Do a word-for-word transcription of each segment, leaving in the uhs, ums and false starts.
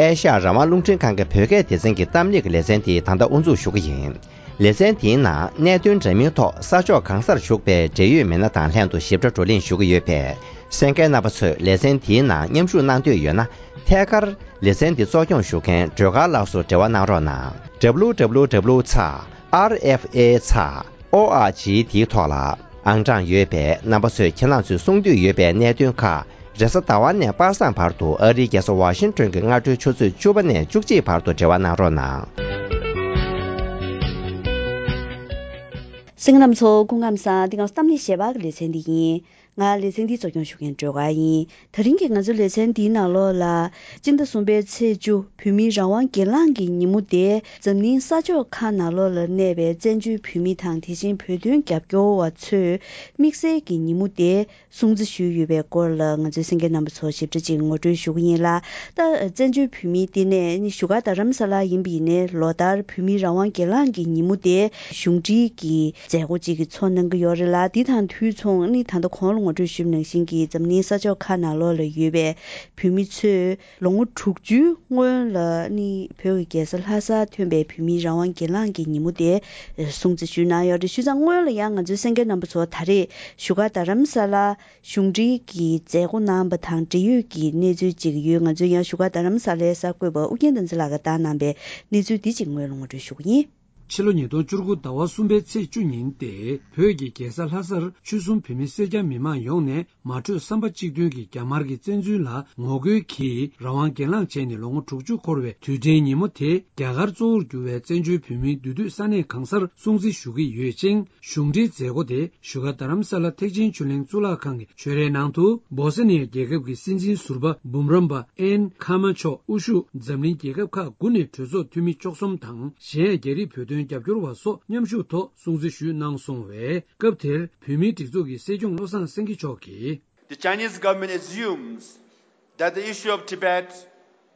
ཨེ་ཤ་ཡ་རང་དབང་རླུང་འཕྲིན་ཁང་གི་བོད་སྐད་སྡེ་ཚན་གྱི་གཏམ་གླེང་གི་ལེ་ཚན་དེ་ད་ལྟ་དབུ་འཛུགས་ཞུ་གི་ཡིན། ལེ་ཚན་དེའི་ནང་གནད་དོན་འདྲ་མིན་ཐོག་ས་ཕྱོགས་གང་སར་བཞུགས་པའི་འབྲེལ་ཡོད་མི་སྣ་དང་ལྷན་དུ་ཞིབ་ཕྲ་བགྲོ་གླེང་ཞུ་གི་ཡོད་པས། གསན་མཁན་རྣམ་པ་ཚོས་ལེ་ཚན་དེའི་ནང་མཉམ་ཞུགས་གནང་འདོད་ཡོད་ན། ཐད་ཀར་ལེ་ཚན་འདི་གཙོ་སྐྱོང་ཞུ་མཁན་སྒྲོལ་དཀར་ལགས་སུ་འབྲེལ་བ་གནང་རོགས་གནང་། W W W ཚེག་R F A ཚེག O R G དེའི་ཐོག་ལ་ཨང་གྲངས་ཡོད་པས། རྣམ་པ་ཚོས་ཁྱེད་རང་ཚོས་གསུང་འདོད་ཡོད་པའི་གནད་དོན་ཁག་རེས་གཟའ་ཟླ་བ་ནས་པ་སངས་བར་དུ་ཨ་རིའི་རྒྱལ་ས་ཝ་ཤིང་ཏོན་གྱི་སྔ་དྲོའི་ཆུ་ཚོད་བཅུ་པ་ནས་བཅུ་གཅིག་བར་དུ་འབྲེལ་བ་གནང་རོགས་གནང་། གསན་མཁན་རྣམ་ཚོ་སྐུ་ཁམས་བཟང་། འདི་སྐབས་གཏམ་གླེང་ཞལ་པར་གྱི་ལེ་ཚན་འདི་ཡིན། ང་ལེ་ཚན་འདི་གཙོ་སྐྱོང་ཞུ་མཁན་སྒྲོལ་དཀར་ཡིན། ད་རིང་གི་ང་ཚོའི་ལེ་ཚན་འདིའི་ནང་ལོགས་ལ། སྤྱི་ཟླ་གསུམ་པའི་ཚེས་བཅུ་བོད་མིའི་རང་དབང་སྒེར་ལངས་ཀྱི་ཉིན་མོ་དེ་འཛམ་གླིང་ས་ཕྱོགས་ཁག་ནང་ལོགས་ལ་གནས་པའི་བཙན་བྱོལ་བོད་མི་དང་དེ་བཞིན་བོད་དོན་རྒྱབ་སྐྱོར་བ་ཚོས་དམིགས་བསལ་གྱི་ཉིན་མོ་དེ་སྲུང་བརྩི་ཞུས་ཡོད་པའི་སྐོར་ལ་ང་ཚོའི་གསན་མཁན་རྣམ་པ་ཚོར་ཞིབ་ཕྲ་ཅིག་ངོ་སྤྲོད་ཞུ་གི་ཡིན་ལ། ད་བཙན་བྱོལ་བོད་མིའི་ལྟེ་གནས་ནི་བཞུགས་སྒར་རྡ་རམ་ས་ལ་ཡིན་པ་ཡིན་ནའི་ལོ་ལྟར་བོད་མིའི་རང་དབང་སྒེར་ལངས་ཀྱི་ཉིན་མོ་དེ་གཞུང་འབྲེལ་གྱི་མཛད་སྒོ་ཅིག་གི་ཚོགས་གནང་གི་ཡོད་རེད་ལ། འདི་དང་དུས་མཚུངས་ནི་ད་ལྟ་གོང་ལ་ངོ་སྤྲོད་ཞུས་པ་ནང་བཞིན་གྱི་འཛམ་གླིང་ས་ཕྱོགས་ཁག་ནང་ལོགས་ལ་ཡོད་པའི་བོད་མི་ཚོས་ལོ་ངོ་དྲུག་ཅུའི་སྔོན་ལ་ནི་བོད་ཀྱི་རྒྱལ་ས་ལྷ་སར་ཐོན་པའི་བོད་མིའི་རང་དབང་སྒེར་ལངས་ཀྱི་ཉིན་མོ་དེ་སྲུང་བརྩི་ཞུས་གནང་ཡོད་རེད། བྱས་ཙང་སྔོན་ལ་ཡང་ང་ཚོའི་གསན་མཁན་རྣམ་པ་ཚོ་ད་རེས་བཞུགས་སྒར་རྡ་རམ་ས་ལ་གཞུང་འབྲེལ་གྱི་མཛད་སྒོ་གནང་བ་དང་འབྲེལ་ཡོད་ཀྱི་གནས་ཚུལ་ཅིག་ཡོད། ང་ཚོས་ཡང་བཞུགས་སྒར་རྡ་རམ་ས་ལའི་གསར་འགོད་པ་ཨུ་རྒྱན་བསྟན་འཛིན་ལགས་ཀྱིས་བཏང་གནང་པའི་གནས་ཚུལ་འདི་ཅིག་སྔོན་ལ་ངོ་སྤྲོད་ཞུ་གི་ཡིན། ཕྱི་ལོ་ཉིས་སྟོང་བཅུ་དགུ་ཟླ་བ་གསུམ་པའི་ཚེས་བཅུ་ཉིན་ཏེ་བོད་ཀྱི་རྒྱལ་ས་ལྷ་སར་ཆོལ་གསུམ་བོད་མི་སེར་སྐྱ་མི་མང་ཡོངས་ནས་མ་གྲོས་བསམ་པ་གཅིག་མཐུན་གྱིས་རྒྱ་དམར་གྱི་བཙན་འཛུལ་ལ་ངོ་རྒོལ་གྱིས་རང་དབང་སྒེར་ལངས་བྱས་ནས་ལོ་ངོ་དྲུག་ཅུ་འཁོར་བའི་དུས་དྲན་ཉིན་མོ་དེ་རྒྱ་གར་གཙོ་བོར་གྱུར་བའི་བཙན་བྱོལ་བོད་མིའི་འདུས་སྡོད་ས་གནས་གང་སར་སྲུང་བརྩི་ཞུ་གི་ཡོད་ཅིང་། གཞུང་འབྲེལ་མཛད་སྒོ་དེ་བཞུགས་སྒར་རྡ་རམ་ས་ལ་ཐེག་ཆེན་ཆོས་གླིང་གཙུག་ལག་ཁང་གི་ཆོས་རའི་ནང་དུ་སྦོ་སི་ནི་ཡ་རྒྱལ་ཁབ་ཀྱི་སྲིད་འཛིན་ཟུར་པ་འབུམ་རམས་པ་ཨེན་ཁ་མ་མཆོག་དབུ་བཞུགས་འཛམ་གླིང་རྒྱལ་ཁབ་ཁག་དགུ་ནས་གྲོས་ཚོགས་འཐུས་མི་བཅུ་གསུམ་དང་གཞན་ཡང་རྒྱ་རིགས་བོད་དོན་རྒྱབ་སྐྱོར་བ་སོགས་མཉམ་ཞུགས་ཐོག་སྲུང་བརྩི་ཞུས་གནང་སོང་བས། སྐབས་དེར་བོད་མིའི་སྒྲིག་འཛུགས་ཀྱི་སྲིད་སྐྱོང་བློ་བཟང་སེང་གེ་མཆོག་གིས། The Chinese government assumes that the issue of Tibet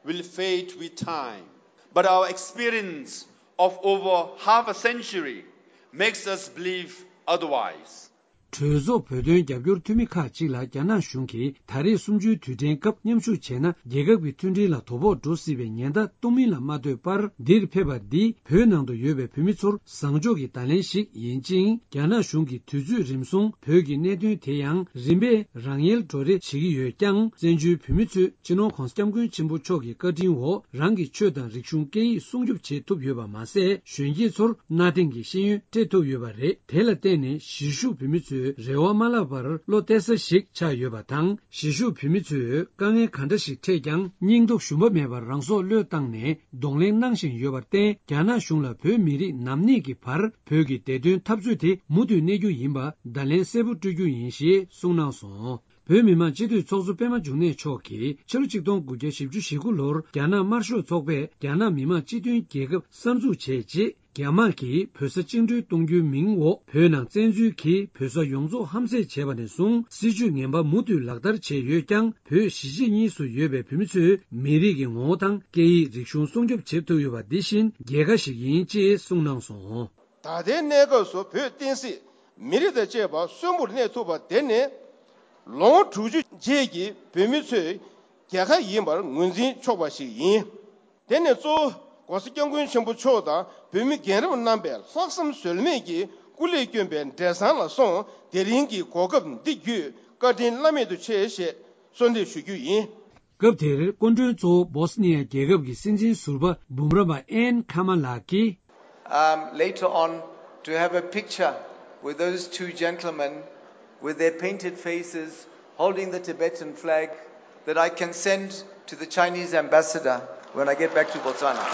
will fade with time, but our experience of over half a century makes us believe otherwise. གྲོས་ཚོགས་བོད་དོན་རྒྱབ་སྐྱོར་འཐུས་མི་ཁག་ཅིག་ལ་རྒྱ་ནག་གཞུང་གིས་ད་རེས་གསུམ་བཅུའི་དུས་དྲན་སྐབས་མཉམ་ཞུགས་བྱས་ན་རྒྱལ་ཁབ་ཀྱི་མཐུན་སྒྲིལ་ལ་དོ་ཕོག་འགྲོ་སྲིད་པའི་ཉེན་བརྡ་གཏོང་མིན་ལ་མ་ལྟོས་པར། འདིར་ཕེབས་པ་འདི་བོད་ནང་དུ་ཡོད་པའི་བོད་མི་ཚོར་བཟང་ཕྱོགས་ཀྱི་བརྡ་ལན་ཞིག་ཡིན་ཅིང་། རྒྱ་ནག་གཞུང་གིས་དུས་ཚོད་རིམ་སྲུང་བོད་ཀྱི་གནད་དོན་དེ་ཡང་རིམ་པས་རང་ཡལ་འགྲོ་རེ་བྱེད་ཀྱི་ཡོད་ཀྱང་། བཙན་བྱོལ་བོད་མི་ཚོས་སྤྱི་ནོར་༧གོང་ས་༧སྐྱབས་མགོན་ཆེན་པོ་མཆོག་གི་བཀའ་དྲིན་འོག་རང་གི་ཆོས་དང་རིག་གཞུང་སྐད་ཡིག་སྲུང་སྐྱོབ་བྱེད་ཐུབ་ཡོད་པ་མ་ཟད། གཞོན་སྐྱེས་ཚོར་གནའ་དེང་གི་ཤེས་ཡོན་སྤྲད་ཐུབ་ཡོད་པ་རེད། དེ་ལ་བརྟེན་ནས་གཞིས་བཞུགས་བོད་མི་ཚོས་རེ་བ་མ་བརླག་པར་བློ་གཏད་ས་ཞིག་ཆགས་ཡོད་པ་དང་། གཞིས་བཞུགས་བོད་མི་ཚོས་དཀའ་ངལ་ག་འདྲ་ཞིག་འཕྲད་ཀྱང་། སྙིང་སྟོབས་ཞུམ་པ་མེད་པར་རང་སྲོག་བློས་བཏང་ནས་གདོང་ལེན་གནང་བཞིན་ཡོད་པར་བརྟེན། རྒྱ་ནག་གཞུང་ལ་བོད་མི་རིགས་ནམ་གནས་ཀྱི་བར་བོད་ཀྱི་བདེ་དོན་འཐབ་རྩོད་དེ་མུ་མཐུད་གནས་རྒྱུ་ཡིན་པ་བརྡ་ལན་གསལ་པོ་སྤྲོད་རྒྱུ་ཡིན་ཞེས་གསུངས་གནང་སོང་། བོད་མི་མང་སྤྱི་འཐུས་ཚོགས་གཙོ་པད་མ་འབྱུང་གནས་མཆོག་གིས་ཕྱི་ལོ་ཆིག་སྟོང་དགུ་བརྒྱ་བཞི་བཅུ་ཞེ་དགུ་ལོར་རྒྱ་ནག་དམར་ཤོག་ཚོགས་པས་རྒྱ་ནག་མི་དམངས་སྤྱི་མཐུན་རྒྱལ་ཁབ་གསར་འཛུགས་བྱས་རྗེས། རྒྱ་དམག་གིས་བོད་ས་བཅིངས་འགྲོལ་གཏོང་རྒྱུའི་མིང་འོག་བོད་ནང་བཙན་འཛུལ་གྱིས་བོད་ས་ཡོངས་རྫོགས་ཧམ་བཟས་བྱས་པ་ནས་བཟུང་། སྲིད་བྱུས་ངན་པ་མུ་མཐུད་ལག་བསྟར་བྱས་ཡོད་ཀྱང་། བོད་གཞིས་བྱེས་གཉིས་སུ་ཡོད་པའི་བོད་མི་ཚོའི་མི་རིགས་ཀྱི་ངོ་བོ་དང་སྐད་ཡིག་རིག་གཞུང་སྲུང་སྐྱོབ་བྱེད་ཐུབ་ཡོད་པ་འདི་བཞིན་རྒྱལ་ཁ་ཞིག་ཡིན་ཅེས་གསུངས་གནང་སོང་། ད་ལྟའི་གནས་སྐབས་སུ་བོད་བསྟན་སྲིད་མི་རིགས་དང་བཅས་པ་གསོན་པོར་གནས་ཐུབ་པ་དེ་ནི་ལོ་ངོ་དྲུག་ཅུ་རྗེས་ཀྱི་བོད་མི་ཚོའི་རྒྱལ་ཁ་ཡིན་པར་ངོས་འཛིན་ཆོག་པ་ཞིག་ཡིན། དེ་ནི་གཙོ་བོ་༧གོང་ས་༧སྐྱབས་མགོན་ཆེན་པོ་མཆོག་དང་བོད་མི་རྒན་རབས་རྣམ་པས་ལྷག་བསམ་ཟོལ་མེད་ཀྱིས་སྐུ་ལས་བསྐྱོན་པའི་འབྲས་བཟང་ལ་སོགས། དེ་རིང་གི་གོ་སྐབས་འདི་བརྒྱུད་བཀའ་དྲིན་བླ་མེད་དུ་ཆེ་ཞེས་གསོལ་འདེབས་ཞུ་རྒྱུ་ཡིན། སྐབས་དེར་སྐུ་མགྲོན་གཙོ་བོ་སྦོ་སི་ནི་ཡ་རྒྱལ་ཁབ་ཀྱི་སྲིད་འཛིན་ཟུར་པ་འབུམ་རམས་པ་ཨེན་ཁ་མ་ལགས་ཀྱིས། I'm later on to have a picture with those two gentlemen with their painted faces holding the Tibetan flag that I can send to the Chinese ambassador when I get back to Botswana.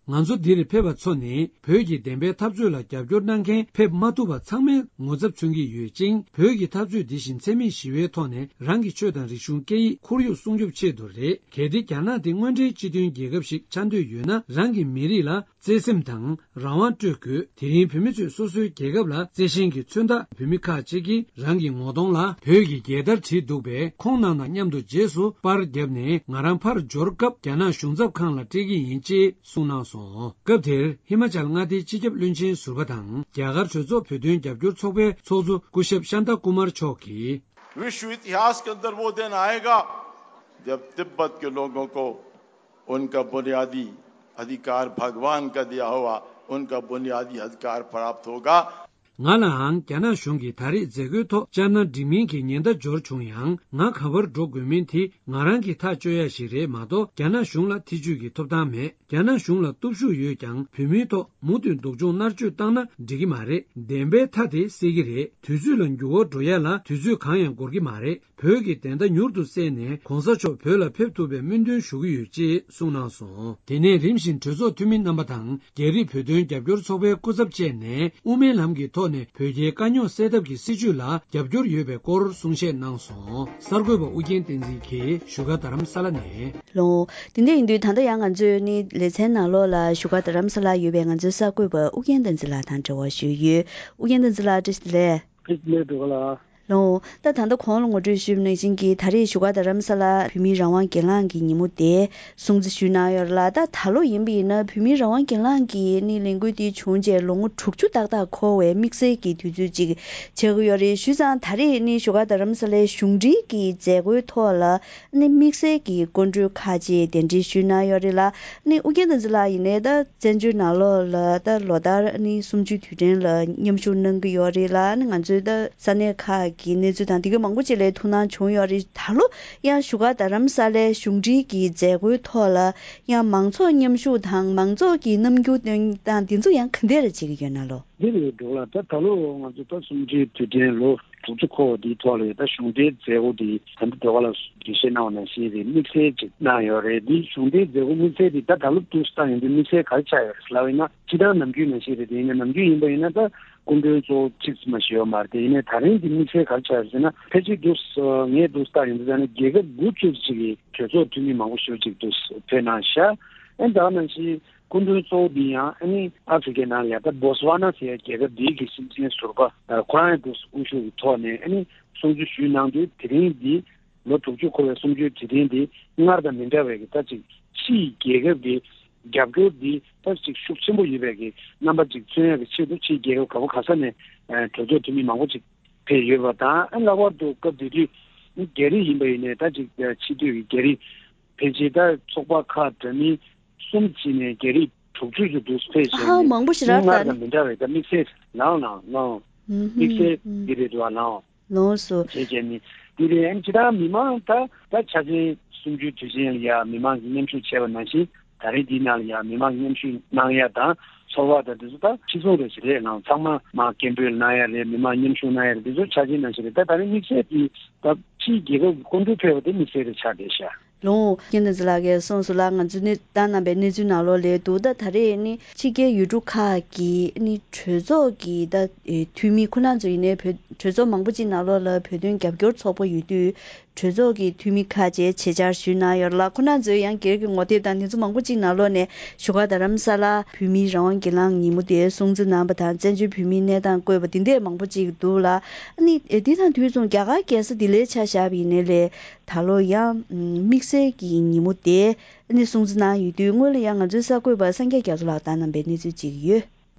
ང་ཚོ་འདིར་ཕེབས་པ་ཚོ་ནི་བོད་ཀྱི་བདེན་པའི་འཐབ་རྩོད་ལ་རྒྱབ་སྐྱོར་གནང་མཁན་ཕེབས་མ་ཐུབ་པ་ཚང་མའི་ངོ་ཚབ་མཚོན་གྱི་ཡོད་ཅིང་། བོད་ཀྱི་འཐབ་རྩོད་འདི་བཞིན་འཚེ་མེད་ཞི་བའི་ཐོག་ནས་རང་གི་ཆོས་དང་རིག་གཞུང་སྐད་ཡིག་ཁོར་ཡུག་སྲུང་སྐྱོབ་ཆེད་དུ་རེད། གལ་ཏེ་རྒྱ་ནག་དེ་དངོས་འབྲེལ་སྤྱི་མཐུན་རྒྱལ་ཁབ་ཞིག་ཆགས་འདོད་ཡོད་ན། རང་གི་མི་རིགས་ལ་བརྩེ་སེམས་དང་རང་དབང་སྤྲོད་དགོས། དེ་རིང་བོད་མི་ཚོས་སོ་སོའི་རྒྱལ་ཁབ་ལ་བརྩེ་ཞེན་གྱི་མཚོན་རྟགས། བོད་མི་ཁག་ཅིག་གིས་རང་གི་ངོ་གདོང་ལ་བོད་ཀྱི་རྒྱལ་དར་བྲིས་འདུག་པས། ཁོང་རྣམས་དང་མཉམ་དུ་རྗེས་སུ་པར་བརྒྱབ་ནས་ང་རང་ཕར་འབྱོར་སྐབས་རྒྱ་ནག་གཞུང་ཚབ་ཁང་ལ་སྤྲད་ཀྱི་ཡིན་ཅེས་གསུངས་གནང་སོང་། སྐབས་དེར་ཧི་མ་ཅལ་མངའ་སྡེའི་སྤྱི་ཁྱབ་བློན་ཆེན་ཟུར་པ་དང་རྒྱ་གར་གྲོས་ཚོགས་བོད་དོན་རྒྱབ་སྐྱོར་ཚོགས་པའི་ཚོགས་གཙོ་སྐུ་ཞབས་ཤཱན་ཏཱ་ཀུ་མར་མཆོག་གིས། विश्व इतिहास के अंदर वो दिन आएगा, जब तिब्बत के लोगों को उनका बुनियादी अधिकार भगवान का दिया हुआ उनका बुनियादी अधिकार प्राप्त होगा। ང་ལའང་རྒྱ་ནག་གཞུང་གིས་ད་རེས་མཛད་སྒོའི་ཐོག་སྤྱན་སྔ་འགྲིག་མིན་གྱི་ཉེན་བརྡ་འབྱོར་བྱུང་ཡང་། ང་ག་བར་འགྲོ་དགོས་མིན་དེ་ང་རང་གིས་ཐག་གཅོད་ཡ་ཞིག་རེད་མ་གཏོགས། རྒྱ་ནག་གཞུང་ལ་ཐེ་བྱུས་ཀྱི་ཐོབ་ཐང་མེད། རྒྱ་ནག་གཞུང་ལ་སྟོབས་ཤུགས་ཡོད་ཀྱང་། བོད་མིའི་ཐོག་མུ་མཐུད་སྡུག་སྦྱོང་མནར་གཅོད་བཏང་ན་འགྲིག་གི་མ་རེད། བདེན་པའི་མཐའ་དེ་གསལ་གྱི་རེད། དུས་ཚོད་ལ་འགྱུར་བ་འགྲོ་ཡ་ལ་དུས་ཚོད་གང་ཡང་འགོར་གྱི་མ་རེད། བོད་ཀྱི་བདེན་མཐའ་མྱུར་དུ་གསལ་ནས། གོང་ས་མཆོག་བོད་ལ་ཕེབས་ཐུབ་པའི་སྨོན་འདུན་ཞུ་གི་ཡོད། ཅེས་གསུངས་གནང་སོང་། དེ་ནས་རིམ་བཞིན་གྲོས་ཚོགས་འཐུས་མི་རྣམ་པ་དང་། རྒྱ་རིགས་བོད་དོན་རྒྱབ་སྐྱོར་ཚོགས་པའི་སྐུ་ཚབ་བཅས་ནས། དབུ་མའི་ལམ་གྱི་ཐོག་ནས་བོད་རྒྱའི་དཀའ་རྙོག་སེལ་ཐབས་ཀྱི་སྲིད་བྱུས་ལ་རྒྱབ་སྐྱོར་ཡོད་པའི་སྐོར་གསུང་བཤད་གནང་སོང་། གསར་འགོད་པ་ཨུ་རྒྱན་བསྟན་འཛིན་གྱིས་བཞུགས་སྒར་རྡ་རམ་ས་ལ་ནས། ལོ། དེ་འདྲ་ཡིན་དུས་ད་ལྟ་ཡང་ང་ཚོས་ནི་ལེ་ཚན་ནང་ལོགས་ལ་བཞུགས་སྒར་རྡ་རམ་ས་ལ་ཡོད་པའི་ང་ཚོའི་གསར་འགོད་པ་ཨུ་རྒྱན་བསྟན་འཛིན་ལགས་དང་འབྲེལ་བ་ཞུས་ཡོད། ཨུ་རྒྱན་བསྟན་འཛིན་ལགས། བཀྲ་ཤིས་བདེ་ལེགས། བཀྲ་ཤིས་བདེ་ལེགས། འགྲོ་ག་ལ། ལོ། ད་ད་ལྟ་གོང་ལ་ངོ་སྤྲོད་ཞུས་པ་ནང་བཞིན་གྱི་ད་རེས་བཞུགས་སྒར་རྡ་རམ་ས་ལ་བོད་མིའི་རང་དབང་སྒེར་ལངས་ཀྱི་ཉིན་མོ་དེ་སྲུང་བརྩི་ཞུས་གནང་ཡོད་རེད་ལ། ད་ད་ལོ་ཡིན་པ་ཡིན་ན་བོད་མིའི་རང་དབང་སྒེར་ལངས་ཀྱི་ནི་ལས་འགུལ་དེ་བྱུང་རྗེས་ལོ་ངོ་དྲུག་ཅུ་ཏག་ཏག་འཁོར་བའི་དམིགས་བསལ་གྱི་དུས་ཚོད་ཅིག་ཆགས་ཀྱི་ཡོད་རེད། བྱས་ཙང་ད་རེས་ནི་བཞུགས་སྒར་རྡ་རམ་ས་ལའི་གཞུང་འབྲེལ་གྱི་མཛད་སྒོའི་ཐོག་ལ་ནི་དམིགས་བསལ་གྱི་སྐུ་མགྲོན་ཁག་ཅིག་གདན་འདྲེན་ཞུས་གནང་ཡོད་རེད་ལ། ནི་ཨུ་རྒྱན་བསྟན་འཛིན་ལགས་ཡིན་ནའི་ད་བཙན་བྱོལ་ནང་ལོགས་ལ་ད་ལོ་ལྟར་ནི་གསུམ་བཅུའི་དུས་དྲན་ལ་མཉམ་ཞུགས་གནང་གི་ཡོད་རེད་ལ། ནི་ང་ཚོའི་ད་ས་གནས་ཁག་གི་གནས་ཚུལ་དང་དེ་གའི་མང་པོ་ཅིག་ལ་ཐུགས་སྣང་བྱུང་ཡོད་རེད། ད་ལོ་ཡང་བཞུགས་སྒར་རྡ་རམ་ས་ལའི་གཞུང་འབྲེལ་གྱི་མཛད་སྒོའི་ཐོག་ལ་ཡང་མང་ཚོགས་མཉམ་ཞུགས་དང་མང་ཚོགས་ཀྱིས་རྣམ་འགྱུར་སྟོན་སྟངས་དེ་ཚོ་ཡང་ག་འདྲ་རེ་བྱེད་ཀྱི་ཡོད་ན་ལོ། འདི་རེད་འགྲོ་ལ། ད་ད་ལོ་ང་ཚོ་ད་གསུམ་བཅུའི་དུས་དྲན་ལོ་དྲུག་ཅུ་འཁོར་བ་འདིའི་ཐོག་ལ་ད་གཞུང་འབྲེལ་མཛད་སྒོ་འདི་ད་ལྟ་ཟླ་བ་ལ་འགྲེལ་བཤད་གནང་བ་ནང་བཞིན་རེད། དམིགས་བསལ་ཅིག་གནང་ཡོད་རེད། འདི་གཞུང་འབྲེལ་མཛད་སྒོ་དམིགས་བསལ་འདི་ད་ད་ལོ་དུས་སྟངས་ཡིན་དུས་དམིགས་བསལ་ག་རེ་ཆགས་ཡོད་རེད་ལབ་ཡིན་ན། སྤྱིར་བཏང་ནམ་རྒྱུན་ནང་བཞིན་རེད། དེ་ཡིན་ན་ནམ་རྒྱུན་ཡིན་པ་ཡིན་ན་ད་སྐུ་མགྲོན་གཙོ་བོ་གཅིག་ཙམ་མ་ཞིག་ཡོད་མ་རེད། དེ་ཡིན་ནའི་ད་རིང་འདི་དམིགས་བསལ་ག་རེ་ཆགས་ཡོད་ཟེར་ན། ཕལ་ཆེར་འདུག་ངས་འདུག་ལྟ་ཡོང་དུས་ཙང་ནས་རྒྱལ་ཁབ་དགུ་བཅུ་ཅིག་གི་གྲོས་ཚོགས་འཐུས་མི་མང་པོ་ཞེ་པོ་ཅིག་འདུག་ཕེབས་གནང་ཤག་ཨེ་ད་ག་ནང་བཞིན། སྐུ་མགྲོན་གཙོ་བོ་འདི་ཡང་ཨ་ནི་ཨ་ཧྥེ་རི་ཁའི་ནང་ལ་ཡ་ད་སྦོ་སི་ཝ་ན་ཟེར་ཡ་རྒྱལ་ཁབ་འདིའི་གི་སྲིད་འཛིན་ཟུར་པ་ཁོ་རང་ཡང་དུ་དབུ་བཞུགས་ཀྱི་ཐོག་ནས་ཨ་ནི་གསུང་ཆོས་ཞུས་གནང་དུས། དེ་རིང་འདི་ལོ་དྲུག་ཅུ་འཁོར་བའི་གསུང་ཆོས་དེ་རིང་འདི་སྔར་དང་མི་འདྲ་བའི་གི་ད་ཅིག་ཕྱིའི་རྒྱལ་ཁབ་ཀྱི་རྒྱབ་སྐྱོར་འདི་ད་ཅིག་ཤུགས་ཆེན་པོ་ཡོད་པའི་གི་རྣམ་པ་ཅིག་མཚོན་ཡ་གི་ཆེད་དུ་ཕྱིའི་རྒྱལ་ཁབ་ག་པ་ག་ས་ནས་གྲོས་ཚོགས་འཐུས་མི་མང་པོ་ཅིག་ཕེབས་ཡོད་པ་དང་། ཨ་ལྷག་པར་དུ་སྐབས་དེ་དུས་རྒྱ་རིགས་ཡིན་པ་ཡིན་ནའི་ད་ཅིག་ཕྱི་སྡོད་ཀྱི་རྒྱ་རིགས་ཕལ་ཆེར་ད་ཚོགས་པ་ཁག་འདྲ་མིན་གསུམ་བྱས་ནས་རྒྱ་རིགས་དྲུག་ཅུ་ཙམ་འདུག་ཕེབས་བྱས་ཨ་ནས་མང་པོ་ཞིག་རག་སྔར་ད་དང་མི་འདྲ་བའི་ད་དམིགས་བསལ་ལའང་ལའང་ལའང་དམིགས་བསལ་འདི་རེད་འདུག་ཨ་ལའང་ལོངས་སུ་བྱས་བྱས་ནས་འདི་རེད། ཨ་ནི་ཇི་ལྟར་མི་མང་ད་ད་འཆར་ཅན་གསུམ་བཅུའི་དུས་ཆེན་ལ་ཡ་མི་མང་གིས་མཉམ་ཞུགས་བྱས་པ་ནང་བཞིན། ད་རེས་འདིའི་ནང་ལ་ཡང་མི་མང་མཉམ་ཞུགས་གནང་ཡ་དང་ཚོར་བ་དང་དེ་ཚོ་ད་ཕྱི་ཚོང་རེ་ཞིག་རེད། ནང་ཚང་མ་མ་སྐད་འབོད་གནང་ཡ་རེད། མི་མང་མཉམ་ཞུགས་གནང་ཡ་རེད། དེ་ཚོ་ཆ་ཆེན་ནང་བཞིན་རེད། ད་ད་རེས་དམིགས་བསལ་དེ་ད་ཕྱིའི་རྒྱལ་ཁབ་ཀྱི་སྐུ་མགྲོན་ཕེབས་པ་དེ་དམིགས་བསལ་རེ་ཆགས་བསྡད་ཤག་ལོ། རྒྱལ་བསྟན་འཛིན་ལགས་ཀྱིས་གསུངས་སོང་ལ། ང་ཚོས་གནས་བཏང་གནང་པའི་གནས་ཚུལ་ནང་ལོགས་ལས་འདུག་ད་ད་རེས་ནི་ཕྱི་རྒྱལ་ཡུལ་གྲུ་ཁག་གི་ནི་གྲོས་ཚོགས་ཀྱི་ད་འཐུས་མི་ཁོ་རང་ཚོ་ཡིན་ནའི་བོད་གྲོས་ཚོགས་མང་པོ་ཅིག་ནང་ལོགས་ལ་བོད་དོན་རྒྱབ་སྐྱོར་ཚོགས་པ་ཡོད་དུས། གྲོས་ཚོགས་ཀྱི་འཐུས་མི་ཁག་ཅིག་ཆེད་བཅར་ཞུས་གནང་ཡོད་ལ། ཁོ་རང་ཚོས་ཡང་སྒེར་གྱི་ངོ་དེབ་དང་དེ་ཚོ་མང་པོ་ཅིག་ནང་ལོགས་ནས་བཞུགས་སྒར་རྡ་རམ་ས་ལ་བོད་མིའི་རང་དབང་སྒེར་ལངས་ཉིན་མོ་དེ་སྲུང་བརྩི་གནང་པ་དང་། བཙན་བྱོལ་བོད་མིའི་གནས་སྟངས་བཀོད་པ་འདི་འདྲས་མང་པོ་ཅིག་འདུག་ལ། ཨ་ནི་འདི་དང་དུས་མཚུངས་རྒྱ་གར་རྒྱལ་ས་ལྡི་ལིར་ཆ་བཞག་པ་ཡིན་ནའི་ལས། ད་ལོ་ཡང་དམིགས་བསལ་གྱི་ཉིན་མོ་དེ་ཨ་ནི་སྲུང་བརྩི་གནང་ཡོད་དུས། སྔོན་ལ་ཡང་ང་ཚོའི་གསར་འགོད་པ་སངས་རྒྱས་རྒྱ་མཚོ་ལགས་དང་གནང་པའི་གནས་ཚུལ་ཅིག་ཡོད།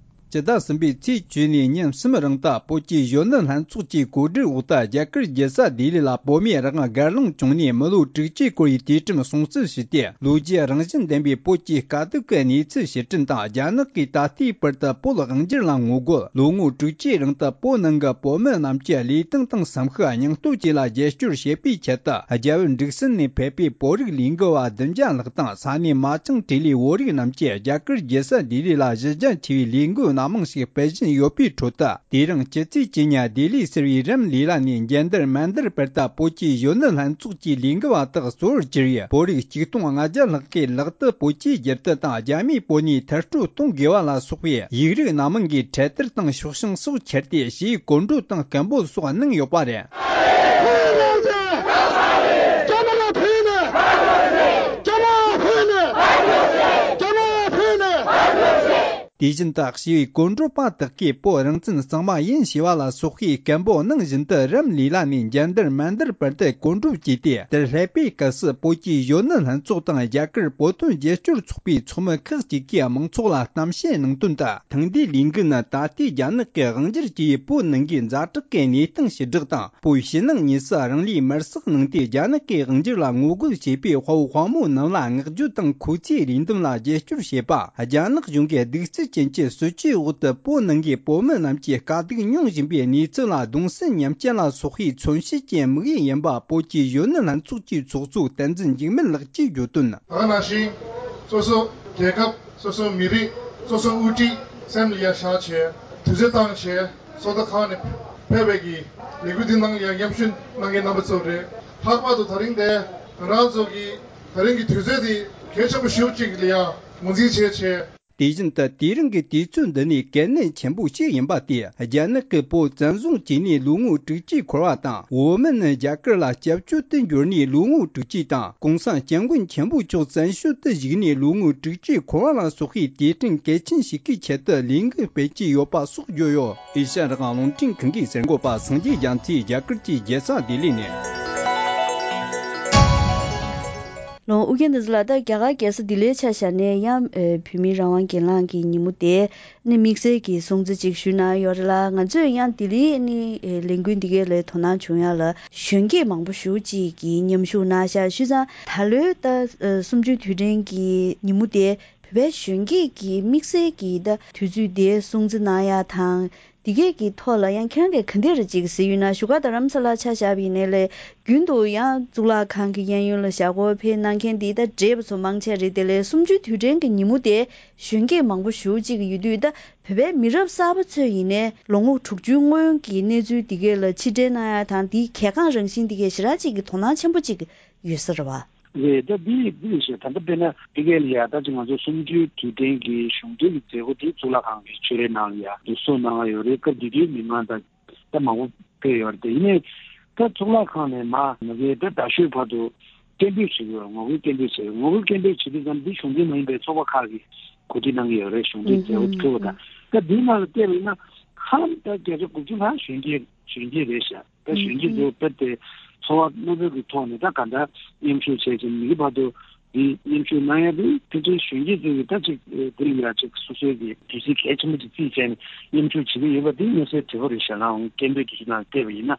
སྤྱི་ཟླ་གསུམ་པའི་ཚེས་བཅུ་ནས་ཉིན་གསུམ་རིང་དུ་བོད་ཀྱི་གཞོན་ནུ་ལྷན་ཚོགས་ཀྱི་གོ་སྒྲིག་འོག་ཏུ་རྒྱ་གར་རྒྱལ་ས་ལྡི་ལི་ལ་བོད་མིའི་རང་དབང་སྒེར་ལངས་བྱུང་ནས་མི་ལོ་དྲུག་ཅུའི་སྐོར་ཡི་དུས་དྲན་སྲུང་བརྩི་ཞུས་ཏེ། ལོ་རྒྱུས་རང་བཞིན་ལྡན་པའི་བོད་ཀྱི་དཀའ་སྡུག་གི་གནས་ཚུལ་ཕྱིར་དྲན་དང་། རྒྱ་ནག་གིས་ད་ལྟའི་བར་དུ་བོད་དབང་སྒྱུར་ལ་ངོ་རྒོལ། ལོ་ངོ་དྲུག་ཅུའི་རིང་དུ་བོད་ནང་གི་བོད་མི་རྣམས་ཀྱི་ལུས་སྟེང་དང་སེམས་ཤུགས་སྙིང་སྟོབས་བཅས་ལ་རྒྱབ་སྐྱོར་བྱེད་པའི་ཆེད་དུ། རྒྱ་བོད་འབྲུག་གསུམ་ནས་ཕེབས་པའི་བོད་རིགས་ལས་འགུལ་བ་བདུན་བརྒྱ་ལྷག་དང་། ས་གནས་མ་ཅང་ཊི་ལི་བོད་རིགས་རྣམས་ཀྱིས་རྒྱ་གར་རྒྱལ་ས་ལྡི་ལི་ལ་གཞི་རྒྱ་ཆེ་བའི་ལས་འགུལ་སྣ་མང་ཞིག་སྤེལ་བཞིན་ཡོད་པའི་ཁྲོད་དུ། དེ་རིང་སྤྱི་ཚེས་བཅུ་གཉིས་ལྡི་ལི་ཟེར་བའི་རམ་ལི་ལ་ནས་མཇལ་དར་མཎ་དར་བར་དུ་བོད་ཀྱི་གཞོན་ནུ་ལྷན་ཚོགས་ཀྱི་ལས་འགུལ་བ་དག་གཙོ་བོར་གྱུར་བའི་བོད་རིགས་ཆིག་སྟོང་ལྔ་བརྒྱ་ལྷག་གིས་ལག་ཏུ་བོད་ཀྱི་རྒྱལ་དར་དང་རྒྱ་མིའི་པོ་ནི་མཐར་སྐྲོད་གཏོང་དགོས་པ་ལ་སོགས་པའི་ཡིག་རིགས་སྣ་མང་གི་འཕྲེད་དར་དང་ཤོག་བྱང་སོགས་ཁྱེར་ཏེ་ཞེས་གོ་སྒྲོག་དང་སྐད་འབོད་སོགས་གནང་ཡོད་པ་རེད། དེ་བཞིན་དུ་ཞི་བའི་གོ་སྒྲུབ་པ་དག་གིས་བོད་རང་བཙན་གཙང་མ་ཡིན་ཞེས་པ་ལ་སོགས་པའི་སྐད་འབོད་གནང་བཞིན་དུ་རམ་ལི་ལ་ནས་འཇལ་འདར་མན་དར་བར་དུ་གོ་སྒྲུབ་བྱས་ཏེ། དེར་སླེབས་པའི་སྐབས་སུ་བོད་ཀྱི་གཞོན་ནུ་ལྷན་ཚོགས་དང་རྒྱ་གར་བོད་དོན་རྒྱབ་སྐྱོར་ཚོགས་པའི་ཚོགས་མི་ཁག་ཅིག་གིས་མང་ཚོགས་ལ་གཏམ་བཤད་གནང་དོན་དུ། ཐེངས་འདིའི་ལས་འགུལ་ནི་ད་ལྟའི་རྒྱ་ནག་གི་དབང་སྒྱུར་གྱིས་བོད་ནང་གི་ཛ་དྲག་གི་གནས་སྟངས་ཞི་དྲག་དང་། བོད་ཕྱི་ནང་གཉིས་སུ་རང་ལུས་མེར་སྲེག་གནང་སྟེ་རྒྱ་ནག་གི་དབང་སྒྱུར་ལ་ངོ་རྒོལ་བྱེད་པའི་དཔའ་བོ་དཔའ་མོ་རྣམས་ལ་བསྔགས་བརྗོད་དང་ཁོ་ཚོའི་རེ་འདུན་ལ་རྒྱབ་སྐྱོར་བྱེད་པ། རྒྱ་ནག་གཞུང་གི་གདུག་རྩུབ་ཅན་གྱི་སྲིད་བྱུས་འོག་ཏུ་བོད་ནང་གི་བོད་མི་རྣམས་ཀྱིས་དཀའ་སྡུག་མྱོང་བཞིན་པའི་གནས་ཚུལ་ལ་གདུང་སེམས་མཉམ་སྐྱེད་ལ་སོགས་པའི་མཚོན་བྱེད་ཀྱི་དམིགས་ཡུལ་ཡིན་པ། བོད་ཀྱི་གཞོན་ནུ་ལྷན་ཚོགས་ཀྱི་ཚོགས་གཙོ་བསྟན་འཛིན་འཇིགས་མེད་ལགས་ཀྱིས་བརྗོད་དོན། ད་ག་ནང་བཞིན་སོ་སོ་རྒྱལ་ཁབ། སོ་སོའི་མི་རིགས། སོ་སོའི་དབུ་ཁྲིད་སེམས་ལ་ཡར་བཞག་བྱས། དུས་ཚོད་བཏང་བྱས་སོ་ལྟ་ཁང་ནས་ཕེབས་པའི་གི་ལས་འགུལ་འདི་ནང་ཡང་མཉམ་ཞུགས་གནང་མཁན་རྣམ་པ་ཚོ་རེད། ལྷག་པར་དུ་ད་རིང་དེ་ང་རང་ཚོ་གི་ད་རིང་གི་དུས་ཚོད་འདི་གལ་ཆེན་པོ་ཞེ་པོ་ཅིག་ལ་ཡང་ངོས་འཛིན་བྱས་བྱས། དེ་བཞིན་དུ་དེ་རིང་གི་དུས་ཚོད་འདི་ནི་གལ་གནད་ཆེན་པོ་ཞིག་ཡིན་པ་སྟེ། རྒྱ་ནག་གིས་བོད་བཙན་བཟུང་བྱས་ནས་ལོ་ངོ་དྲུག་ཅུའི་འཁོར་བ་དང་། འོག་མིན་ནི་རྒྱ་གར་ལ་སྐྱབས་བཅོལ་དུ་འབྱོར་ནས་ལོ་ངོ་དྲུག་ཅུ་དང་། གོང་ས་སྐྱབས་མགོན་ཆེན་པོ་མཆོག་བཙན་བྱོལ་དུ་བཞུགས་ནས་ལོ་ངོ་དྲུག་ཅུའི་འཁོར་བ་ལ་སོགས་པའི་དུས་དྲན་གལ་ཆེན་ཞིག་གི་ཆེད་དུ་ལས་འགུལ་སྤེལ་གྱི་ཡོད་པ་སོགས་བརྗོད་ཡོད། ཨེ་ཤ་ཡ་རང་དབང་རླུང་འཕྲིན་ཁང་གི་གསར་འགོད་པ་སངས་རྒྱས་རྒྱ་མཚོས་རྒྱ་གར་གྱི་རྒྱལ་ས་ལྡི་ལི་ནས། ལོ། ཨུ་རྒྱན་བསྟན་འཛིན་ལགས། ད་རྒྱ་གར་རྒྱལ་ས་ལྡི་ལིའི་ཆ་བཞག་ནས་ཡང་། ཨེ། བོད་མིའི་རང་དབང་སྒེར་ལངས་ཀྱི་ཉིན་མོ་དེ་ནི་དམིགས་བསལ་གྱི་སྲུང་བརྩི་ཅིག་ཞུས་གནང་ཡོད་རེད་ལ། ང་ཚོས་ཡང་ལྡི་ལིའི་ནི། ཨེ། ལས་འགུལ་འདི་གའི་ལ་དོ་སྣང་བྱུང་ཡ་ལ་གཞོན་སྐྱེས་མང་པོ་ཞེ་པོ་ཅིག་གིས་མཉམ་ཞུགས་གནང་ཤག་བྱས་ཙང་ད་ལོའི་ད། ཨེ། གསུམ་བཅུའི་དུས་དྲན་གྱི་ཉིན་མོ་དེ་བོད་པའི་གཞོན་སྐྱེས་ཀྱིས་དམིགས་བསལ་གྱི་ད་དུས་ཚོད་དེ་སྲུང་བརྩི་གནང་ཡ་དང་། འདི་གས་ཀྱི་ཐོག་ལ་ཡང་ཁྱེད་རང་གིས་ག་འདྲ་ཅིག་གཟིགས་ཡོད་ན། བཞུགས་སྒར་རྡ་རམ་ས་ལ་ཆ་བཞག་པ་ཡིན་ནའི་ལས། རྒྱུན་དུ་ཡང་གཙུག་ལག་ཁང་གི་གཡས་གཡོན་ལ་ཞབས་བརྐོས་ཕེབས་གནང་མཁན་འདི་ད་བགྲེས་པ་ཚོ་མང་ཆེ་རེད། དེ་ལས་གསུམ་བཅུའི་དུས་དྲན་གྱི་ཉིན་མོ་དེ་གཞོན་སྐྱེས་མང་པོ་ཞེ་པོ་ཅིག་ཡོད་དུས། ད་བོད་པའི་མི་རབས་གསར་པ་ཚོས་ཡིན་ནའི་ལོ་ངོ་དྲུག་ཅུའི་སྔོན་གྱི་གནས་ཚུལ་འདི་གས་ལ་ཕྱིར་དྲན་གནང་ཡ་དང་། འདིའི་གལ་འགངས་རང་བཞིན་འདི་གས་ཞེ་དྲག་ཅིག་གི་དོ་སྣང་ཆེན་པོ་ཅིག་ཡོད་ས་རེད་བ། རེད། ད་འདི་འདི་རེད་ཤག་ད་ལྟ་དཔེར་ན་འདི་གས་ལ་ཡ། ད་ཅིག་ང་ཚོ་གསུམ་བཅུའི་དུས་དྲན་གྱི་གཞུང་འབྲེལ་གྱི་མཛད་སྒོ་འདི་གཙུག་ལག་ཁང་གི་ཆོས་རའི་ནང་ལ་ཡ་འདུ་འཛོམས་གནང་ཡོད་རེད། སྐབས་དེ་དུས་མི་མང་ད་ད་མང་པོ་ཕེབས་ཡོད་རེད། དེ་ཡིན་ནའི་ད་གཙུག་ལག་ཁང་ནས་མར་མ་གིའི་ད་རྡ་ཤོད་བར་དུ་སྐད་འབོད་བྱེད་ཀྱི་ཡོད་རེད། ངོ་རྒོལ་སྐད་འབོད་བྱེད། ངོ་རྒོལ་སྐད་འབོད་བྱེད་དུས་ཙམ་འདི་གཞུང་འབྲེལ་མ་ཡིན་པའི་ཚོགས་པ་ཁག་གིས་གོ་སྒྲིག་གནང་གི་ཡོད་རེད། གཞུང་འབྲེལ་མཛད་སྒོ་ཚུགས་པ་དང་། ད་འདིའི་ནང་ལ་བལྟས་པ་ཡིན་ན་ཧ་ལམ་ད་བརྒྱ་ཆ་དགུ་བཅུ་ལྷག་གཞོན་སྐྱེས་གཞོན་སྐྱེས་རེད་ཤག་ད་གཞོན་སྐྱེས་ཚོ་དཔེ་དེ་འཚོ་བ་དངོས་པོའི་གི་ཐོག་ནས་ད་ག་འདྲ་མཉམ་ཞུགས་བྱས་ཀྱི་མི་གི་བར་དུ་འདི་མཉམ་ཞུགས་གནང་ཡ་དེ་ཕལ་ཆེར་གཞོན་སྐྱེས་ཚོ་གི་ད་ཅིག་དེ་ལ་ཡ་ཅིག་སོ་སོའི་གི་དུས་ཚོད་གལ་ཆེན་པོ་ཅིག་རྩིས་བྱས་ནས་མཉམ་ཞུགས་བྱེད་ཀྱི་ཡོད་པ་དེ་མངོན་གསལ་དོད་པོ་རེད་ཤག་ལའང་སྐད་འབོད་དེ་ཚོ་ནང་བལྟས་པ་ཡིན་ན།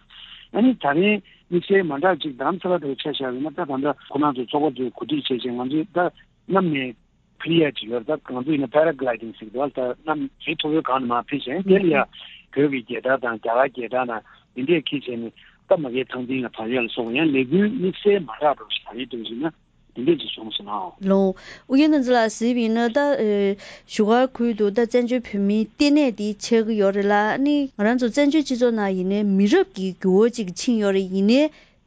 ཨ་ནི་ད་རིང་དམིགས་བསལ་མ་འདྲ་ཅིག་རྡ་རམ་ས་ལ་དེར་ཆ་བཞག་པ་ཡིན་ན། ད་ད་ལྟ་ཁོ་རང་ཚོ་ཚོགས་པ་ཚོས་གོ་སྒྲིག་བྱས་བྱས་ང་ཚོས་ད་གནམ་ནས་ཕུད་ཡ་ཅིག་ཡོད་རེད། ད་ང་ཚོ་ཡིན་ན་པེ་ར་གི་ལའི་ཌིང་ཟེར་གི་འདུག་ད་གནམ་རི་མཐོ་པོའི་སྒང་ནས་མར་ཕུད་བྱས། དེ་ལ་ཡ་བོད་ཀྱི་རྒྱལ་དར་དང་རྒྱ་གར་རྒྱལ་དར་དང་འདི་འདྲས་འཁྱེར་བྱས་ནས་ད་མ་གིའི་ཐང་སྟེང་ལ་བབས་ཡ་ལ་སོགས་པ་ཡང་ལས་འགུལ་དམིགས་བསལ་མ་འདྲ་འགྲོ་ཞིག་ད་རེས་འདུག་ཟེར་ན་འདི་འདྲས་ཅིག་བྱུང་སོང་ན། ལོ། ཨུ་རྒྱན་བསྟན་འཛིན་ལགས་གཟིགས་པ་ཡིན་ན། ད་ཨེ། བཞུགས་སྒར་ཁུལ་དུ་ད་བཙན་བྱོལ་བོད་མིའི་ལྟེ་གནས་འདི་ཆགས་ཀྱི་ཡོད་རེད་ལ། ཨ་ནི་ང་རང་ཚོ་བཙན་བྱོལ་སྤྱི་ཚོགས་ནང་ཡིན་ནའི་མི་རབས་ཀྱི་འགྱུར་བ་ཅིག་ཕྱིན་ཡོད་རེད། ཡིན་ནའི་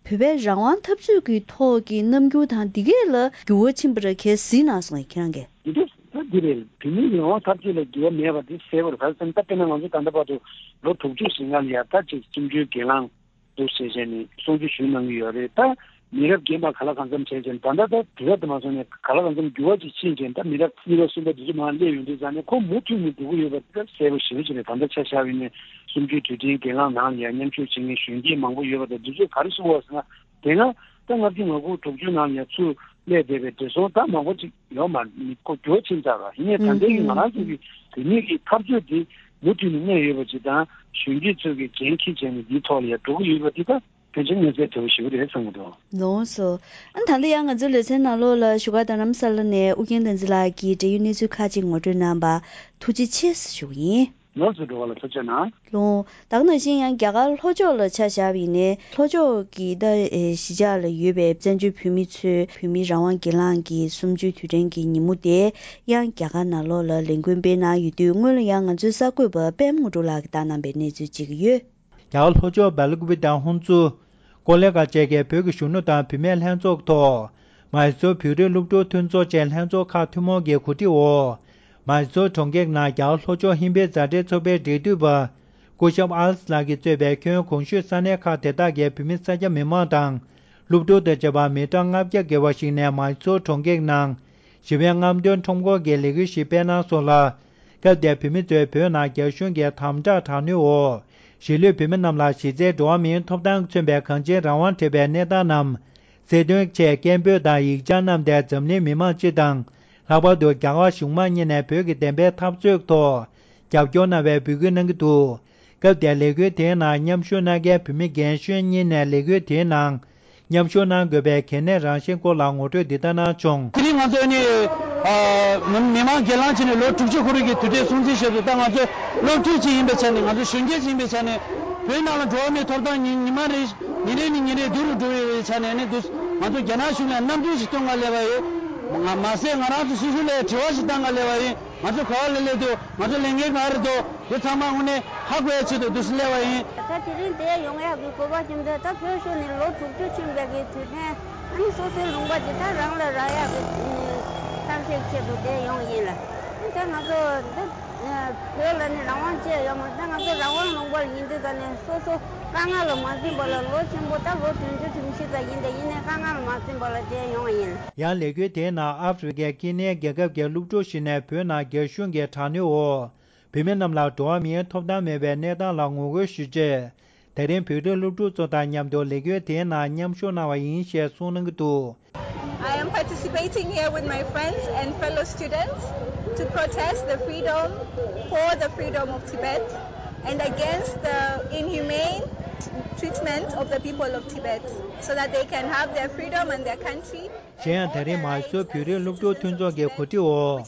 བོད་པའི་རང་དབང་འཐབ་རྩོད་ཀྱི་ཐོག་གི་རྣམ་འགྱུར་དང་འདི་གས་ལ་འགྱུར་བ་ཕྱིན་པ་རེད། གལ་སྲིད་གནང་སོང་ཡ་ཁྱེད་རང་གིས། འདི་འདྲ་ད་འདི་རེད། བོད་མིའི་རང་དབང་འཐབ་རྩོད་ལ་འགྱུར་བ་མེད་པ་འདི་གསལ་པོ་རེད། ག་རེ་ཟེར་ན་ད་དཔེར་ན་ང་ཚོ་ད་ལྟ་བར་དུ་ལོ་དྲུག་ཅུ་ཞིག་སྔ་ལ་ཡ་ད་ཅིག་གསུམ་བཅུའི་སྒེར་ལངས་འདུག་བྱས་བྱས་ནས་གསུང་ཆོས་ཞུས་གནང་གི་ཡོད་རེད། ད་མི་རབས་རྒན་པ་ག་ལ་གང་འཚམ་བྱས་བྱས་ནས་ད་ལྟ་ད་དུས་རབས་དེ་མ་སོང་ནས་ག་ལ་གང་འཚམ་འགྱུར་བ་ཅིག་ཕྱིན་བྱས་ནས་ད་མི་རབས་གཉིས་པ་གསུམ་པ་འདི་ཚོ་མར་སླེབས་ཡོང་དུས་ཙང་ནས་ཁོ་མུ་མཐུད་ནས་འགྲོ་གི་ཡོད་པ་འདི་ད་གསལ་པོ་ཞེ་པོ་ཅིག་རེད། ད་ལྟ་ཆ་བཞག་པ་ཡིན་ནའི་གསུམ་བཅུའི་དུས་དྲན་སྒེར་ལངས་ནང་ལ་ཡ་མཉམ་ཞུགས་བྱེད་མཁན་གཞོན་སྐྱེས་མང་པོ་ཡོད་པ་དང་། འདི་ཚོས་ག་རེ་གསུངས་པ་ཟེར་ན། དེ་སྔ་ད་ལྔ་བཅུ་ང་དགུ་དྲུག་ཅུ་ནང་ཡ་ཚུར་སླེབས་བསྡད་པའི་བགྲེས་སོང་ད་མང་པོ་ཅིག་ཡོད་མ་རེད། མི་ཁོ་འགྱུར་བ་ཕྱིན་ཚར་ར། ཡིན་ནའི་ད་ལྟའི་གི་ང་རང་ཚོ་གི་བོད་མི་གི་འཐབ་རྩོད་འདི་མུ་མཐུད་ནས་གནས་ཡོད་པ་ཅིག་དང་། གཞོན་སྐྱེས་ཚོས་གི་འགན་འཁྱེར་བྱས་ནས་འདིའི་ཐོག་ལ་ཡ་འགྲོ་གི་ཡོད་པ་འདི་ད་ཕལ་ཆེར་མངོན་གསལ་དོད་པོ་ཞེ་པོ་རེད་བསམ་གི་འདུག་ལགས་སོ། ཨ་ནི་ད་ལྟ་ཡང་ང་ཚོའི་ལེ་ཚན་ནང་ལོགས་ལ་བཞུགས་སྒར་རྡ་རམ་ས་ལ་ནས་ཨུ་རྒྱན་བསྟན་འཛིན་ལགས་ཀྱིས་འབྲེལ་ཡོད་གནས་ཚུལ་ཁག་ཅིག་ངོ་སྤྲོད་གནང་བར་ཐུགས་རྗེ་ཆེ་ཞུ་གི་ཡིན། ལགས་སོ། འགྲོ་བ་ལ་ཐུགས་རྗེ་གནང་། ལོ། ད་ག་ནང་བཞིན་ཡང་རྒྱ་གར་ལྷོ་ཕྱོགས་ལ་ཆ་བཞག་པ་ཡིན་ནའི་ལྷོ་ཕྱོགས་ཀྱི་ད་ཨེ་གཞིས་ཆགས་ལ་ཡོད་པའི་བཙན་བྱོལ་བོད་མི་ཚོས་བོད་མིའི་རང་དབང་སྒེར་ལངས་ཀྱི་གསུམ་བཅུའི་དུས་དྲན་གྱི་ཉིན་མོ་དེ་ཡང་རྒྱ་གར་ནང་ལོགས་ལ་ལས་འགུལ་སྤེལ་གནང་ཡོད་དུས། སྔོན་ལ་ཡང་ང་ཚོའི་གསར་འགོད་པ་པད་མ་དངོས་གྲུབ་ལགས་ཀྱིས་བཏང་གནང་པའི་གནས་ཚུལ་ཅིག་ཡོད། རྒྱ་གར་ལྷོ་ཕྱོགས་སྦེལ་ཀོབ་དང་ཧོན་སུར། ཀོ་ལེ་གྷལ་བཅས་ཀྱི་བོད་ཀྱི་གཞོན་ནུ་དང་བུད་མེད་ལྷན་ཚོགས་ཐོག་མཱི་སོར་བོད་རིགས་སློབ་ཕྲུག་མཐུན་ཚོགས་བཅས་ལྷན་ཚོགས་ཁག་ཐུན་མོང་གི་གོ་སྒྲིག་འོག་མཱི་སོར་གྲོང་ཁྱེར་ནང་རྒྱ་གར་ལྷོ་ཕྱོགས་ཧིན་བོད་མཛའ་འབྲེལ་ཚོགས་པའི་འབྲེལ་མཐུད་པ་སྐུ་ཞབས་ཨལ་ལགས་ཀྱིས་གཙོས་པའི་ཁྱོན་གོང་ཞུས་ས་གནས་ཁག་དེ་དག་གི་བོད་མི་ས་སྐྱ་མི་མང་དང་སློབ་ཕྲུག་དང་བཅས་པ་མི་གྲངས་ལྔ་བརྒྱ་བརྒལ་བ་ཞིག་ནས་མཱི་སོར་གྲོང་ཁྱེར་ནང་ཞི་བའི་རྔམ་སྟོན་ཁྲོམ་སྐོར་གྱི་ལས་འགུལ་ཞིག་སྤེལ་གནང་སོང་ལ། སྐབས་དེར་བོད་མི་ཚོས་བོད་ནང་རྒྱ་གཞུང་གིས་དམ་དྲག་དྲག་གནོན་འོག་གཞིས་ལུས་བོད་མི་རྣམས་ལ་གཞི་རྩའི་འགྲོ་བ་མིའི་ཐོབ་ཐང་མཚོན་པའི་གང་ཅིའི་རང་དབང་བྲལ་བའི་གནས་སྟངས་རྣམས་གསལ་སྟོན་ཆེད་སྐད་འབོད་དང་ཡིག་ཆ་བསྣམས་ཏེ་འཛམ་གླིང་མི་མང་སྤྱི་དང་། ལྷག་པར་དུ་རྒྱ་གར་གཞུང་མང་གཉིས་ནས་བོད་ཀྱི་བདེན་པའི་འཐབ་རྩོད་ཐོག་རྒྱབ་སྐྱོར་གནང་བའི་འབོད་སྐུལ་གནང་གི་འདུག་སྐབས་དེར་ལས་འགུལ་དེའི་ནང་མཉམ་ཞུགས་གནང་མཁན་བོད་མི་རྒན་གཞོན་གཉིས་ནས་ལས་འགུལ་དེའི་ནང་མཉམ་ཞུགས་གནང་དགོས་པའི་གལ་གནད་རང་བཞིན་སྐོར་ལ་ངོ་སྤྲོད་འདི་ལྟར་གནང་བྱུང་། དེ་རིང་ང་ཚོ་ནི་མི་མང་སྒེར་ལངས་བྱས་ནས་ལོ་དྲུག་ཅུ་འཁོར་བའི་དུས་དྲན་སྲུང་བརྩི་ཞུ་དུས་ད་ང་ཚོ་སློབ་ཕྲུག་ཅིག་ཡིན་པའི་ཆ་ནས་ང་ཚོ་གཞོན་སྐྱེས་ཅིག་ཡིན་པའི་ཆ་ནས་བོད་ནང་ལ་འགྲོ་བ་མིའི་ཐོབ་ཐང་ཉིན་ཉི་མ་རེ་ཉིན་རེ་ནས་ཉིན་རེ་སྡུག་རུ་འགྲོ་བའི་ཆ་ནས་ནི་འདུག་ང་ཚོ་རྒྱ་ནག་གཞུང་ལ་རྣམ་འགྱུར་ཞིག་སྟོན་ག་སླེབས་པ་ཡོད། ང་མ་ཟད་ང་རང་ཚོ་སོ་སོ་ལ་དྲི་བ་ཞིག་བཏང་ག་སླེབས་པ་ཡིན། ང་ཚོ་ག་བ་ལ་སླེབས་འདུག་ང་ཚོ་ལས་འགན་ག་རེ་འདུག་དེ་ཚང་མ་དངོས་གནས་ཧ་གོ་ཡ་ཆེད་དུ་འདུག་སེ་སླེབས་པ་ཡིན། ད་དེ་རིང་འདིར་ཡོང་ཡག་གི་དགོས་པ་ཅི་འདྲ། ད་བོད་གཞུང་ནས་ལོ་དྲུག་ཅུ་ཕྱིན་པའི་གི་དུས་དྲན་ཨ་ནི་སོ་སོའི་ལུང་པ་འདི་ད་རང་ལ་རག་ཡག་གི་ཐབས་ཤེས་ཆེད་དུ་འདིར་ཡོང་ཡིན་ལ། ད་ང་ཚོ་འདི་བོད་ལ་ནི་རང་དབང་ཅི་ཡང་ཡོད་མ་རེད། ད་ང་ཚོ་རང་དབང་ལུང་པ་ལ་ཡིན་དུས་ད་ནི་སོ་སོ་དཀའ་ངལ་ལ་མ་འཛེམས་པ་ལ་ལོ་ཆེན་པོ་ད་ལོ་བདུན་ཅུ་དོན་བཞི་ཙམ་ཡིན། ད་ཡིན་ནའི་དཀའ་ངལ་ལ་མ་འཛེམས་པ་ལ་འདིར་ཡོང་བ་ཡིན། ཡང་ལས་འགུལ་དེའི་ནང་ཨ་ཧྥེ་རི་ཁའི་ཀི་ནའི་རྒྱལ་ཁབ་ཀྱི་སློབ་ཕྲུག་ཞིག་ནས་བོད་ནང་རྒྱ་གཞུང་གི་དྲག་གནོན་འོག་བོད་མི་རྣམས་ལ་འགྲོ་བ་མིའི་ཐོབ་ཐང་མེད་པའི་གནས་སྟངས་ལ་ངོ་རྒོལ་ཞུ་ཆེད། དེ་རིང་བོད་རིགས་སློབ་ཕྲུག་ཚོ་དང་མཉམ་དུ་ལས་འགུལ་དེའི་ནང་མཉམ་ཞུགས་གནང་བ་ཡིན་ཞེས་གསུངས་གནང་གི་འདུག I am participating here with my friends and fellow students to protest the freedom, for the freedom of Tibet and against the inhumane treatment of the people of Tibet, so that they can have their freedom and their country. གཞན་ཡང་ད་རིང་མའི་སོར་བོད་རིགས་སློབ་ཕྲུག་མཐུན་ཚོགས་ཀྱི་གོ་སྒྲིག་འོག་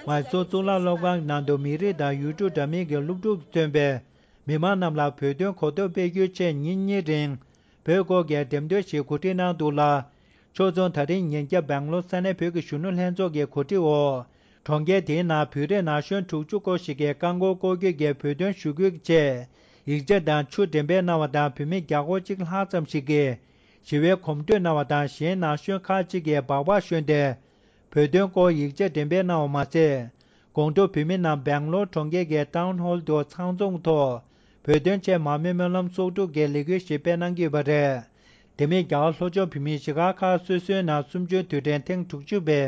མའི་སོར་གཙུག་ལག་སློབ་ཁང་ནང་དུ་མི་རིགས་དང་ཡུལ་གྲུ་འདྲ་མིན་གྱི་སློབ་ཕྲུག་མཚོན་པའི་མི་མང་རྣམས་ལ་བོད་དོན་གོ་རྟོགས་སྤེལ་རྒྱུའི་ཆེད་ཉིན་གཉིས་རིང་བོད་སྐོར་གྱི་འགྲེམས་སྟོན་ཞིག་གོ་སྒྲིག་གནང་འདུག་ལ། ཕྱོགས་མཚུངས་ད་རིང་ཉིན་རྒྱབ་སྦེང་ལོར་ས་གནས་བོད་ཀྱི་གཞོན་ནུ་ལྷན་ཚོགས་ཀྱི་གོ་སྒྲིག་འོག་གྲོང་ཁྱེར་དེའི་ནང་བོད་རིགས་ན་གཞོན་དྲུག་ཅུ་སྐོར་ཞིག་གིས་རྐང་འཁོར་སྐོར་སྐྱོད་ཀྱིས་བོད་དོན་ཞུ་སྐུལ་གྱི་ཆེད་ཡིག་ཆ་དང་ཆུ་འགྲེམས་སྤེལ་གནང་བ་དང་། བོད་མི་བརྒྱ་སྐོར་གཅིག་ལྷག་ཙམ་ཞིག་གིས་ཞི་བའི་གོམ་བགྲོད་གནང་བ་དང་། གཞན་ན་གཞོན་ཁག་ཅིག་གིས་སྦག་སྦག་ཞོན་ཏེ་བོད་དོན་སྐོར་ཡིག་ཆ་འགྲེམས་སྤེལ་གནང་བ་མ་ཟད། དགོང་དྲོ་བོད་མི་རྣམས་སྦེང་ལོར་གྲོང་ཁྱེར་གྱི་ཊའུན་ཧོལ་དུ་ཚང་འཛོམས་ཐོག་བོད་དོན་ཆེད་མར་མེ་སྨོན་ལམ་ཚོགས་དྲུག་གི་ལས་འགུལ་ཞིག་སྤེལ་གནང་གི་ཡོད་པ་རེད། དེ་མིན་རྒྱ་གར་ལྷོ་ཕྱོགས་བོད་མིའི་གཞིས་ཆགས་ཁག་སོ་སོའི་ནང་གསུམ་བཅུའི་དུས་དྲན་ཐེངས་དྲུག་ཅུ་པའི་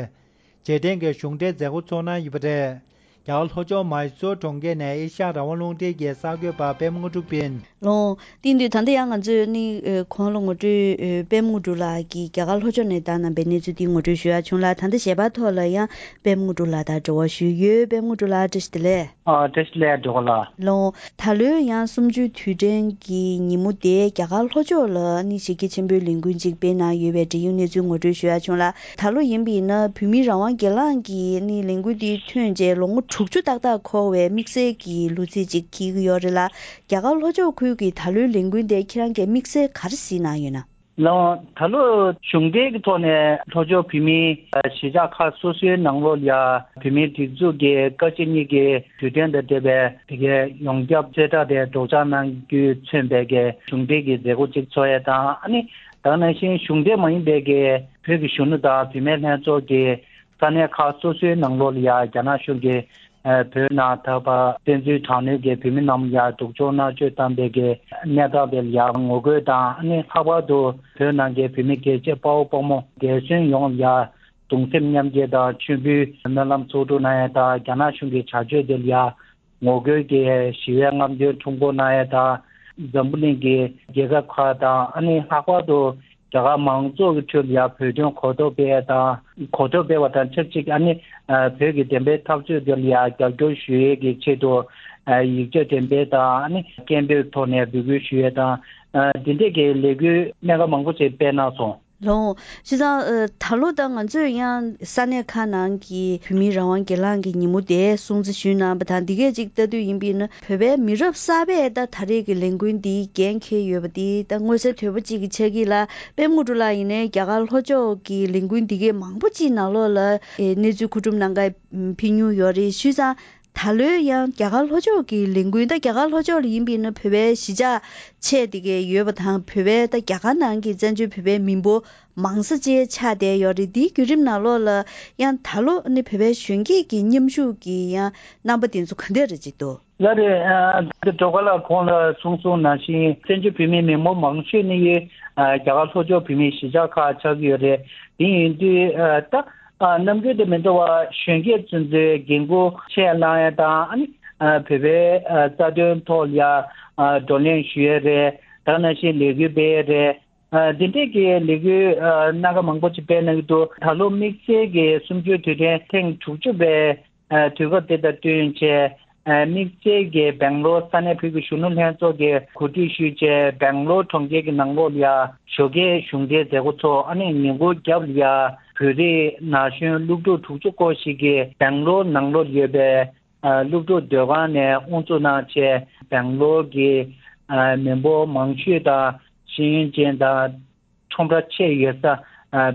རྗེས་དྲན་གྱི་གཞུང་འབྲེལ་མཛད་སྒོ་ཚོགས་གནང་ཡོད་པ་རེད། རྒྱ་གར་ལྷོ་ཕྱོགས་མའི་སོར་གྲོང་ཁྱེར་ནས་ཨེ་ཤ་ཡ་རང་དབང་རླུང་འཕྲིན་གྱི་གསར་འགོད་པ་པད་མ་དངོས་གྲུབ་ཡིན། ལོང་། དེ་ཡིན་དུས་ད་ལྟ་ཡང་ང་ཚོས་ནི་ཨེ་གོང་ལ་ངོ་སྤྲོད་ཨེ་པད་མ་དངོས་གྲུབ་ལགས་ཀྱིས་རྒྱ་གར་ལྷོ་ཕྱོགས་ནས་བཏང་གནང་པའི་གནས་ཚུལ་དེ་ངོ་སྤྲོད་ཞུ་ཡག་བྱུང་ལ། ད་ལྟ་ཞལ་པར་ཐོག་ལ་ཡང་པད་མ་དངོས་གྲུབ་ལགས་དང་འབྲེལ་བ་ཞུས་ཡོད། པད་མ་དངོས་གྲུབ་ལགས་བཀྲ་ཤིས་བདེ་ལེགས། ཨ་བཀྲ་ཤིས་བདེ་ལེགས་འགྲོ་ག་ལ། ལོང་། ད་ལོའི་ཡང་གསུམ་བཅུའི་དུས་དྲན་གྱི་ཉིན་མོ་དེ་རྒྱ་གར་ལྷོ་ཕྱོགས་ལ་ནི་གཞི་རྒྱ་ཆེན་པོའི་ལས་འགུལ་ཅིག་སྤེལ་གནང་ཡོད་པའི་འབྲེལ་ཡོད་གནས་ཚུལ་ངོ་སྤྲོད་ཞུ་ཡག་བྱུང་ལ། ད་ལོ་ཡིན་པ་ཡིན་ན་བོད་མིའི་རང་དབང་སྒེར་ལངས་ཀྱི་ནི་ལས་འགུལ་དེ་ཐོན་རྗེས་ལོ་ངོ་དྲུག་ཅུ་ཏག་ཏག་འཁོར་བའི་དམིགས་བསལ་གྱི་ལོ་ཚིགས་ཅིག་འཁེལ་གྱི་ཡོད་རེད་ལ། རྒྱ་གར་ལྷོ་ཕྱོགས་ཁུལ་གྱི་ད་ལོའི་ལས་འགུལ་དེ་ཁྱེད་རང་གིས་དམིགས་བསལ་ག་རེ་གཟིགས་གནང་ཡོད་ན། ལགས། ད་ལོ་གཞུང་འབྲེལ་གྱི་ཐོག་ནས་ལྷོ་ཕྱོགས་བོད་མིའི་གཞིས་ཆགས་ཁག་སོ་སོའི་ནང་ལོགས་ལ་ཡ་བོད་མིའི་སྒྲིག་འཛུགས་ཀྱི་ཀ་བཅུ་གཉིས་ཀྱི་དུས་དྲན་དང་འབྲེལ་བའི་དེ་གའི་ཡོངས་ཁྱབ་གསལ་བསྒྲགས་དེ་སྒྲོག་སྦྱང་གནང་རྒྱུས་མཚོན་པའི་གི་གཞུང་འབྲེལ་གྱི་མཛད་སྒོ་གཅིག་ཚོགས་ཡས་དང་། ཨ་ནི་ད་ག་ནང་བཞིན་གཞུང་འབྲེལ་མ་ཡིན་པའི་གི་བོད་ཀྱི་གཞོན་ནུ་དང་བུད་མེད་ལྷན་ཚོགས་ཀྱི་ས་གནས་ཁག་སོ་སོའི་ནང་ལོགས་ལ་ཡ་རྒྱ་ནག་གཞུང་གིས་བོད་ནང་ད་བར་བཙན་འཛུལ་དྲག་གནོན་གྱིས་བོད་མི་རྣམས་ལ་ཡ་སྡུག་སྦྱོང་མནར་གཅོད་བཏང་བའི་གི་གནས་སྟངས་དེ་ལ་ཡ་ངོ་རྒོལ་དང་། ཨ་ནི་ལྷག་པར་དུ་བོད་ནང་གི་བོད་མི་རྒྱལ་གཅེས་དཔའ་བོ་དཔའ་མོ་འདས་གསོན་ཡོངས་ལ་ཡ་གདུང་སེམས་མཉམ་སྐྱེད་དང་མཆོད་འབུལ་སྨོན་ལམ་ཚོགས་སྒྲུབ་གནང་ཡས་དང་། རྒྱ་ནག་གཞུང་གི་བྱ་སྤྱོད་དེ་ལ་ཡ་ངོ་རྒོལ་གྱི་ཞི་བའི་རྔམ་སྟོན་ཁྲོམ་སྐོར་གནང་ཡས་དང་། འཛམ་བུ་གླིང་གི་རྒྱལ་ཁབ་ཁག་དང་། ཨ་ནི་ལྷག་པར་དུ་རྒྱ་གར་མང་ཚོགས་ཀྱི་ཁྲོད་ལ་ཡ་བོད་དོན་གོ་རྟོགས་སྤེལ་ཡས་དང་། གོ་རྟོགས་སྤེལ་བ་དང་ཆབས་ཅིག་ཨ་ནི་བོད་ཀྱི་བདེན་པའི་འཐབ་རྩོད་དེ་ལ་ཡ་རྒྱབ་སྐྱོར་ཞུ་ཡས་ཀྱི་ཆེད་དུ་ཡིག་ཆ་འགྲེམས་སྤེལ་དང་། ཨ་ནི་སྐད་འབོད་ཐོག་ནས་འབོད་སྐུལ་ཞུ་ཡས་དང་། འདི་འདྲས་ཀྱི་ལས་འགུལ་སྣ་ཁ་མང་པོ་ཞིག་སྤེལ་གནང་སོང་། ལགས། བྱས་ཙང་ད་ལོ་ད་ང་ཚོས་ཡང་ས་གནས་ཁག་ནང་གི་བོད་མིའི་རང་དབང་སྒེར་ལངས་ཀྱི་ཉིན་མོ་དེ་སྲུང་བརྩི་ཞུས་གནང་བ་དང་། འདི་གས་ཅིག་ལྟ་དུས་ཡིན་པས་ན་བོད་པའི་མི་རབས་གསར་པས་ད་ད་རེས་ཀྱི་ལས་འགུལ་འདིའི་འགན་འཁྱེར་ཡོད་པ་འདི་ད་མངོན་གསལ་དོད་པོ་གཅིག་གི་ཆགས་ཀྱི་ལ། པད་མ་དངོས་གྲུབ་ལགས་ཡིན་ནའི་རྒྱ་གར་ལྷོ་ཕྱོགས་ཀྱི་ལས་འགུལ་འདི་གས་མང་པོ་གཅིག་ནང་ལོགས་ལ་གནས་ཚུལ་མཁོ་སྒྲུབ་གནང་ག་ཕེབས་མྱོང་ཡོད་རེད། བྱས་ཙང་ད་ལོའི་ཡང་རྒྱ་གར་ལྷོ་ཕྱོགས་ཀྱི་ལས་འགུལ། ད་རྒྱ་གར་ལྷོ་ཕྱོགས་ལ་ཡིན་པས་ན་བོད་པའི་གཞིས་ཆགས་ཆེ་དེ་གས་ཡོད་པ་དང་། བོད་པའི་ད་རྒྱ་གར་ནང་གི་བཙན་བྱོལ་བོད་པའི་མི་འབོར་མང་ས་བཅས་ཆགས་བསྡད་ཡོད་རེད། དེའི་བརྒྱུད་རིམ་ནང་ལོགས་ལ་ཡང་ད་ལོ་ནི་བོད་པའི་གཞོན་སྐྱེས་ཀྱི་མཉམ་ཞུགས་ཀྱི་ཡང་རྣམ་པ་དེ་ཚོ་ག་འདྲ་རེ་ཅིག་འདུག་ལགས་རེད། ཨ་ད་སྒྲོལ་དཀར་ལགས་གོང་ལ་གསུངས་སོང་ནང་བཞིན་བཙན་བྱོལ་བོད་མིའི་མི་འབོར་མང་ཤོས་ནི་ཡོད་ཨ་རྒྱ་གར་ལྷོ་ཕྱོགས་བོད་མིའི་གཞིས་ཆགས་ཁག་ཆགས་ཀྱི་ཡོད་རེད། དེ་ཡིན་དུས་ཨ་ད་ ཨ། རྣམ་འགྱུར་དེ་མི་འདྲ་བ་གཞོན་སྐྱེས་ཚོ་ཚོའི་འགན་འཁུར་ཆེད་གནང་ཡ་དང་། ཨ་ནི་ཨ་བོད་པའི་ཨ་རྩ་དོན་ཐོག་ལ་ཡ་ཨ་བགྲོ་གླེང་ཞུ་ཡ་རེད། ད་ག་ནང་བཞིན་ལས་འགུལ་སྤེལ་ཡ་རེད། ཨ་འདི་འདྲས་ཀྱི་ལས་འགུལ་ཨ་སྣ་ཁ་མང་པོ་ཅིག་སྤེལ་གནང་གི་འདུག་ད་ལོ་དམིགས་བསལ་གྱི་གསུམ་བཅུའི་དུས་དྲན་ཐེངས་དྲུག་ཅུ་པའི་ཨ་དུས་སྐབས་དེ་དང་བསྟུན་བྱས། ཨ་དམིགས་བསལ་གྱི་སྦེང་ལོར་ས་གནས་བོད་ཀྱི་གཞོན་ནུ་ལྷན་ཚོགས་ཀྱིས་གོ་སྒྲིག་ཞུས་བྱས། སྦེང་ལོར་གྲོང་ཁྱེར་གྱི་ནང་ལོགས་ལ་ཡ་ཞོགས་ཀའི་གཞུང་འབྲེལ་མཛད་སྒོ་ཚོགས། ཨ་ནི་ཉིན་གུང་རྒྱབ་ལ་ཡ་བོད་རིགས་ན་གཞོན་སློབ་ཕྲུག་དྲུག་ཅུ་སྐོར་ཞིག་གིས་སྦེང་ལོར་ནང་ལོགས་ཡོད་པའི་ཨ་སློབ་ཕྲུག་སྡོད་ཁང་ནས་དབུ་འཛུགས་གནང་བྱས། སྦེང་ལོར་གྱི་ཨ་མི་འབོར་མང་ཤོས་དང་ཤེས་ཡོན་ཅན་དང་ཁྲོམ་ར་ཆེ་ཡོད་ས་ཨ་ཨ་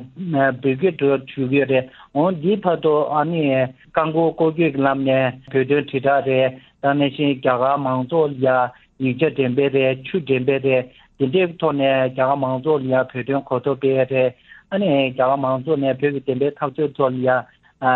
བོད་སྐད་འགྲོ་བཅུག་གི་ཡོད་རེད། འོ་འདིའི་བར་དུ་ཨ་ནི་རྐང་འཁོར་སྐོར་སྐྱོད་ཀྱི་ལམ་ནས་བོད་དོན་དྲིལ་བསྒྲགས་རེད། ད་ག་ནང་བཞིན་རྒྱ་གར་མང་ཚོགས་ལ་ཡ་ཡིག་ཆ་འགྲེམས་སྤེལ་རེད། ཆུ་འགྲེམས་སྤེལ་རེད། འདི་འདྲའི་ཐོག་ནས་རྒྱ་གར་མང་ཚོགས་ལ་ཡ་བོད་དོན་གོ་རྟོགས་སྤེལ་ཡ་རེད། ཨ་ནི་རྒྱ་གར་མང་ཚོགས་ནས་བོད་ཀྱི་བདེན་པའི་འཐབ་རྩོད་ཐོག་ལ་ཡ་ཨ་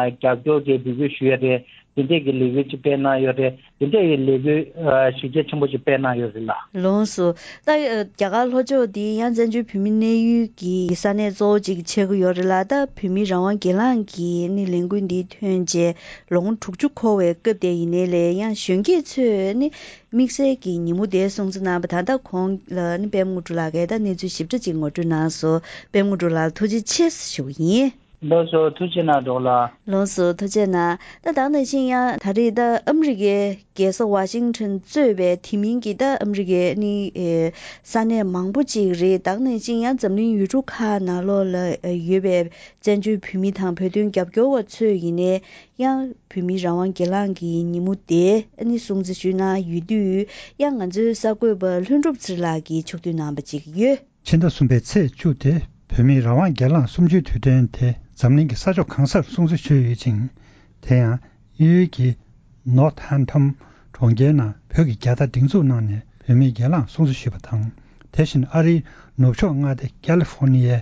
རྒྱབ་སྐྱོར་གྱི་འབོད་སྐུལ་ཞུ་ཡ་རེད། འདི་འདྲས་ཀྱི་ལས་འགུལ་ཅིག་སྤེལ་གནང་ཡོད་རེད། འདི་འདྲས་ཀྱི་ལས་འགུལ་ཨ་གཞི་རྒྱ་ཆེན་པོ་ཅིག་སྤེལ་གནང་ཡོད་རེད་ལགས། ལགས་སོ། ད་ཨ་རྒྱ་གར་ལྷོ་ཕྱོགས་འདི་ཡང་བཙན་བྱོལ་བོད་མི་གནས་ཡུལ་གྱི་ས་གནས་གཙོ་བོ་ཅིག་ཆགས་ཀྱི་ཡོད་རེད་ལ། ད་བོད་མི་རང་དབང་སྒེར་ལངས་ཀྱི་ནི་ལས་འགུལ་འདི་ཐོན་རྗེས་ལོ་ངོ་དྲུག་ཅུ་འཁོར་བའི་སྐབས་དེ་ཡིན་ནའི་ལས་ཡང་གཞོན་སྐྱེས་ཚོས་ནི་དམིགས་བསལ་གྱི་ཉིན་མོ་དེ་སྲུང་བརྩི་གནང་བ་དང་། ད་གོང་ལ་ནི་པད་མ་དངོས་གྲུབ་ལགས་ཀྱིས་ད་གནས་ཚུལ་ཞིབ་ཕྲ་ཅིག་ངོ་སྤྲོད་གནང་སོང་། པད་མ་དངོས་གྲུབ་ལགས་ཐུགས་རྗེ་ཆེ་ཞུ་གི་ཡིན། ལགས་སོ། ཐུགས་རྗེ་གནང་འདྲ་ལགས། ལགས་སོ། ཐུགས་རྗེ་གནང་། ད་ད་ག་ནང་བཞིན་ཡང་ད་རེས་ད་ཨ་མི་རི་ཀའི་རྒྱལ་ས་ཝ་ཤིང་ཊོན་གཙོས་པའི་དེ་མིན་གྱི་ད་ཨ་མི་རི་ཀའི་ནི་ཨེ་ས་གནས་མང་པོ་ཅིག་རེད། ད་ག་ནང་བཞིན་ཡང་འཛམ་གླིང་ཡུལ་གྲུ་ཁག་ནང་ལོགས་ལ་ཨེ་ཡོད་པའི་བཙན་བྱོལ་བོད་མི་དང་བོད་དོན་རྒྱབ་སྐྱོར་བ་ཚོས་ཡིན་ནའི་ཡང་བོད་མི་རང་དབང་སྒེར་ལངས་ཀྱི་ཉིན་མོ་དེ་ཨ་ནི་སྲུང་བརྩི་ཞུས་གནང་ཡོད་དུས། ཡང་ང་ཚོའི་གསར་འགོད་པ་ལྷུན་གྲུབ་ཚེ་རིང་ལགས་ཀྱིས་ཕྱོགས་བསྡུས་གནང་པ་ཅིག་ཡོད། ཕྱི་ཟླ་གསུམ་པའི་ཚེས་བཅུ་དེ་བོད་མིའི་རང་དབང་སྒེར་ལངས་གསུམ་བཅུའི་དུས་དྲན་དེ་འཛམ་གླིང་གི་ས་ཕྱོགས་གང་སར་སྲུང་བརྩི་ཞུས་ཡོད་ཅིང་། དེ་ཡང་དབྱིན་ཡུལ་གྱི་ནོར་ཐན་ཐོམ་གྲོང་ཁྱེར་ནང་བོད་ཀྱི་རྒྱལ་དར་སྒྲེང་འཛུགས་གནང་ནས་བོད་མིའི་སྒེར་ལངས་སྲུང་བརྩི་ཞུས་པ་དང་། དེ་བཞིན་ཨ་རིའི་ནུབ་ཕྱོགས་མངའ་སྡེ་ཀ་ལི་ཧྥོ་ནི་ཡའི་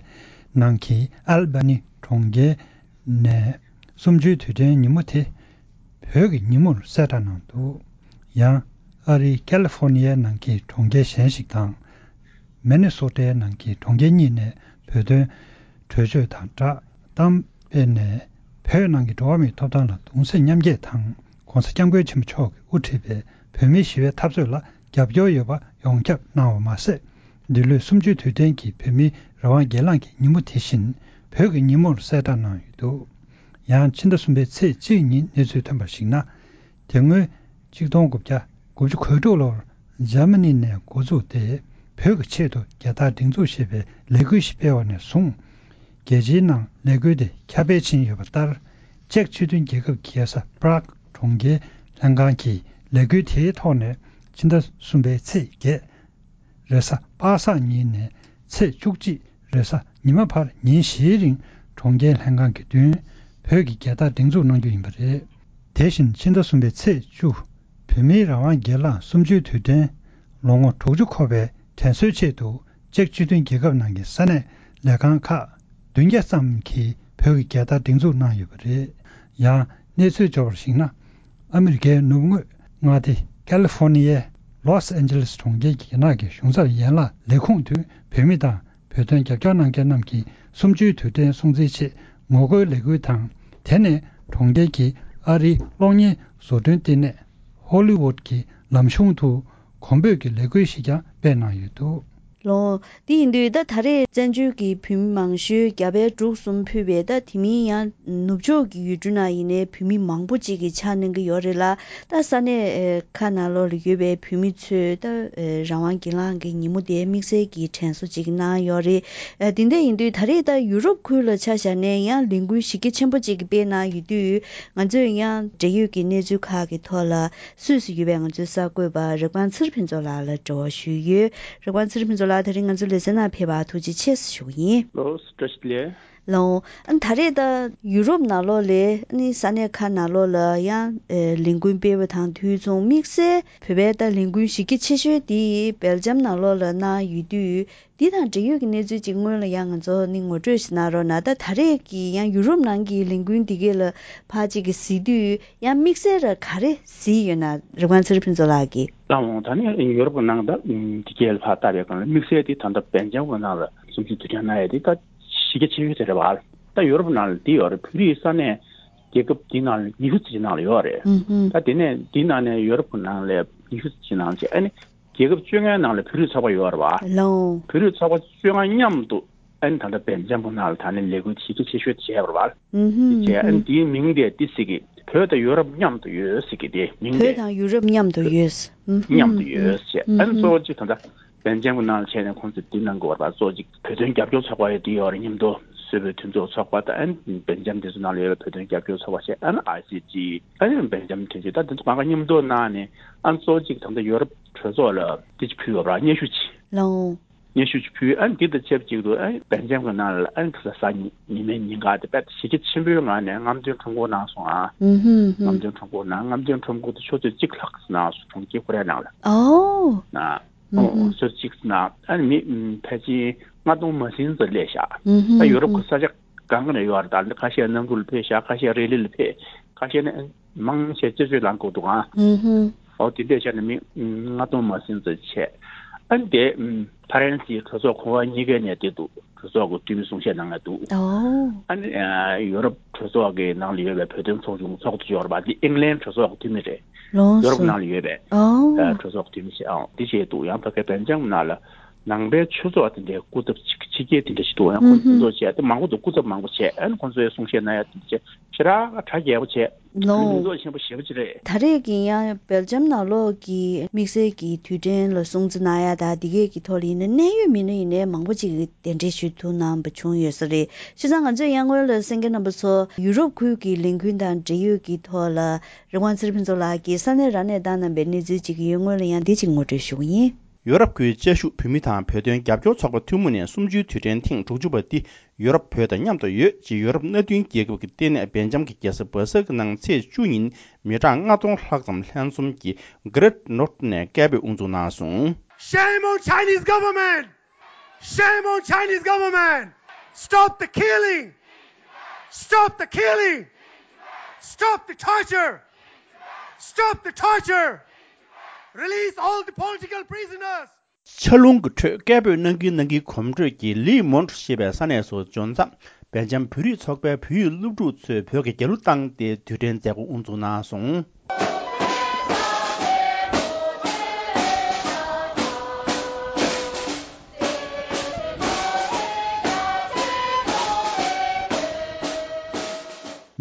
ནང་གི་ཨལ་བྷ་ནི་གྲོང་ཁྱེར་ནས་གསུམ་བཅུའི་དུས་དྲན་ཉིན་མོ་དེ་བོད་ཀྱི་ཉིན་མོར་གསལ་བསྒྲགས་གནང་འདུག་ཡང་ཨ་རིའི་ཀ་ལི་ཧྥོ་ནི་ཡའི་ནང་གི་གྲོང་ཁྱེར་གཞན་ཞིག་དང་། མེ་ནེ་སོ་ཊའི་ནང་གི་གྲོང་ཁྱེར་གཉིས་ནས་བོད་དོན་གྲོས་ཆོད་དང་བསྒྲགས་གཏམ་སྤེལ་ནས། བོད་ནང་གི་འགྲོ་བ་མིའི་ཐོབ་ཐང་ལ་གདུང་སེམས་མཉམ་སྐྱེད་དང་། ྋགོང་ས་ྋསྐྱབས་མགོན་ཆེན་པོ་མཆོག་གིས་དབུ་ཁྲིད་པའི་བོད་མིའི་ཞི་བའི་འཐབ་རྩོད་ལ་རྒྱབ་སྐྱོར་ཡོད་པ་ཡོངས་ཁྱབ་གནང་བ་མ་ཟད། འདི་ལོའི་གསུམ་བཅུའི་དུས་དྲན་གྱི་བོད་མིའི་རང་དབང་སྒེར་ལངས་ཀྱི་ཉིན་མོ་དེ་བཞིན་བོད་ཀྱི་ཉིན་མོར་གསལ་བསྒྲགས་གནང་ཡོད་འདུག་ཡང་ཕྱི་ཟླ་གསུམ་པའི་ཚེས་གཅིག་ཉིན་གནས་ཚུལ་ཐོན་པར་གཞིགས་ན། དེ་སྔོན་ཆིག་སྟོང་དགུ་བརྒྱ་དགུ་བཅུ་གོ་དྲུག་ལོར་འཇར་མ་ནི་ནས་འགོ་བཙུགས་ཏེ། བོད་ཀྱི་ཆེད་དུ་རྒྱལ་དར་སྒྲེང་འཛུགས་ཞེས་པའི་ལས་འགུལ་ཞིག་སྤེལ་བ་ནས་བཟུང་། རྒྱལ་སྤྱིའི་ནང་ལས་འགུལ་དེ་ཁྱབ་སྤེལ་ཕྱིན་ཡོད་པ་ལྟར། ཅེཀ་སྤྱི་མཐུན་རྒྱལ་ཁབ་ཀྱི་རྒྱལ་ས་པ་རག་གྲོང་ཁྱེར་ལྷན་ཁང་གིས་ལས་འགུལ་དེའི་ཐོག་ནས་ཕྱི་ཟླ་གསུམ་པའི་ཚེས་བརྒྱད། རེས་གཟའ་པ་སངས་ཉིན་ནས་ཚེས་བཅུ་གཅིག་རེས་གཟའ་ཉི་མ་བར་ཉིན་བཞིའི་རིང་གྲོང་ཁྱེར་ལྷན་ཁང་གི་མདུན་བོད་ཀྱི་རྒྱལ་དར་སྒྲེང་འཛུགས་གནང་རྒྱུ་ཡིན་པ་རེད། དེ་བཞིན་ཕྱི་ཟླ་གསུམ་པའི་ཚེས་བཅུ། བོད་མིའི་རང་དབང་སྒེར་ལངས་གསུམ་བཅུའི་དུས་དྲན་ལོ་ངོ་དྲུག་ཅུ་འཁོར་བའི་དྲན་གསོའི་ཆེད་དུ། ཅེཀ་སྤྱི་མཐུན་རྒྱལ་ཁབ་ནང་གི་ས་གནས་ལས་ཁང་ཁག་བདུན་བརྒྱ་ཙམ་གྱིས་བོད་ཀྱི་རྒྱལ་དར་སྒྲེང་འཛུགས་གནང་ཡོད་པ་རེད། ཡང་གནས་ཚུལ་འབྱོར་བར་གཞིགས་ན། ཨ་མི་རི་ཀའི་ནུབ་ངོས་མངའ་སྡེ་ཀ་ལི་ཧྥོ་ནི་ཡའི་ལོས་ཨན་ཇེ་ལེས་གྲོང་ཁྱེར་གྱི་རྒྱ་ནག་གི་གཞུང་ཚབ་ཡན་ལག་ལས་ཁུངས་དུ་བོད་མི་དང་བོད་དོན་རྒྱབ་སྐྱོར་གནང་མཁན་རྣམས་ཀྱི་གསུམ་བཅུའི་དུས་དྲན་སྲུང་བརྩིའི་ཆེད་ངོ་རྒོལ་ལས་འགུལ་དང་། དེ་ནས་གྲོང་ཁྱེར་གྱི་ཨ་རིའི་གློག་བརྙན་བཟོ་སྐྲུན་བསྟི་གནས་ཧོ་ལི་ཝུད་ཀྱི་ལམ་གཞུང་དུ་གོང་འབོད་ཀྱི་ལས་འགུལ་ཞིག་ཀྱང་སྤེལ་གནང་ཡོད་འདུག་ལོ། དེ་ཡིན་དུས་ད་ད་རེས་བཙན་བྱོལ་གྱི་བོད་མི་མང་ཤོས་རྒྱ་བལ་འབྲུག་གསུམ་ཕུད་པའི་ད་དེ་མིན་ཡང་ནུབ་ཕྱོགས་ཀྱི་ཡུལ་གྲུ་ནང་ཡིན་ནའི་བོད་མི་མང་པོ་ཅིག་གིས་ཕྱག་གནང་གི་ཡོད་རེད་ལ། ད་ས་གནས་ཨེ་ཁག་ནང་ལོགས་ལ་ཡོད་པའི་བོད་མི་ཚོས་ད་ཨེ་རང་དབང་སྒེར་ལངས་ཀྱི་ཉིན་མོ་དེ་དམིགས་བསལ་གྱི་དྲན་གསོ་ཅིག་གནང་ཡོད་རེད། ཨེ་དེ་འདྲ་ཡིན་དུས་ད་རེས་ད་ཡུ་རོབ་ཁུལ་ལ་ཆ་བཞག་ནས་ཡང་ལས་འགུལ་གཞི་རྒྱ་ཆེན་པོ་ཅིག་སྤེལ་གནང་ཡོད་དུས། ང་ཚོས་ཡང་འབྲེལ་ཡོད་ཀྱི་གནས་ཚུལ་ཁག་གི་ཐོག་ལ་སུད་སི་ཡོད་པའི་ང་ཚོའི་གསར་འགོད་པ་རིག་པ་ཚེ་རིང་ཕུན་ཚོགས་ལགས་ལ་འབྲེལ་བ་ཞུས་ཡོད། རིག་པ་ཚེ་རིང་ཕུན་ཚོགས་ལགས། དེ་རིང་ང་ཚོའི་ལེ་ཚན་ནང་ཕེབས་པར་ཐུགས་རྗེ་ཆེ་ཞུ་གི་ཡིན། ལོ། བཀྲ་ཤིས་བདེ་ལེགས། ལོ། ཨ་ནི་ད་རེས་ད་ཡུ་རོབ་ནང་ལོགས་ལ་ཨ་ནི་ས་གནས་ཁག་ནང་ལོགས་ལ་ཡང་ཨེ་ལས་འགུལ་སྤེལ་བ་དང་དུས་མཚུངས་དམིགས་བསལ་བོད་པའི་ད་ལས་འགུལ་གཞི་རྒྱ་ཆེ་ཤོས་དེ་སྦེལ་ཇམ་ནང་ལོགས་ལ་གནང་ཡོད་དུས། འདི་དང་འབྲེལ་ཡོད་ཀྱི་གནས་ཚུལ་ཅིག་སྔོན་ལ་ཡང་ང་ཚོ་ནི་ངོ་སྤྲོད་ཞིག་གནང་རོགས་གནང་། ད་ད་རེས་ཀྱི་ཡང་ཡུ་རོབ་ནང་གི་ལས་འགུལ་འདི་གས་ལ་ཕར་ཅིག་གིས་གཟིགས་དུས་ཡང་དམིགས་བསལ་ར་ག་རེ་གཟིགས་ཡོད་ན། རིག་པ་ཚེ་རིང་ཕུན་ཚོགས་ལགས་ཀྱིས། ད་འོང་ད་ནི་ཡུ་རོབ་ནང་ད་འདི་གས་ལ་ཕར་ལྟ་བའི་སྒང་ལ་དམིགས་བསལ་དེ་ད་ལྟ་སྦེལ་ཇམ་གྱི་ནང་ལ་གསུམ་བཅུའི་དུས་དྲན་གནང་ཡས་དེ་ད་གཞི་རྒྱ་ཆེ་ཤོས་དེ་རེད་བ། ད་ཡོ་རོབ་ནང་ལ་འདི་ཡོད་རེད། བོད་རིགས་ས་གནས་རྒྱལ་ཁབ་འདི་ནང་ལ་ཉི་ཤུ་ཙམ་ནང་ལ་ཡོད་རེད། ཨུ་ཧུ། ད་དེ་ནས་འདི་ནང་ནས་ཡོ་རོབ་ནང་ལ་ཉི་ཤུ་ཙམ་ནང་བྱས། ཨ་ནི་རྒྱལ་ཁབ་བཅོ་ལྔའི་ནང་ལ་བོད་རིགས་ཚོགས་པ་ཡོད་རེད་བ། ལའོ། བོད་རིགས་ཚོགས་པ་བཅོ་ལྔ་མཉམ་དུ་ཨ་ནི་ད་ལྟ་སྦེལ་ཇམ་གྱི་ནང་ལ་ད་ནི་ལས་འགུལ་གཞི་རྒྱ་ཆེ་ཤོས་བྱས་པ་རེད་བ། ཨུ་ཧུ། བྱས། ཨ་ནི་འདིའི་མིང་དེ་འདི་ཟེར་གི། བོད་དང་ཡོ་རོབ་མཉམ་དུ་ཡོད་ཟེར་གི། དེ་མིང་དེ། བོད་དང་ཡུ་རོབ་མཉམ་དུ་ཡོད། ཨུ་ཧུ། མཉམ་དུ་ཡོད་ཟེར། ཨུ་ཧུ། ཨ་ནི་གཙོ་བོ་གཅིག་ད་ལྟ་སྦེལ་ཇམ་གྱི་ནང་ལ་བྱས་ནས་ཁོང་ཚོས་འདི་གནང་དགོས་པ་རེད་བ། གཙོ་བོ་གཅིག་བོད་དོན་རྒྱབ་སྐྱོར་ཚོགས་པ་ཡོད། འདི་ཡོད་རེད། མཉམ་དུ་སུད་བོད་མཐུན་ཚོགས་ཚོགས་པ་དང་། ཨ་ནི་སྦེལ་ཇམ་དེ་ཚོ་ནང་ལ་ཡོད་པའི་བོད་དོན་རྒྱབ་སྐྱོར་ཚོགས་པ་བྱས། ཨ་ནི་ཨའི་སི་ཇི། ཨ་ནི་སྦེལ་ཇམ་མཐུན་ཚོགས། ད་དེ་ཚོ་གང་ག་མཉམ་དུ་གནང་ནས། ཨ་ནི་གཙོ་བོ་གཅིག་ད་ལྟ་ཡོ་རོབ་གྲོས་ཚོགས་ལ་འདི་ཅིག་ཕུལ་ཡོད་པ་རེད། སྙན་ཞུ་ཅིག། ལའོ། སྙན་ཞུ་ཅིག་ཕུལ། ཨ་ནི་འདི་དང་ཆབས་ཅིག་ཏུ་ཨ་ནི་སྦེལ་ཇམ་གྱི་ནང་ལ་ཨ་ནི་ཁ་ས་ཉི་མའི་ཉིན་ག་དེ་དཔེ་གཞི་རྒྱ་ཆེན་པོའི་ངང་ནས་རྔམ་སྟོན་ཁྲོམ་སྐོར་གནང་སོང་ཨ། ཨུ་ཧུ་ཧུ། རྔམ་སྟོན་ཁྲོམ་སྐོར་གནང་། རྔམ་སྟོན་ཁྲོམ་སྐོར་དེ་ཆུ་ཚོད་གཅིག་ལྷག་གནང་སོང་། གྲོང་ཁྱེར་ཀོ་རི་ཡ་ནང་ལ། ཨོ། ན། ཨུ་ཧུ། ཨོ། ཆུ་ཚོད་གཅིག་ནང་ཨ་ནི་མི་ཕལ་ཆེར་ལྔ་སྟོང་མ་ཟིན་ཙམ་སླེབས་ཤག། ཨུ་ཧུ། ད་ཡོ་རོབ་ཀྱི་ས་ཆ་གང་ག་ནས་ཡོད་རེད། ད་ཁ་ཤས་གནམ་གྲུ་ལ་ཕེབས་ཤག། ཁ་ཤས་རི་ལི་ལ་ཕེབས། ཁ་ཤས་ནི་མང་ཆེ་སྤྱི་སྤྱོད་ལམ་ཁ་འདུག་ཨ། ཨུ་ཧུ། ཨོ། དེ་འདྲས་བྱས་ནས་མི་ལྔ་སྟོང་མ་ཟིན་ཙམ་བྱས། ཨ་ནི་དེ་ཕ་རན་སིའི་གྲོས་ཚོགས་གོང་འོག་གཉིས་ཀའི་ནས་དེ་འདུག། གྲོས་ཚོགས་ཀྱི་འཐུས་མི་གསུང་བཤད་གནང་ཡ་འདུག། ཨོ། ཨ་ནི་ཡོ་རོབ་གྲོས་ཚོགས་ཀྱི་ནང་ལ་ཡོད་པའི་བོད་དོན་ཚོགས་ཆུང་ཚོགས་གཙོ་ཡོད་རེད་པ། འདི་ཨིང་ལན་གྲོས་ཚོགས་ཀྱི་འཐུས་མི་རེད། ལགས་སོ། ཡོ་རོབ་ནང་ལ་ཡོད་པའི་ཨོ། གྲོས་ཚོགས་ཀྱི་འཐུས་མི་ཞིག། ཨང་། འདི་བྱས་འདུག། ཡང་ཕ་གའི་སྦེལ་ཇམ་ནང་ལ་ནང་པའི་ཆོས་ཚོགས་དེ་འདྲའི་སྐུ་ཚབ་ཅིག་ཕྱི་རྒྱལ་དེ་འདྲ་ཞིག་འདུག། ཡང་ཁོང་ཚོ་ཚོགས་བྱས་ཏེ་མང་པོ་འདུག། སྐུ་ཚབ་མང་པོ་བྱས། ཨ་ནི་ཁོང་ཚོའི་གསུང་བཤད་གནང་ཡ་དེ་འདྲ་བྱས། ཞེ་དྲག་གྲ་རྒྱས་པོ་བྱས། ལོ། མིང་འདོགས་ཆེན་པོ་ཞེ་པོ་ཅིག་རེད། ད་རེས་ཀྱི་ཡང་སྦེལ་ཇམ་ནང་ལོགས་ཀྱི་དམིགས་བསལ་གྱི་དུས་དྲན་ལ་སྲུང་བརྩི་གནང་ཡ་དང་འདི་གས་ཀྱི་ཐོག་ལ་ཡིན་ན། གནད་ཡོད་མི་སྣ་ཡིན་ནའི་མང་པོ་ཅིག་གིས་གདན་འདྲེན་ཞུ་ཐུབ་གནང་བ་བྱུང་ཡོད་ས་རེད། བྱས་ཙང་ང་ཚོས་ཡང་སྔོན་ལ་གསན་མཁན་རྣམ་པ་ཚོ་ཡུ་རོབ་ཁུལ་གྱི་ལས་འགུལ་དང་འབྲེལ་ཡོད་ཀྱི་ཐོག་ལ་རི་དབང་ཚེ་རིང་ཕུན་ཚོགས་ལགས་ཀྱིས་ས་གནས་རང་ནས་བཏང་གནང་པའི་གནས་ཚུལ་ཅིག་ཡོད། སྔོན་ལ་ཡང་འདི་ཅིག་ངོ་སྤྲོད་ཞུ་གི་ཡིན། ཡོ་རོབ་ཁུལ་དཔྱད་ཞུགས་བོད་མི་དང་བོད་དོན་རྒྱབ་སྐྱོར་ཚོགས་པ་ཐུན་མོང་ནས་གསུམ་བཅུའི་དུས་དྲན་ཐེངས་དྲུག་ཅུ་པ་འདི་ཡོ་རོབ་བོད་དང་མཉམ་དུ་ཡོད་ཅེས་ཡོ་རོབ་མནའ་མཐུན་རྒྱལ་ཁབ་ཀྱི་ལྟེ་གནས་སྦེལ་ཇམ་གྱི་རྒྱལ་ས་སྦ་སལ་གྱི་ནང་ཚེས་བཅུ་ཉིན་མི་གྲངས་ལྔ་སྟོང་ལྷག་ཙམ་ལྷན་འཛོམས་ཀྱིས་གྷི་རེཊ་ནོར་ཊི་ནས་སྐད་འབོད་དབུ་འཛུགས་གནང་སོང་། Shame on Chinese government! Shame on Chinese government! Stop the killing! Stop the killing! Stop the torture! Stop the torture! Release all the political prisoners! ཆར་རླུང་གི་ཁྲོད་སྐད་འབོད་གནང་གིན་གནང་གིན་གོམ་བགྲོད་ཀྱིས་ལི་མོན་ཊི་ཞེས་པའི་ས་གནས་སུ་འབྱོར་མཚམས། སྦེལ་ཇམ་བོད་རིགས་ཚོགས་པའི་བོད་ཡིག་སློབ་ཕྲུག་ཚོས་བོད་ཀྱི་རྒྱལ་གླུ་བཏང་སྟེ་དུས་དྲན་མཛད་སྒོ་དབུ་འཛུགས་གནང་སོང་།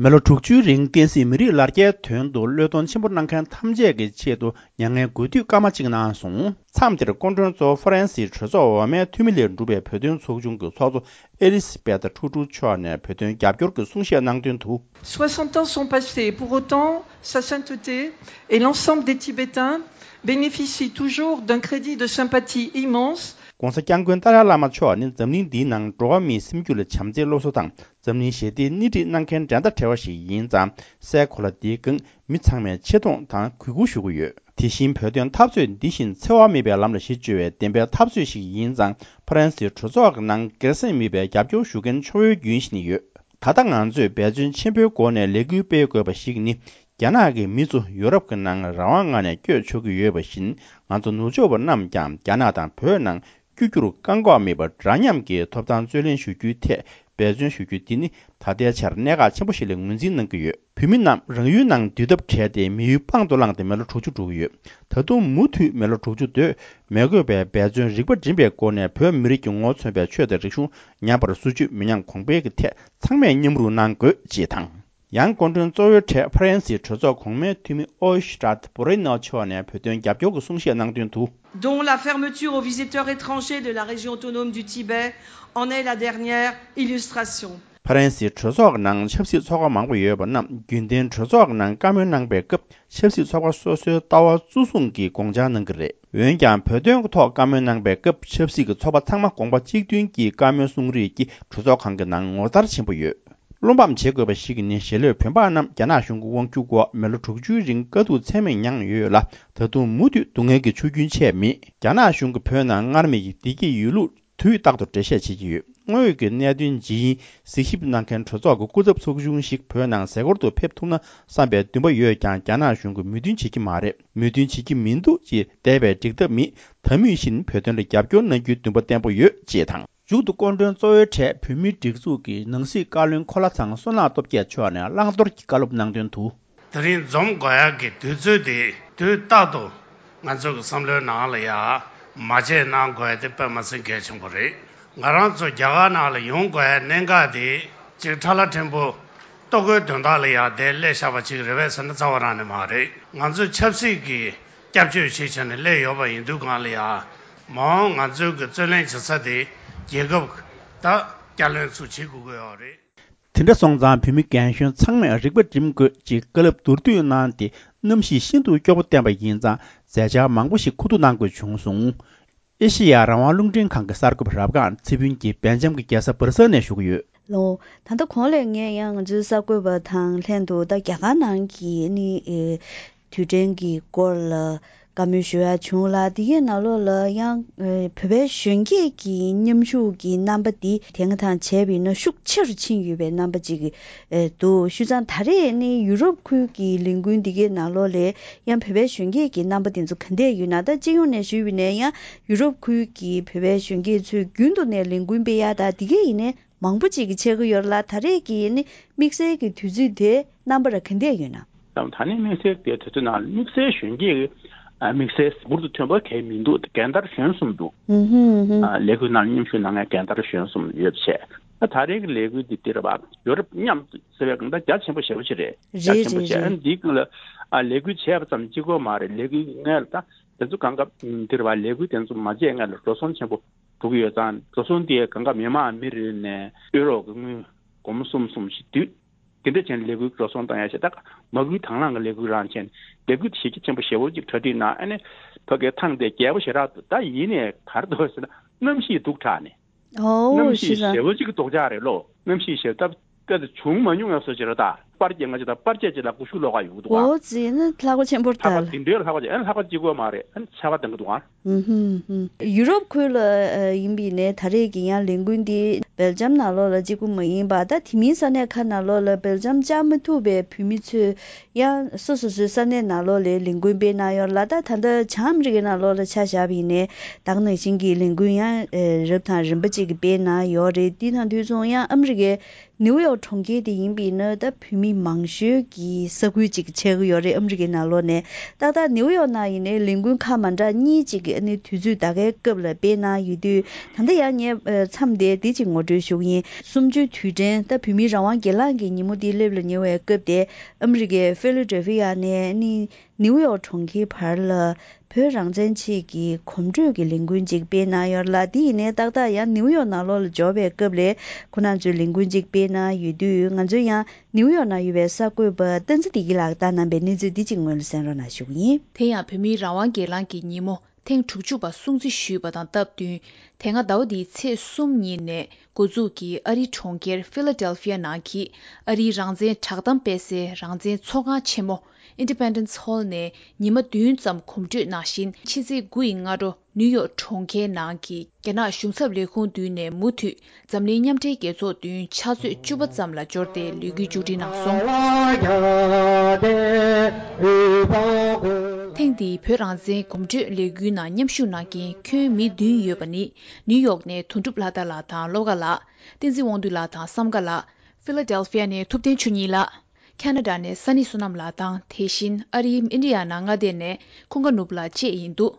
མི་ལོ་དྲུག་ཅུའི་རིང་བསྟན་སྲིད་མི་རིགས་ལ་རྒྱའི་དོན་དུ་བློས་གཏོང་ཆེན་པོ་གནང་མཁན་ཐམས་ཅད་ཀྱི་ཆེད་དུ་མྱ་ངན་གུས་འདུད་སྐར་མ་གཅིག་གནང་སོང་། མཚམས་དེར་སྐུ་མགྲོན་གཙོ་བོ་ཧྥ་རན་སིའི་གྲོས་ཚོགས་འོག་མའི་འཐུས་མི་ལས་གྲུབ་པའི་བོད་དོན་ཚོགས་ཆུང་གི་ཚོགས་གཙོ་ཨེ་ལི་སི་བེ་ཐ་ཁྲུ་ཁྲུ་མཆོག་ནས་བོད་དོན་རྒྱབ་སྐྱོར་གྱི་གསུང་བཤད་གནང་དོན་དུ། Soixante ans sont passés. Pour autant, sa sainteté et l'ensemble des Tibétains bénéficient toujours d'un crédit de sympathie immense. ༸གོང་ས་༸སྐྱབས་མགོན་ཏཱ་ལའི་བླ་མ་མཆོག་ནི་འཛམ་གླིང་འདིའི་ནང་འགྲོ་བ་མིའི་སེམས་རྒྱུད་ལ་བྱམས་བརྩེའི་སློབ་གསོ་དང་། འཛམ་གླིང་ཞི་བདེའི་སྣེ་ཁྲིད་གནང་མཁན་འགྲན་ཟླ་བྲལ་བ་ཞིག་ཡིན་ཙང་། སའི་གོ་ལ་འདིའི་སྒང་མི་ཚང་མས་ཆེ་མཐོང་དང་གུས་བཀུར་ཞུ་གི་ཡོད། དེ་བཞིན་བོད་དོན་འཐབ་རྩོད་འདི་བཞིན་འཚེ་བ་མེད་པའི་ལམ་ལ་གཞི་བཅོལ་བའི་བདེན་པའི་འཐབ་རྩོད་ཞིག་ཡིན་ཙང་། ཧྥ་རན་སིའི་གྲོས་ཚོགས་ཀྱི་ནང་སྒེར་སེམས་མེད་པའི་རྒྱབ་སྐྱོར་ཞུ་མཁན་ཁྱོན་ཡོད་རྒྱུན་བཞིན་ཡོད། ད་ལྟ་ང་ཚོས་འབད་བརྩོན་ཆེན་པོའི་སྒོ་ནས་ལས་འགུལ་སྤེལ་དགོས་པ་ཞིག་ནི། རྒྱ་ནག་གི་མི་ཚོ་ཡོ་རོབ་ཀྱི་ནང་རང་དབང་ངང་ནས་བསྐྱོད་ཆོག་གི་ཡོད་པ་བཞིན། ང་ཚོ་ནུབ་ཕྱོགས་པ་རྣམས་ཀྱང་རྒྱ་ནག་དང་བོད་ནང་། བསྐྱོད་རྒྱུར་བཀག་འགོག་མེད་པར་འདྲ་མཉམ་གྱི་ཐོབ་ཐང་རྩོད་ལེན་ཞུ་རྒྱུའི་ཐད་འབད་བརྩོན་ཞུ་རྒྱུ་འདི་ནི་ད་ལྟའི་ཆར་གནད་འགག་ཆེན་པོ་ཞིག་ལ་ངོས་འཛིན་གནང་གི་ཡོད། བོད་མི་རྣམས་རང་ཡུལ་ནང་འདུས་ཐབས་བྲལ་ཏེ་མི་ཡུལ་དཔང་དུ་བླངས་ཏེ་མི་ལོ་དྲུག་ཅུ་འགྲོ་གི་ཡོད། ད་དུང་མུ་མཐུད་མི་ལོ་དྲུག་ཅུ་སྡོད་མི་དགོས་པའི་འབད་བརྩོན་རིག་པ་སྒྲིམ་པའི་སྒོ་ནས་བོད་མི་རིགས་ཀྱི་ངོ་བོ་མཚོན་པའི་ཆོས་དང་རིག་གཞུང་ཉམས་པར་བཟོ་རྒྱུ་མི་ཉམས་གོང་འཕེལ་གྱི་ཐད་ཚང་མས་མཉམ་རུབ་གནང་དགོས་ཅེས་དང་། ཡང་སྐུ་མགྲོན་གཙོ་བོའི་གྲས་ཧྥ་རན་སིའི་གྲོས་ཚོགས་གོང་མའི་འཐུས་མི་ཨོ་ཤི་ཏྲ་བྷོ་རེ་ནོ་མཆོག་ནས་བོད་དོན་རྒྱབ་སྐྱོར་གྱི་གསུང་བཤད་གནང་དོན་དུ། Dont la fermeture aux visiteurs étrangers de la région autonome du Tibet en est la dernière illustration. ཧྥ་རན་སིའི་གྲོས་ཚོགས་ནང་ཆབ་སྲིད་ཚོགས་པ་མང་པོ་ཡོད་པ་རྣམས་རྒྱུན་ལྡན་གྲོས་ཚོགས་ནང་བཀའ་མོལ་གནང་པའི་སྐབས་ཆབ་སྲིད་ཚོགས་པ་སོ་སོའི་ལྟ་བ་གཙོ་བཟུང་གིས་དགོངས་འཆར་གནང་གི་རེད། འོན་ཀྱང་བོད་དོན་གྱི་ཐོག་བཀའ་མོལ་གནང་པའི་སྐབས་ཆབ་སྲིད་ཀྱི་ཚོགས་པ་ཚང་མ་དགོངས་པ་གཅིག་མཐུན་གྱིས་བཀའ་མོལ་གསུང་རེས་ཀྱིས་གྲོས་ཚོགས་ཁང་གི་ནང་ངོ་མཚར་ཆེན་པོ་ཡོད། བློ་ཕམ་བྱེད་དགོས་པ་ཞིག་ནི་ཞི་ལྷོད་བོད་འབངས་རྣམས་རྒྱ་ནག་གཞུང་གི་དབང་སྒྱུར་འོག་མི་ལོ་དྲུག་ཅུའི་རིང་དཀའ་སྡུག་ཚད་མེད་མྱངས་ཡོད་ལ། ད་དུང་མུ་མཐུད་སྡུག་བསྔལ་གྱི་ཆུ་རྒྱུན་ཆད་མེད། རྒྱ་ནག་གཞུང་གིས་བོད་ནང་སྔར་མེད་ཀྱི་བདེ་སྐྱིད་ཡོད་ལུགས་དུས་རྟག་ཏུ་འགྲེལ་བཤད་བྱེད་ཀྱི་ཡོད། དངོས་ཡོད་ཀྱི་གནད་དོན་ཇི་ཡིན་གཟིགས་ཞིབ་གནང་མཁན་གྲོས་ཚོགས་ཀྱི་སྐུ་ཚབ་ཚོགས་ཆུང་ཞིག་བོད་ནང་གཟའ་འཁོར་དུ་ཕེབས་ཐུབ་ན་བསམ་པའི་འདུན་པ་ཡོད་ཀྱང་། རྒྱ་ནག་གཞུང་གིས་མོས་མཐུན་བྱེད་ཀྱི་མ་རེད། མོས་མཐུན་བྱེད་ཀྱི་མི་འདུག་ཅེས་འདས་པའི་འགྲིག་ཐབས་མེད། ད་མུས་བཞིན་བོད་དོན་ལ་རྒྱབ་སྐྱོར་གནང་རྒྱུའི་འདུན་པ་བརྟན་པོ་ཡོད་ཅེས་དང་། མཇུག་ཏུ་སྐུ་མགྲོན་གཙོ་བོའི་གྲས་བོད་མིའི་སྒྲིག་འཛུགས་ཀྱི་ནང་སྲིད་བཀའ་བློན་འཁོར་ལྷ་ཚང་བསོད་ནམས་སྟོབས་རྒྱས་མཆོག་ནས་བླང་དོར་གྱི་བཀའ་སློབ་གནང་དོན་དུ། དེ་རིང་འཛོམས་དགོས་ཡག་གི་དུས་ཚོད་དེ་དུས་རྟག་ཏུ་ང་ཚོ་གི་བསམ་བློའི་ནང་ལ་ཡ་མ་བརྗེད་གནང་དགོས་ཡ་དེ་དཔེ་མ་སྲིད་གལ་ཆེན་པོ་རེད། ང་རང་ཚོ་རྒྱ་གར་ནང་ལ་ཡོང་དགོས་ཡ་གནད་འགག་དེ་ཅིག་ཁྲ་ལ་ཕྲན་བུ་ལྟོ་གོས་དོན་དག་ལ་ཡ་དེ་སླེབས་བཞག་པ་ཅིག་རེད་པས་ཟེར་ན་རྩ་བ་རང་ནས་མ་རེད། ང་ཚོས་ཆབ་སྲིད་ཀྱི་སྐྱབས་བཅོལ་ཞིག་བྱས་ནས་སླེབས་ཡོད་པ་ཡིན་དུས་གང་ལ་ཡ་མ་འོངས་ང་ཚོའི་གི་རྩོད་ལེན་བྱེད་ས་དེ་རྒྱལ་ཁབ་དང་བསྐྱར་ལེན་ཚུར་བྱེད་དགོས་ཀྱི་ཡོད་རེད། དེ་འདྲ་སོང་ཙང་བོད་མི་རྒན་གཞོན་ཚང་མས་རིག་པ་སྒྲིམ་དགོས་ཅེས་བཀའ་སློབ་མདོར་བསྡུས་གནང་སྟེ་གནམ་གཤིས་ཤིན་ཏུ་སྐྱོ་པོ་བསྟན་པ་ཡིན་ཙང་མཛད་འཆར་མང་པོ་ཞིག་མཁོ་བསྡུ་གནང་དགོས་བྱུང་སོང་། ཨེ་ཤེ་ཡ་རང་དབང་རླུང་འཕྲིན་ཁང་གི་གསར་འགོད་པ་རབ་སྒང་ཚེ་ཕུན་གྱིས་སྦེལ་ཇམ་གྱི་རྒྱལ་ས་སྦར་སེལ་ནས་ཞུ་གི་ཡོད། ལོ། ད་ལྟ་གོང་ལ་ངས་ཡང་ང་ཚོའི་གསར་འགོད་པ་དང་ལྷན་དུ་ད་རྒྱ་གར་ནང་གི་ནི་ཨེ། དུས་དྲན་གྱི་སྐོར་ལ་བཀའ་མོལ་ཞུ་ཡ་བྱུང་ལ། དེ་གའི་ནང་ལོགས་ལ་ཡང་ཨེ། བོད་པའི་གཞོན་སྐྱེས་ཀྱི་མཉམ་ཞུགས་ཀྱི་རྣམ་པ་འདི་དེང་དང་བྱས་པ་ཡིན་ན་ཤུགས་ཆེ་རུ་ཕྱིན་ཡོད་པའི་རྣམ་པ་ཅིག་ཨེ། འདུག་ཞུས་ཙང་ད་རེས་ནི་ཡུ་རོབ་ཁུལ་གྱི་ལས་འགུལ་འདི་གའི་ནང་ལོགས་ལ་ཡང་བོད་པའི་གཞོན་སྐྱེས་ཀྱི་རྣམ་པ་དེ་ཚོ་ག་འདྲས་ཡོད་ན། ད་སྤྱི་ཡོངས་ནས་ཞུས་པ་ཡིན་ན་ཡང་ཡུ་རོབ་ཁུལ་གྱི་བོད་པའི་གཞོན་སྐྱེས་ཚོས་རྒྱུན་དུ་ནས་ལས་འགུལ་སྤེལ་ཡ་ད་འདི་གའི་ཡིན་ནའི་མང་པོ་ཅིག་གིས་ཆགས་ཀྱི་ཡོད་ལ། ད་རེས་ཀྱི་ནི་དམིགས་བསལ་གྱི་དུས་ཚོད་དེ་རྣམ་པ་ར་ག་འདྲས་ཡོད་ན། ད་ནི་དམིགས་བསལ་གྱི་དུས་ཚོད་ནང་དམིགས་བསལ་གཞོན་སྐྱེས་ཀྱི་དམིགས་བསལ་འབུར་དུ་ཐོན་པ་གང་མི་འདུག་རྒན་དར་གཞོན་གསུམ་འདུག་ཨུ་ཧུ་ཨུ་ཧུ། ལས་འགུལ་ནང་མཉམ་ཞུགས་གནང་མཁན་རྒན་དར་གཞོན་གསུམ་ཡོད་པ་བྱས། ད་རེས་ཀྱི་ལས་འགུལ་འདི་འདིར་བ་ཡོ་རོབ་མཉམ་དུ་ཟེར་བའི་གང་ལྟར་རྒྱ་ཆེན་པོ་ཞེ་པོ་ཅིག་རེད། རྒྱ་ཆེན་པོ་ཞེ་ཨ་འདི་ཀུན་ལ་ལས་འགུལ་བྱས་པ་ཙམ་གཅིག་པོ་མ་རེད། ལས་འགུལ་ངས་ལ་ད་དེ་ཚོ་གང་ག་འདིར་བ་ལས་འགུལ་དེ་ཚོ་མ་བྱས་ངས་ལ་འགྲོ་སོང་ཆེན་པོ་འགྲོ་གི་ཡོད་ཙང་། འགྲོ་སོང་དེ་གང་ག་མི་མང་མི་རེ་ནས་ཨུ་རོ་གི་དངུལ་སྒོར་མོ་གསུམ་གསུམ་ཞིག་བསྡུས། དེ་འདྲ་བྱས་ནས་ལས་འགུལ་འགྲོ་སོང་བཏང་ཡ་ཞིག་ད་མ་སྐུལ་དང་བླངས་ཀྱི་ལས་འགུལ་རང་བྱས་ནས་ལས་འགུལ་དེ་གཞི་རྒྱ་ཆེན་པོ་ཞེ་པོ་ཅིག་གྲ་སྒྲིག་གནང་། ཨ་ནི་ཕ་གིའི་ཐང་དེ་རྒྱས་པོ་ཞེ་དྲག་འདུག་ད་ཡིན་ནའི་ག་རེ་འདུག་ཟེར་ན་གནམ་གཤིས་སྡུག་དྲགས་ནས། གནམ་ཨོ་གཤིས་ཤི་ས། ཞེ་པོ་ཅིག་རྡོག་ཆག་རེད་ལོ། གནམ་གཤིས་ཞེ་ད་དཔེ་དེ་བྱུང་མ་མྱོང་ཡ་བཟོ་ཅིག་རེད་ད། པར་རྒྱག་ང་ཅི་ད་པར་རྒྱག་ཅིག་ལ་ཀུ་ཤུ་ལོག་ག་ཡོང་གི་འདུག་ག་ཨོ་ཙི་ནི་ལྷག་པ་ཆེན་པོ་ལྷག་པ་ད། དེ་འདྲའི་ལྷག་པ་ཅིག་ཨ་ནི་ལྷག་པ་གཅིག་པོ་མ་རེད། ཨ་ནི་ཆར་པ་ལྡང་གི་འདུག་ག་ཨུ་ཧུམ་ཧུམ། ཡུ་རོབ་ཁུལ་ལ་ཨ་ཡིན་པ་ཡིན་ནའི་ད་རེས་ཀྱི་ཡང་ལས་འགུལ་འདི་སྦེལ་ཇམ་ནང་ལོགས་ལ་གཅིག་པུ་མ་ཡིན་པ། ད་དེ་མིན་ས་གནས་ཁག་ནང་ལོགས་ལ་སྦེལ་ཇམ་བཅར་མ་ཐུབ་པའི་བོད་མི་ཚོས་ཡང་སོ་སོ་སོའི་ས་གནས་ནང་ལོགས་ལ་ལས་འགུལ་སྤེལ་གནང་ཡོད་ལ། ད་ད་ལྟ་བྱང་ཨ་མི་རི་ཀའི་ནང་ལོགས་ལ་ཆ་བཞག་པ་ཡིན་ནའི་ད་ག་ནང་བཞིན་གྱི་ལས་འགུལ་ཡང་ཨེ་རབ་དང་རིམ་པ་ཅིག་གིས་སྤེལ་གནང་ཡོད་རེད། འདི་དང་དུས་མཚུངས་ཡང་ཨ་མི་རི་ཀའི་ནིའུ་ཡོག་གྲོང་ཁྱེར་དེ་ཡིན་པ་ཡིན་ན་ད་བོད་མི་མང་ཤོས་ཀྱི་ས་ཁུལ་ཅིག་ཆགས་ཀྱི་ཡོད་རེད། ཨ་མི་རི་ཀའི་ནང་ལོགས་ནས། ཏག་ཏག་ནིའུ་ཡོག་ནང་ཡིན་ནའི་ལས་འགུལ་ཁག་མ་འདྲ་གཉིས་ཅིག་གི་ཨ་ནི་དུས་ཚོད་ད་གའི་སྐབས་ལ་སྤེལ་གནང་ཡོད་དུས། ད་ལྟ་ཡང་ངས་ཨ་མཚམས་དེ་འདི་ཅིག་ངོ་སྤྲོད་ཞུ་གི་ཡིན། གསུམ་བཅུའི་དུས་དྲན་ད་བོད་མིའི་རང་དབང་སྒེར་ལངས་ཀྱི་ཉིན་མོ་འདི་སླེབས་ལ་ཉེ་བའི་སྐབས་དེ་ཨ་མི་རི་ཀའི་ཕི་ལ་ཌེལ་ཕི་ཡ་ནས་ཨ་ནི་ནིའུ་ཡོག་གྲོང་ཁྱེར་བར་ལ་བོད་རང་བཙན་ཆེད་ཀྱི་གོམ་བགྲོད་ཀྱི་ལས་འགུལ་ཅིག་སྤེལ་གནང་ཡོད་ལ། དེ་ཡིན་ནའི་ཏག་ཏག་ཡང་ནིའུ་ཡོག་ནང་ལོགས་ལ་འབྱོར་བའི་སྐབས་ལ་ཁོ་རང་ཚོས་ལས་འགུལ་ཅིག་སྤེལ་གནང་ཡོད་དུས། ང་ཚོས་ཡང་ནིའུ་ཡོག་ནང་ཡོད་པའི་གསར་འགོད་པ་བསྟན་འཛིན་བདེ་སྐྱིད་ལགས་བཏང་གནང་པའི་གནས་ཚུལ་འདི་གཅིག་སྔོན་ལ་གསན་རོགས་གནང་ཞུ་གི་ཡིན། དེ་ཡང་བོད་མིའི་རང་དབང་སྒེར་ལངས་ཀྱི་ཉིན་མོ་ཐེངས་དྲུག་ཅུ་པ་སྲུང་བརྩི་ཞུས་པ་དང་སྟབས་བསྟུན། དེ་སྔ་ཟླ་བ་འདིའི་ཚེས་གསུམ་ཉིན་ནས་འགོ་འཛུགས་ཀྱིས་ཨ་རིའི་གྲོང་ཁྱེར་ཕི་ལ་ཌེལ་ཕི་ཡ་ནང་གི་ཨ་རིའི་རང་བཙན་བསྒྲགས་གཏམ་སྤེལ་སའི་རང་བཙན་ཚོགས་ཁང་ཆེན་མོ་Independence Hall ནས་ཉི་མ་བདུན་ཙམ་གོམ་བགྲོད་གནང་བཞིན། ཕྱི་ཚེས་དགུ་ཡི་སྔ་དྲོ་ནིའུ་ཡོག་གྲོང་ཁྱེར་ནང་གི་རྒྱ་ནག་གཞུང་ཚབ་ལས་ཁུངས་མདུན་ནས་མུ་མཐུད་འཛམ་གླིང་མཉམ་འབྲེལ་རྒྱལ་ཚོགས་མདུན་ཕྱག་ཚོད་བཅུ་པ་ཙམ་ལ་འབྱོར་ཏེ་ལས་འགུལ་མཇུག་སྒྲིལ་གནང་སོང་། ཐེངས་འདིའི་བོད་རང་བཙན་གོམ་བགྲོད་ལས་འགུལ་ནང་མཉམ་ཞུགས་གནང་མཁན་ཁྱོན་མི་བདུན་ཡོད་པ་ནི། ནིའུ་ཡོག་ནས་དོན་གྲུབ་ལྷ་དར་ལགས་དང་བློ་དགའ་ལགས། བསྟན་འཛིན་དབང་འདུས་ལགས་དང་བསམ་དགའ་ལགས། ཕི་ལ་ཌེལ་ཕི་ཡ་ནས་ཐུབ་བསྟན་ཆོས་ཉིད་ལགས། ཁ་ན་ཌ་ནས་ས་ནི་བསོད་ནམས་ལགས་དང་། དེ་བཞིན་ཨ་རིའི་ཨིན་ཌི་ཡ་ན་མངའ་སྡེ་ནས་ཀུན་དགའ་ནོར་བུ་ལགས་བཅས་ཡིན་འདུག་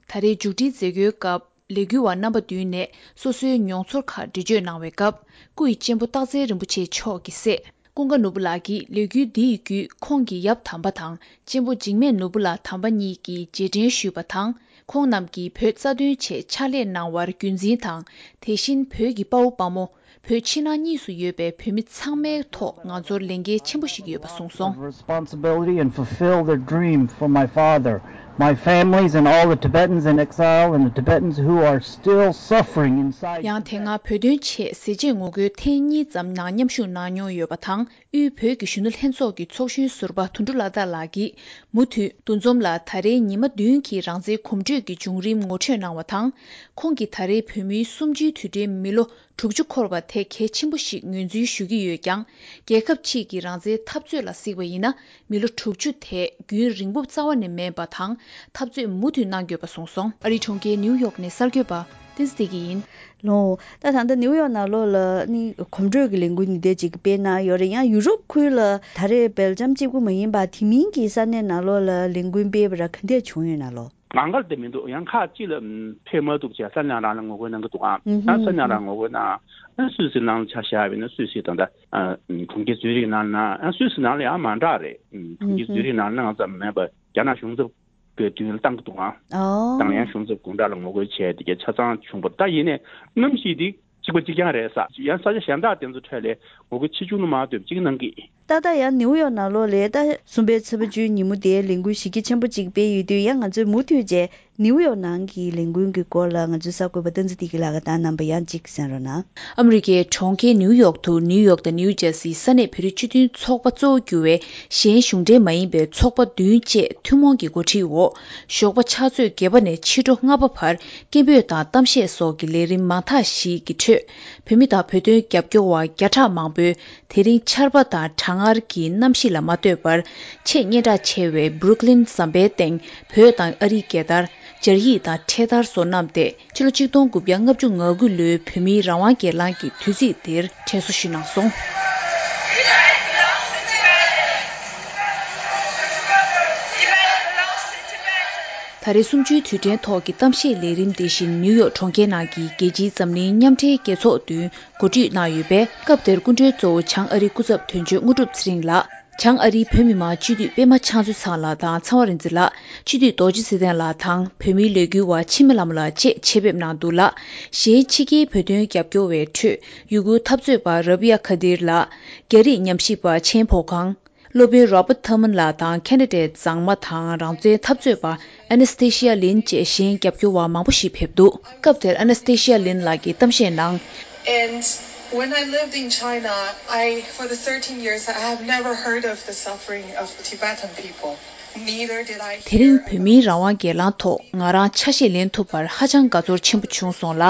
ད་རེས་མཇུག་སྒྲིལ་མཛད་སྒོའི་སྐབས་ལས་འགུལ་བ་རྣམ་པ་བདུན་ནས་སོ་སོའི་མྱོང་ཚོར་ཁག་འགྲེལ་བརྗོད་གནང་བའི་སྐབས། སྐུ་ཡི་གཅེན་པོ་སྟག་འཚེར་རིན་པོ་ཆེ་མཆོག་གི་སྲས་ཀུན་དགའ་ནོར་བུ་ལགས་ཀྱིས་ལས་འགུལ་འདི་ཡི་བརྒྱུད་ཁོང་གི་ཡབ་དམ་པ་དང་གཅེན་པོ་འཇིགས་མེད་ནོར་བུ་ལགས་དམ་པ་གཉིས་ཀྱི་རྗེས་དྲན་ཞུས་པ་དང་། ཁོང་རྣམས་ཀྱིས་བོད་རྩ་དོན་ཆེད་ཕྱག་ལས་གནང་བར་རྒྱུན་འཛིན་དང་། དེ་བཞིན་བོད་ཀྱི་དཔའ་བོ་དཔའ་མོ། བོད་ཕྱི་ནང་གཉིས་སུ་ཡོད་པའི་བོད་མི་ཚང་མའི་ཐོག་ང་ཚོར་ལས་འགན་ཆེན་པོ་ཞིག་ཡོད་པ་གསུངས་སོང་། Responsibility and fulfill the dream for my father, my families, and all the Tibetans in exile and the Tibetans who are still suffering inside. ཡང་དེ་སྔ་བོད་དོན་ཆེད་ཟས་བཅད་ངོ་རྒོལ་ཐེངས་གཉིས་ཙམ་ནང་མཉམ་ཞུགས་གནང་མྱོང་ཡོད་པ་དང་། དབུས་བོད་ཀྱི་གཞོན་ནུ་ལྷན་ཚོགས་ཀྱི་ཚོགས་གཞོན་ཟུར་པ་དོན་གྲུབ་ལྷ་དར་ལགས་ཀྱིས་མུ་མཐུད་འདུ་འཛོམས་ལ་ད་རེས་ཉི་མ་བདུན་གྱི་རང་བཙན་གོམ་བགྲོད་ཀྱི་བྱུང་རིམ་ངོ་སྤྲོད་གནང་བ་དང་། ཁོང་གིས་ད་རེས་བོད་མིའི་གསུམ་བཅུའི་དུས་དྲན་མི་ལོ་དྲུག་ཅུ་འཁོར་བ་དེ་གལ་ཆེན་པོ་ཞིག་ངོས་འཛིན་ཞུ་གི་ཡོད་ཀྱང་། རྒྱལ་ཁབ་ཕྱིས་ཀྱི་རང་བཙན་འཐབ་རྩོད་ལ་གཟིགས་པ་ཡིན་ན། མི་ལོ་དྲུག་ཅུ་དེ་རྒྱུན་རིང་པོ་རྩ་བ་ནས་མིན་པ་དང་། འཐབ་རྩོད་མུ་མཐུད་གནང་དགོས་པ་གསུངས་སོང་། ཨ་རིའི་གྲོང་ཁྱེར་ནིའུ་ཡོག་ནས་གསར་འགོད་པ། ཏིས་དེ་གི་ཡིན། ལོ། ད་ད་ལྟ་ནིའུ་ཡོག་ནང་ལོགས་ལ་ནི་གོམ་བགྲོད་ཀྱི་ལས་འགུལ་འདི་འདྲ་ཅིག་སྤེལ་གནང་ཡོད་རེད། ཡང་ཡུ་རོབ་ཁུལ་ལ་ད་རེས་སྦེལ་ཇམ་གཅིག་པུ་མ་ཡིན་པ་དེ་མིན་གྱི་ས་གནས་ནང་ལོགས་ལ་ལས་འགུལ་སྤེལ་བ་ར་ག་འདྲ་བྱུང་ཡོད་ན་ལོ། མང་གལ་དེ་མི་འདུག་ཡང་ཁག་ཅིག་ལ་ཕེབས་མ་ཐུབ་བྱས་ས་གནས་རང་ལ་ངོ་རྒོལ་གནང་གི་འདུག་ཨང་། ཨུ་ཧུམ། ད་ས་གནས་རང་ངོ་རྒོལ་གནང་། ཨ་སུད་སི་ནང་ལ་ཆ་བཞག་པ་ཡིན་ན་སུད་སི་ད་ལྟ་ཨ་གྲོང་ཁྱེར་ཛུ་རིག་ནང་ན་ཨ་སུད་སི་ནང་ལ་ཡང་མང་དྲགས་རེད། ཨ་གྲོང་ཁྱེར་ཨུ་ཧུམ། ཛུ་རིག་ནང་ལ་ང་ཙམ་མེད་པ་རྒྱ་ནག་གཞུང་ཚབ་ཀྱི་མདུན་ལ་བཏང་གི་འདུག་ཨང་། ཨོ། ད་ཡང་གཞུང་ཚབ་དགོང་དག་ལ་ངོ་རྒོལ་བྱས་དེ་གའི་ཆ་ཚང་བྱུང་བ་ད་ཡིན་ནའི་གནམ་གཤིས་འདི་གཅིག་པ་གཅིག་རྐྱང་རེད་ས། ཡང་ས་ཆ་གཞན་དག་དེ་ཚོ་འཕྲད་ལས་ངོ་རྒོལ་ཆེ་ཆུང་དུ་མ་འདོད་གཅིག་གནང་གི། ཏག་ཏག་ཡང་ནིའུ་ཡོག་ནང་ལོགས་ལས་ད་གསུམ་པའི་ཚེས་པ་བཅུའི་ཉིན་མོ་དེའི་ལས་འགུལ་གཞི་རྒྱ་ཆེན་པོ་གཅིག་སྤེལ་ཡོད་དུས་ཡང་ང་ཚོས་མུ་མཐུད་བྱས་ནིའུ་ཡོག་ནང་གི་ལས་འགུལ་གྱི་སྐོར་ལ་ང་ཚོའི་གསར་འགོད་པ་བསྟན་འཛིན་བདེ་སྐྱིད་ལགས་ཀྱིས་ད་རྣམ་པ་ཡང་གཅིག་གསན་རོགས་གནང་། ཨ་མི་རི་ཀའི་གྲོང་ཁྱེར་ནིའུ་ཡོག་ཏུ་ནིའུ་ཡོག་དང་ནིའུ་ཇར་སིའི་ས་གནས་བོད་རིགས་སྤྱི་མཐུན་ཚོགས་པ་གཙོ་བོ་གྱུར་བའི་གཞན་གཞུང་འབྲེལ་མ་ཡིན་པའི་ཚོགས་པ་བདུན་བཅས་ཐུན་མོང་གི་འགོ་ཁྲིད་འོག་ཞོགས་པ་ཕྱག་ཚོད་བརྒྱད་པ་ནས་ཕྱི་དྲོ་ལྔ་པ་བར་སྐད་འབོད་དང་གཏམ་བཤད་སོགས་ཀྱི་ལས་རིམ་མང་དག་ཞིག་གི་ཁྲོད། བོད་མི་དང་བོད་དོན་རྒྱབ་སྐྱོར་བ་བརྒྱ་ཕྲག་མང་པོས་དེ་རིང་ཆར་པ་དང་གྲང་ངར་གྱི་གནམ་གཤིས་ལ་མ་ལྟོས་པར་ཆེས་སྙན་གྲགས་ཆེ་བའི་Brooklyn་ཟམ་པའི་སྟེང་བོད་དང་ཨ་རིའི་རྒྱལ་དར། སྦྱར་ཡིག་དང་འཕྲེད་དར་སོགས་བསྣམས་ཏེ་ཕྱི་ལོ་ཆིག་སྟོང་དགུ་བརྒྱ་ལྔ་བཅུ་ང་དགུ་ལོའི་བོད་མིའི་རང་དབང་སྒེར་ལངས་ཀྱི་དུས་ཚིགས་དེར་དྲན་གསོ་ཞུས་གནང་སོང་། ད་རེས་གསུམ་བཅུའི་དུས་དྲན་ཐོག་གི་གཏམ་བཤད་ལས་རིམ་དེ་བཞིན་ནིའུ་ཡོག་གྲོང་ཁྱེར་ནང་གི་རྒྱལ་སྤྱིའི་འཛམ་གླིང་མཉམ་འབྲེལ་རྒྱལ་ཚོགས་མདུན་གོ་སྒྲིག་གནང་ཡོད་པས། སྐབས་དེར་སྐུ་མགྲོན་གཙོ་བོ་བྱང་ཨ་རིའི་སྐུ་ཚབ་དོན་གཅོད་དངོས་གྲུབ་ཚེ་རིང་ལགས། བྱང་ཨ་རིའི་བོད་མི་མང་སྤྱི་འཐུས་པད་མ་ཕྱག་མཛོད་ཚང་ལགས་དང་ཚེ་དབང་རིག་འཛིན་ལགས། སྤྱི་འཐུས་རྡོ་རྗེ་ཚེ་བརྟན་ལགས་དང་བོད་མིའི་ལས་འགུལ་བ་འཆི་མེད་ལྷ་མོ་ལགས་བཅས་ཆེད་ཕེབས་གནང་འདུག་ལ། གཞན་ཕྱི་རྒྱལ་བོད་དོན་རྒྱབ་སྐྱོར་བའི་ཁྲོད་ཡུ་གུར་འཐབ་རྩོད་པ་རབ་ཡ་ཁ་དིར་ལགས། རྒྱ་རིགས་ཉམས་ཞིབ་པ་ཆེན་ཕོ་ཁང་། སློབ་དཔོན་Robert Thurman་ལགས་དང་ཁེ་ན་ཌའི་མཛངས་མ་དང་རང་བཙན་འཐབ་རྩོད་པ་Anastasia Lin་བཅས་གཞན་རྒྱབ་སྐྱོར་བ་མང་པོ་ཞིག་ཕེབས་འདུག་སྐབས་དེར་Anastasia Lin་ལགས་ཀྱིས་གཏམ་བཤད་ནང་། And when I lived in China, I, for the thirteen years, I have never heard of the suffering of the Tibetan people. Neither did I དེ་རིང་བོད་མིའི་རང་དབང་སྒེར་ལངས་ཐོག་ང་རང་ཆ་ཤས་ལེན་ཐུབ་པར་ཧ་ཅང་དགའ་ཚོར་ཆེན་པོ་བྱུང་སོང་ལ།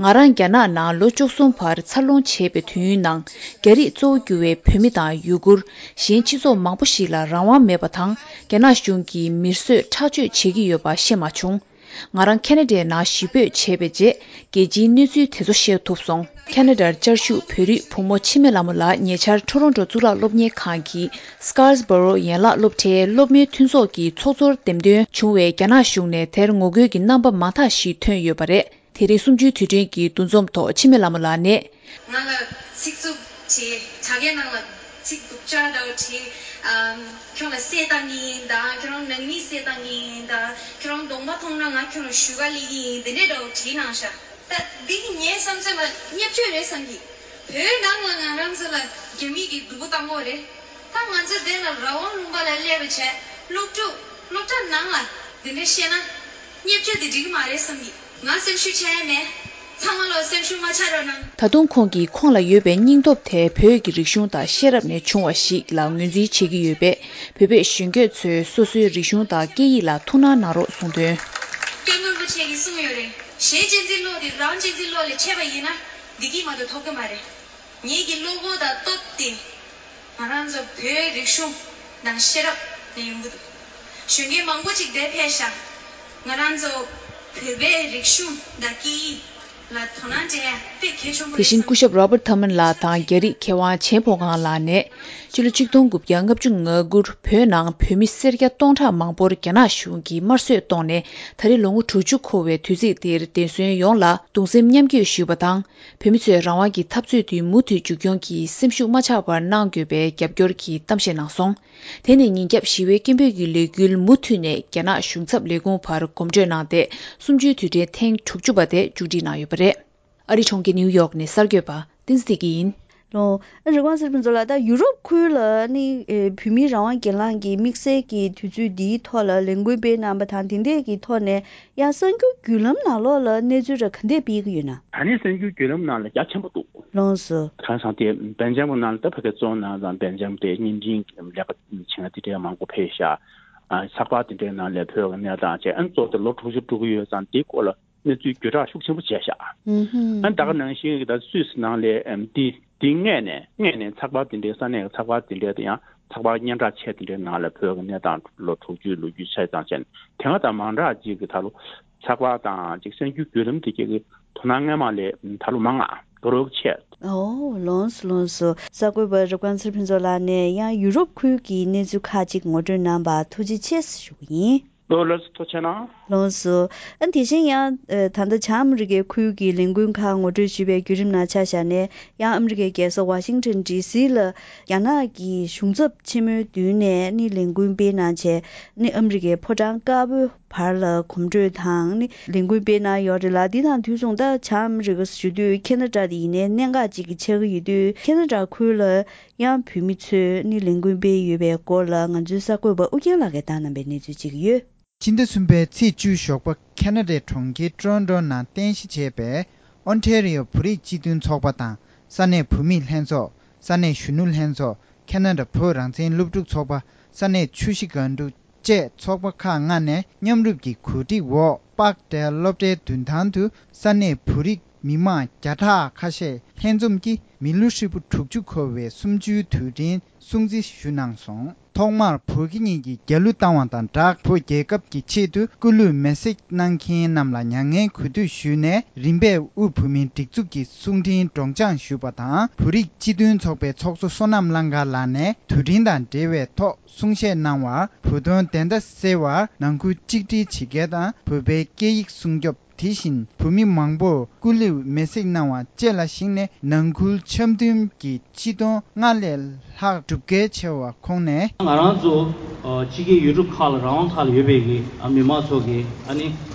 ང་རང་རྒྱ་ནག་ནང་ལོ་བཅུ་གསུམ་བར་འཚར་ལོངས་བྱས་པའི་དུས་ཡུན་ནང་རྒྱ་རིགས་གཙོ་བོ་གྱུར་བའི་བོད་མི་དང་ཡུ་གུར། གཞན་སྤྱི་ཚོགས་མང་པོ་ཞིག་ལ་རང་དབང་མེད་པ་དང་རྒྱ་ནག་གཞུང་གིས་མིར་བཟོས་ཁྲག་སྦྱོར་བྱེད་ཀྱི་ཡོད་པ་ཤེས་མ་བྱུང་། ང་རང་ཁེ་ན་ཌའི་ནང་གཞིས་སྤོས་བྱས་པའི་རྗེས་རྒྱལ་སྤྱིའི་གནས་ཚུལ་དེ་ཚོ་ཤེས་ཐུབ་སོང་། ཁེ་ན་ཌར་བཅའ་བཞུགས་བོད་རིགས་བུ་མོ་འཆི་མེད་ལྷ་མོ་ལགས་ཉེ་ཆར་ཊོ་རོན་ཊོ་གཙུག་ལག་སློབ་གཉེར་ཁང་གི་Scarborough་ཡན་ལག་སློབ་གྲྭའི་སློབ་མའི་མཐུན་ཚོགས་ཀྱི་ཚོགས་གཙོར་འདེམས་ཐོན་བྱུང་བས་རྒྱ་ནག་གཞུང་ནས་དེར་ངོ་རྒོལ་གྱི་རྣམ་པ་མང་དག་ཞིག་ཐོན་ཡོད་པ་རེད། དེ་རིང་གསུམ་བཅུའི་དུས་དྲན་གྱི་འདུ་འཛོམས་ཐོག་འཆི་མེད་ལྷ་མོ་ལགས་ནས། ང་ལ་ཚིག་རྩུབ་བྱས། དྲ་རྒྱའི་ནང་ལ་ཚིག་སྡུག་ཅག་འདྲ་བོ་བྲིས། ཨམ། ཁྱོད་ལ་གསོད་བཏང་གི་ཡིན་ད། ཁྱོད་རང་ནང་མི་གསོད་བཏང་གི་ཡིན་ད། ཁྱོད་རང་གདོང་པ་མཐོང་ན་ང་ཁྱོད་ལ་ཞུ་ག་སླེབས་ཀྱི་ཡིན། དེ་འདྲས་འདྲ་བོ་བྲིས་གནང་ཤག་ད་འདི་ངའི་བསམ་ཚུལ་ལ་བརྙས་བཅོས་རེད་བསམ་གི། བོད་ནང་ལ་ང་རང་ཚོ་ལ་རྒྱ་མི་གིས་སྡུག་པོ་བཏང་གི་རེད། ད་ང་ཚོ་དེ་ལ་རང་དབང་ལུང་པ་ལ་སླེབས་པ་བྱས། སློབ་ཕྲུག་སློབ་གྲྭ་ནང་ལ་འདི་འདྲ་བཤད་ན་བརྙས་བཅོས་དེ་འགྲིག་གི་མ་རེད་བསམ་གི། ང་སེམས་ཤུགས་ཆག་ཡ་མེད། ཚང་མ་ལོ་སེམས་ཤུགས་མ་ཆག་རོགས་གནང་། ད་དུང་ཁོང་གིས་ཁོང་ལ་ཡོད་པའི་སྙིང་སྟོབས་དེ་བོད་ཀྱི་རིག་གཞུང་དང་ཤེས་རབ་ནས་བྱུང་བ་ཞིག་ལ་ངོས་འཛིན་བྱེད་ཀྱི་ཡོད་པས། བོད་པའི་གཞོན་སྐྱེས་ཚོས་སོ་སོའི་རིག་གཞུང་དང་སྐད་ཡིག་ལ་ཐུགས་སྣང་གནང་རོགས་གསུངས་དོན། སྐྱབས་མགོན་རིན་པོ་ཆེ་གིས་གསུངས་ཡོད་རེད། གཞས་གཅན་གཟན་གློག་དེ་རང་གཅན་གཟན་གློག་ལས་ཆད་པ་ཡིན་ན་བདེ་སྐྱིད་མ་གཏོགས་ཐོབ་ཀྱི་མ་རེད། ངེད་ཀྱི་བློ་ཁོག་དང་སྟོབས་དེ་ང་རང་ཚོ་བོད་རིག་གཞུང་དང་ཤེས་རབ་ནས་ཡོང་གི་འདུག་གཞོན་སྐྱེས་མང་པོ་ཅིག་འདིར་ཕེབས་ཤག་ང་རང་ཚོ་བོད་པའི་རིག་གཞུང་དང་སྐད་ཡིག་ལ་དོ་སྣང་སྤྲད་ཡ་དཔེ་གལ་ཆེན་པོ་རེད་བསམ། དེ་བཞིན་སྐུ་ཞབས་Robert Thurman་ལགས་དང་རྒྱ་རིགས་མཁས་དབང་ཆེན་ཕོ་ཁང་ལགས་ནས། ཕྱི་ལོ་ཆིག་སྟོང་དགུ་བརྒྱ་ལྔ་བཅུ་ང་དགུར་བོད་ནང་བོད་མི་སེར་སྐྱ་སྟོང་ཕྲག་མང་པོར་རྒྱ་ནག་གཞུང་གིས་དམར་གསོད་བཏང་ནས་ད་རེས་ལོ་ངོ་དྲུག་ཅུ་འཁོར་བའི་དུས་ཚིགས་འདིར་བདེན་དོན་ཡོངས་ལ་གདུང་སེམས་མཉམ་སྐྱེད་ཞུས་པ་དང་། བོད་མི་ཚོས་རང་དབང་གི་འཐབ་རྩོད་འདི་མུ་མཐུད་མཇུག་སྐྱོང་གིས་སེམས་ཤུགས་མ་ཆག་པར་གནང་དགོས་པའི་རྒྱབ་སྐྱོར་གྱི་གཏམ་བཤད་གནང་སོང་། དེ་ནས་ཉིན་རྒྱབ་ཞི་བའི་སྐད་འབོད་ཀྱི་ལས་འགུལ་མུ་མཐུད་ནས་རྒྱ་ནག་གཞུང་ཚབ་ལས་ཁུངས་བར་གོམ་བགྲོད་གནང་སྟེ། གསུམ་བཅུའི་དུས་དྲན་ཐེངས་དྲུག་ཅུ་པ་དེ་མཇུག་སྒྲིལ་གནང་ཡོད་པ་རེད། ཨ་རི་གྲོང་ཁྱེར་ནིའུ་ཡོག་ནས་གསར་འགོད་པ་བསྟན་འཛིན་བདེ་སྐྱིད་ཡིན། ལོ། ཨ་རི་ཝང་སེར་ཕུན་ཚོགས་ལགས། ད་ཡུ་རོབ་ཁུལ་ལ་ནི་ཨེ་བོད་མིའི་རང་དབང་སྒེར་ལངས་ཀྱི་དམིགས་བསལ་གྱི་དུས་ཚོད་འདིའི་ཐོག་ལ་ལས་འགུལ་སྤེལ་གནང་པ་དང་། དེ་འདྲས་ཀྱི་ཐོག་ནས་ཡང་གསར་འགྱུར་བརྒྱུད་ལམ་ནང་ལོགས་ལ་གནས་ཚུལ་ར་ག་འདྲས་སྤེལ་གྱི་ཡོད་ན། ད་ནི་གསར་འགྱུར་བརྒྱུད་ལམ་ནང་ལ་རྒྱ་ཆེན་པོ་འདུག་ལོངས་སུ། གང་ཟེར་ན་དེ་སྦེལ་ཇམ་ནང་ལ་ད་ཕ་གི་གཙོ་བོ་ནང་ལ་སྦེལ་ཇམ་དེ་བརྙན་འཕྲིན་ལས་ཀ་བྱེད་མཁན་དེ་འདྲས་མང་པོ་ཕེབས་ཤག་ཨ་ཚགས་པར་དེ་འདྲའི་ནང་ལ་བོད་ཀྱི་གནས་སྟངས་བྱས། ཨ་གཙོ་བོ་དེ་ལོ་དྲུག་ཅུ་འགྲོ་གི་ཡོད་ཙང་དེའི་སྐོར་ལ་གནས་ཚུལ་བརྒྱུད་བསྒྲགས་ཤུགས་ཆེན་པོ་བྱས་ཤག་ཨུ་ཧུམ། ཨ་ད་ག་ནང་བཞིན་གྱི་ད་སུད་སི་ནང་ལ་ཨམ་དེ་དེ་སྔས་ནས་སྔས་ནས་ཚགས་པར་དེ་འདྲའི་ས་གནས་ཀྱི་ཚགས་པར་དེ་འདྲའི་དེ་ཡང་ཚགས་པར་སྙན་གྲགས་ཆེ་དེ་འདྲའི་ནང་ལ་བོད་ཀྱི་གནས་སྟངས་ལོ་དྲུག་ཅུའི་ལོ་རྒྱུས་ཆ་ཚང་བྱས་ནས། དེ་སྔ་དང་མང་དྲགས་ཅིག་གི་ད་ལོ་ཚགས་པར་དང་ཅིག་གསར་འགྱུར་བརྒྱུད་ལམ་དེ་གྱད་ཀྱི་ དོ་སྣང་སྔོན་མ་ལས་ད་ལོ་མང་ང་། དོ་རོགས་ཆེ། ཨོ། ལོངས་སོ་ལོངས་སོ། གསར་འགོད་པ་རབ་དགའ་ཚེ་རིང་ཕུན་ཚོགས་ལགས་ནས་ཡང་ཡུ་རོབ་ཁུལ་གྱི་གནས་ཚུལ་ཁག་ཅིག་ངོ་སྤྲོད་གནང་བར་ཐུགས་རྗེ་ཆེ་ཞུ་གི་ཡིན། ལོ་ལགས་སོ། ཐུགས་རྗེ་གནང་། ལོངས་སོ། ཨ་དེ་བཞིན་ཡང་ཨ་ད་ལྟ་བྱང་ཨ་མི་རི་ཀའི་ཁུལ་གྱི་ལས་འགུལ་ཁག་ངོ་སྤྲོད་ཞུས་པའི་བརྒྱུད་རིམ་ནང་ཆ་བཞག་ནས་ཡང་ཨ་མི་རི་ཀའི་རྒྱལ་ས་ཝ་ཤིང་ཊོན་ཌི་སི་ལ་རྒྱ་ནག་གི་གཞུང་ཚབ་ཆེན་མོའི་མདུན་ནས་ནི་ལས་འགུལ་སྤེལ་གནང་བྱས་ནི་ཨ་མི་རི་ཀའི་ཕོ་བྲང་དཀར་པོའི་བར་ལ་གོམ་བགྲོད་དང་ནི་ལས་འགུལ་སྤེལ་གནང་ཡོད་རེད་ལ། འདི་དང་དུས་མཚུངས་ད་བྱང་ཨ་མི་རི་ཀ་ཞུ་དུས་ཁེ་ན་ཌ་དེ་ཡིན་ནའི་གནད་འགག་ཅིག་གི་ཆགས་ཀྱི་ཡོད་དུས་ཁེ་ན་ཌ་ཁུལ་ལ་ཡང་བོད་མི་ཚོས་ནི་ལས་འགུལ་སྤེལ་ཡོད་པའི་སྐོར་ལ་ང་ཚོའི་གསར་འགོད་པ་ཨུ་རྒྱན་ལགས་ཀྱིས་བཏང་གནང་པའི་གནས་ཚུལ་ཅིག་ཡོད། ཕྱི་ཟླ་གསུམ་པའི་ཚེས་བཅུ་ཞོགས་པ་ཁེ་ན་ཌའི་གྲོང་ཁྱེར་ཊོ་རོན་ཊོ་ནང་རྟེན་གཞི་བྱས་པའི་ཨོན་ཊེ་རི་ཡོ་བོད་རིགས་སྤྱི་མཐུན་ཚོགས་པ་དང་ས་གནས་བོད་མིའི་ལྷན་ཚོགས། ས་གནས་གཞོན་ནུ་ལྷན་ཚོགས། ཁེ་ན་ཌ་བོད་རང་བཙན་སློབ་ཕྲུག་ཚོགས་པ། ས་གནས་ཆུ་བཞི་སྒང་དྲུག་བཅས་ཚོགས་པ་ཁག་ལྔ་ནས་མཉམ་རུབ་ཀྱི་གོ་སྒྲིག་འོག་པཱག་ཌེལ་སློབ་གྲྭའི་མདུན་ཐང་དུ་ས་གནས་བོད་རིགས་མི་མང་བརྒྱ་ཕྲག་ཁ་ཤས་ལྷན་འཛོམས་ཀྱིས་མི་ལོ་ཧྲིལ་པོ་དྲུག་ཅུ་འཁོར་བའི་གསུམ་བཅུའི་དུས་དྲན་སྲུང་བརྩི་ཞུ་གནང་སོང་། ཐོག་མར་བོད་ཀྱི་ཉིན་གྱི་རྒྱལ་གླུ་བཏང་བ་དང་སྦྲགས། བོད་རྒྱལ་ཁབ་ཀྱི་ཆེད་དུ་སྐུ་ལུས་མེར་སྲེག་གནང་མཁན་རྣམས་ལ་མྱ་ངན་གུས་འདུད་ཞུས་ནས། རིམ་པས་དབུས་བོད་མིའི་སྒྲིག་འཛུགས་ཀྱི་གསུང་འཕྲིན་སྒྲོག་སྦྱང་ཞུས་པ་དང་། བོད་རིགས་སྤྱི་མཐུན་ཚོགས་པའི་ཚོགས་གཙོ་བསོད་ནམས་གླང་དཀར་ལགས་ནས་དུས་དྲན་དང་འབྲེལ་བའི་ཐོག་གསུང་བཤད་གནང་བར། བོད་དོན་བདེན་མཐའ་གསལ་བར་ནང་ཁུལ་གཅིག་སྒྲིལ་བྱེད་མཁན་དང་། བོད་པའི་སྐད་ཡིག་སྲུང་སྐྱོབ། དེ་བཞིན་བོད་མི་མང་པོར་སྐུ་ལུས་མེར་སྲེག་གནང་བ་བཅས་ལ་གཞིགས་ནས། ནང་ཁུལ་འཆམ་མཐུན་གྱི་སྤྱི་སྟོང་ལྔ་ལས་ལྷག་སྒྲུབ་འགན་ཆེ་བ་ཁོངས་ནས། ང་རང་ཚོ་ཨ་ཕྱི་རྒྱལ་ཡུལ་གྲུ་ཁག་ལ་རང་དབང་ཐོག་ལ་ཡོད་པའི་གི་ཨ་མི་མང་ཚོ་གི་ཨ་ནི་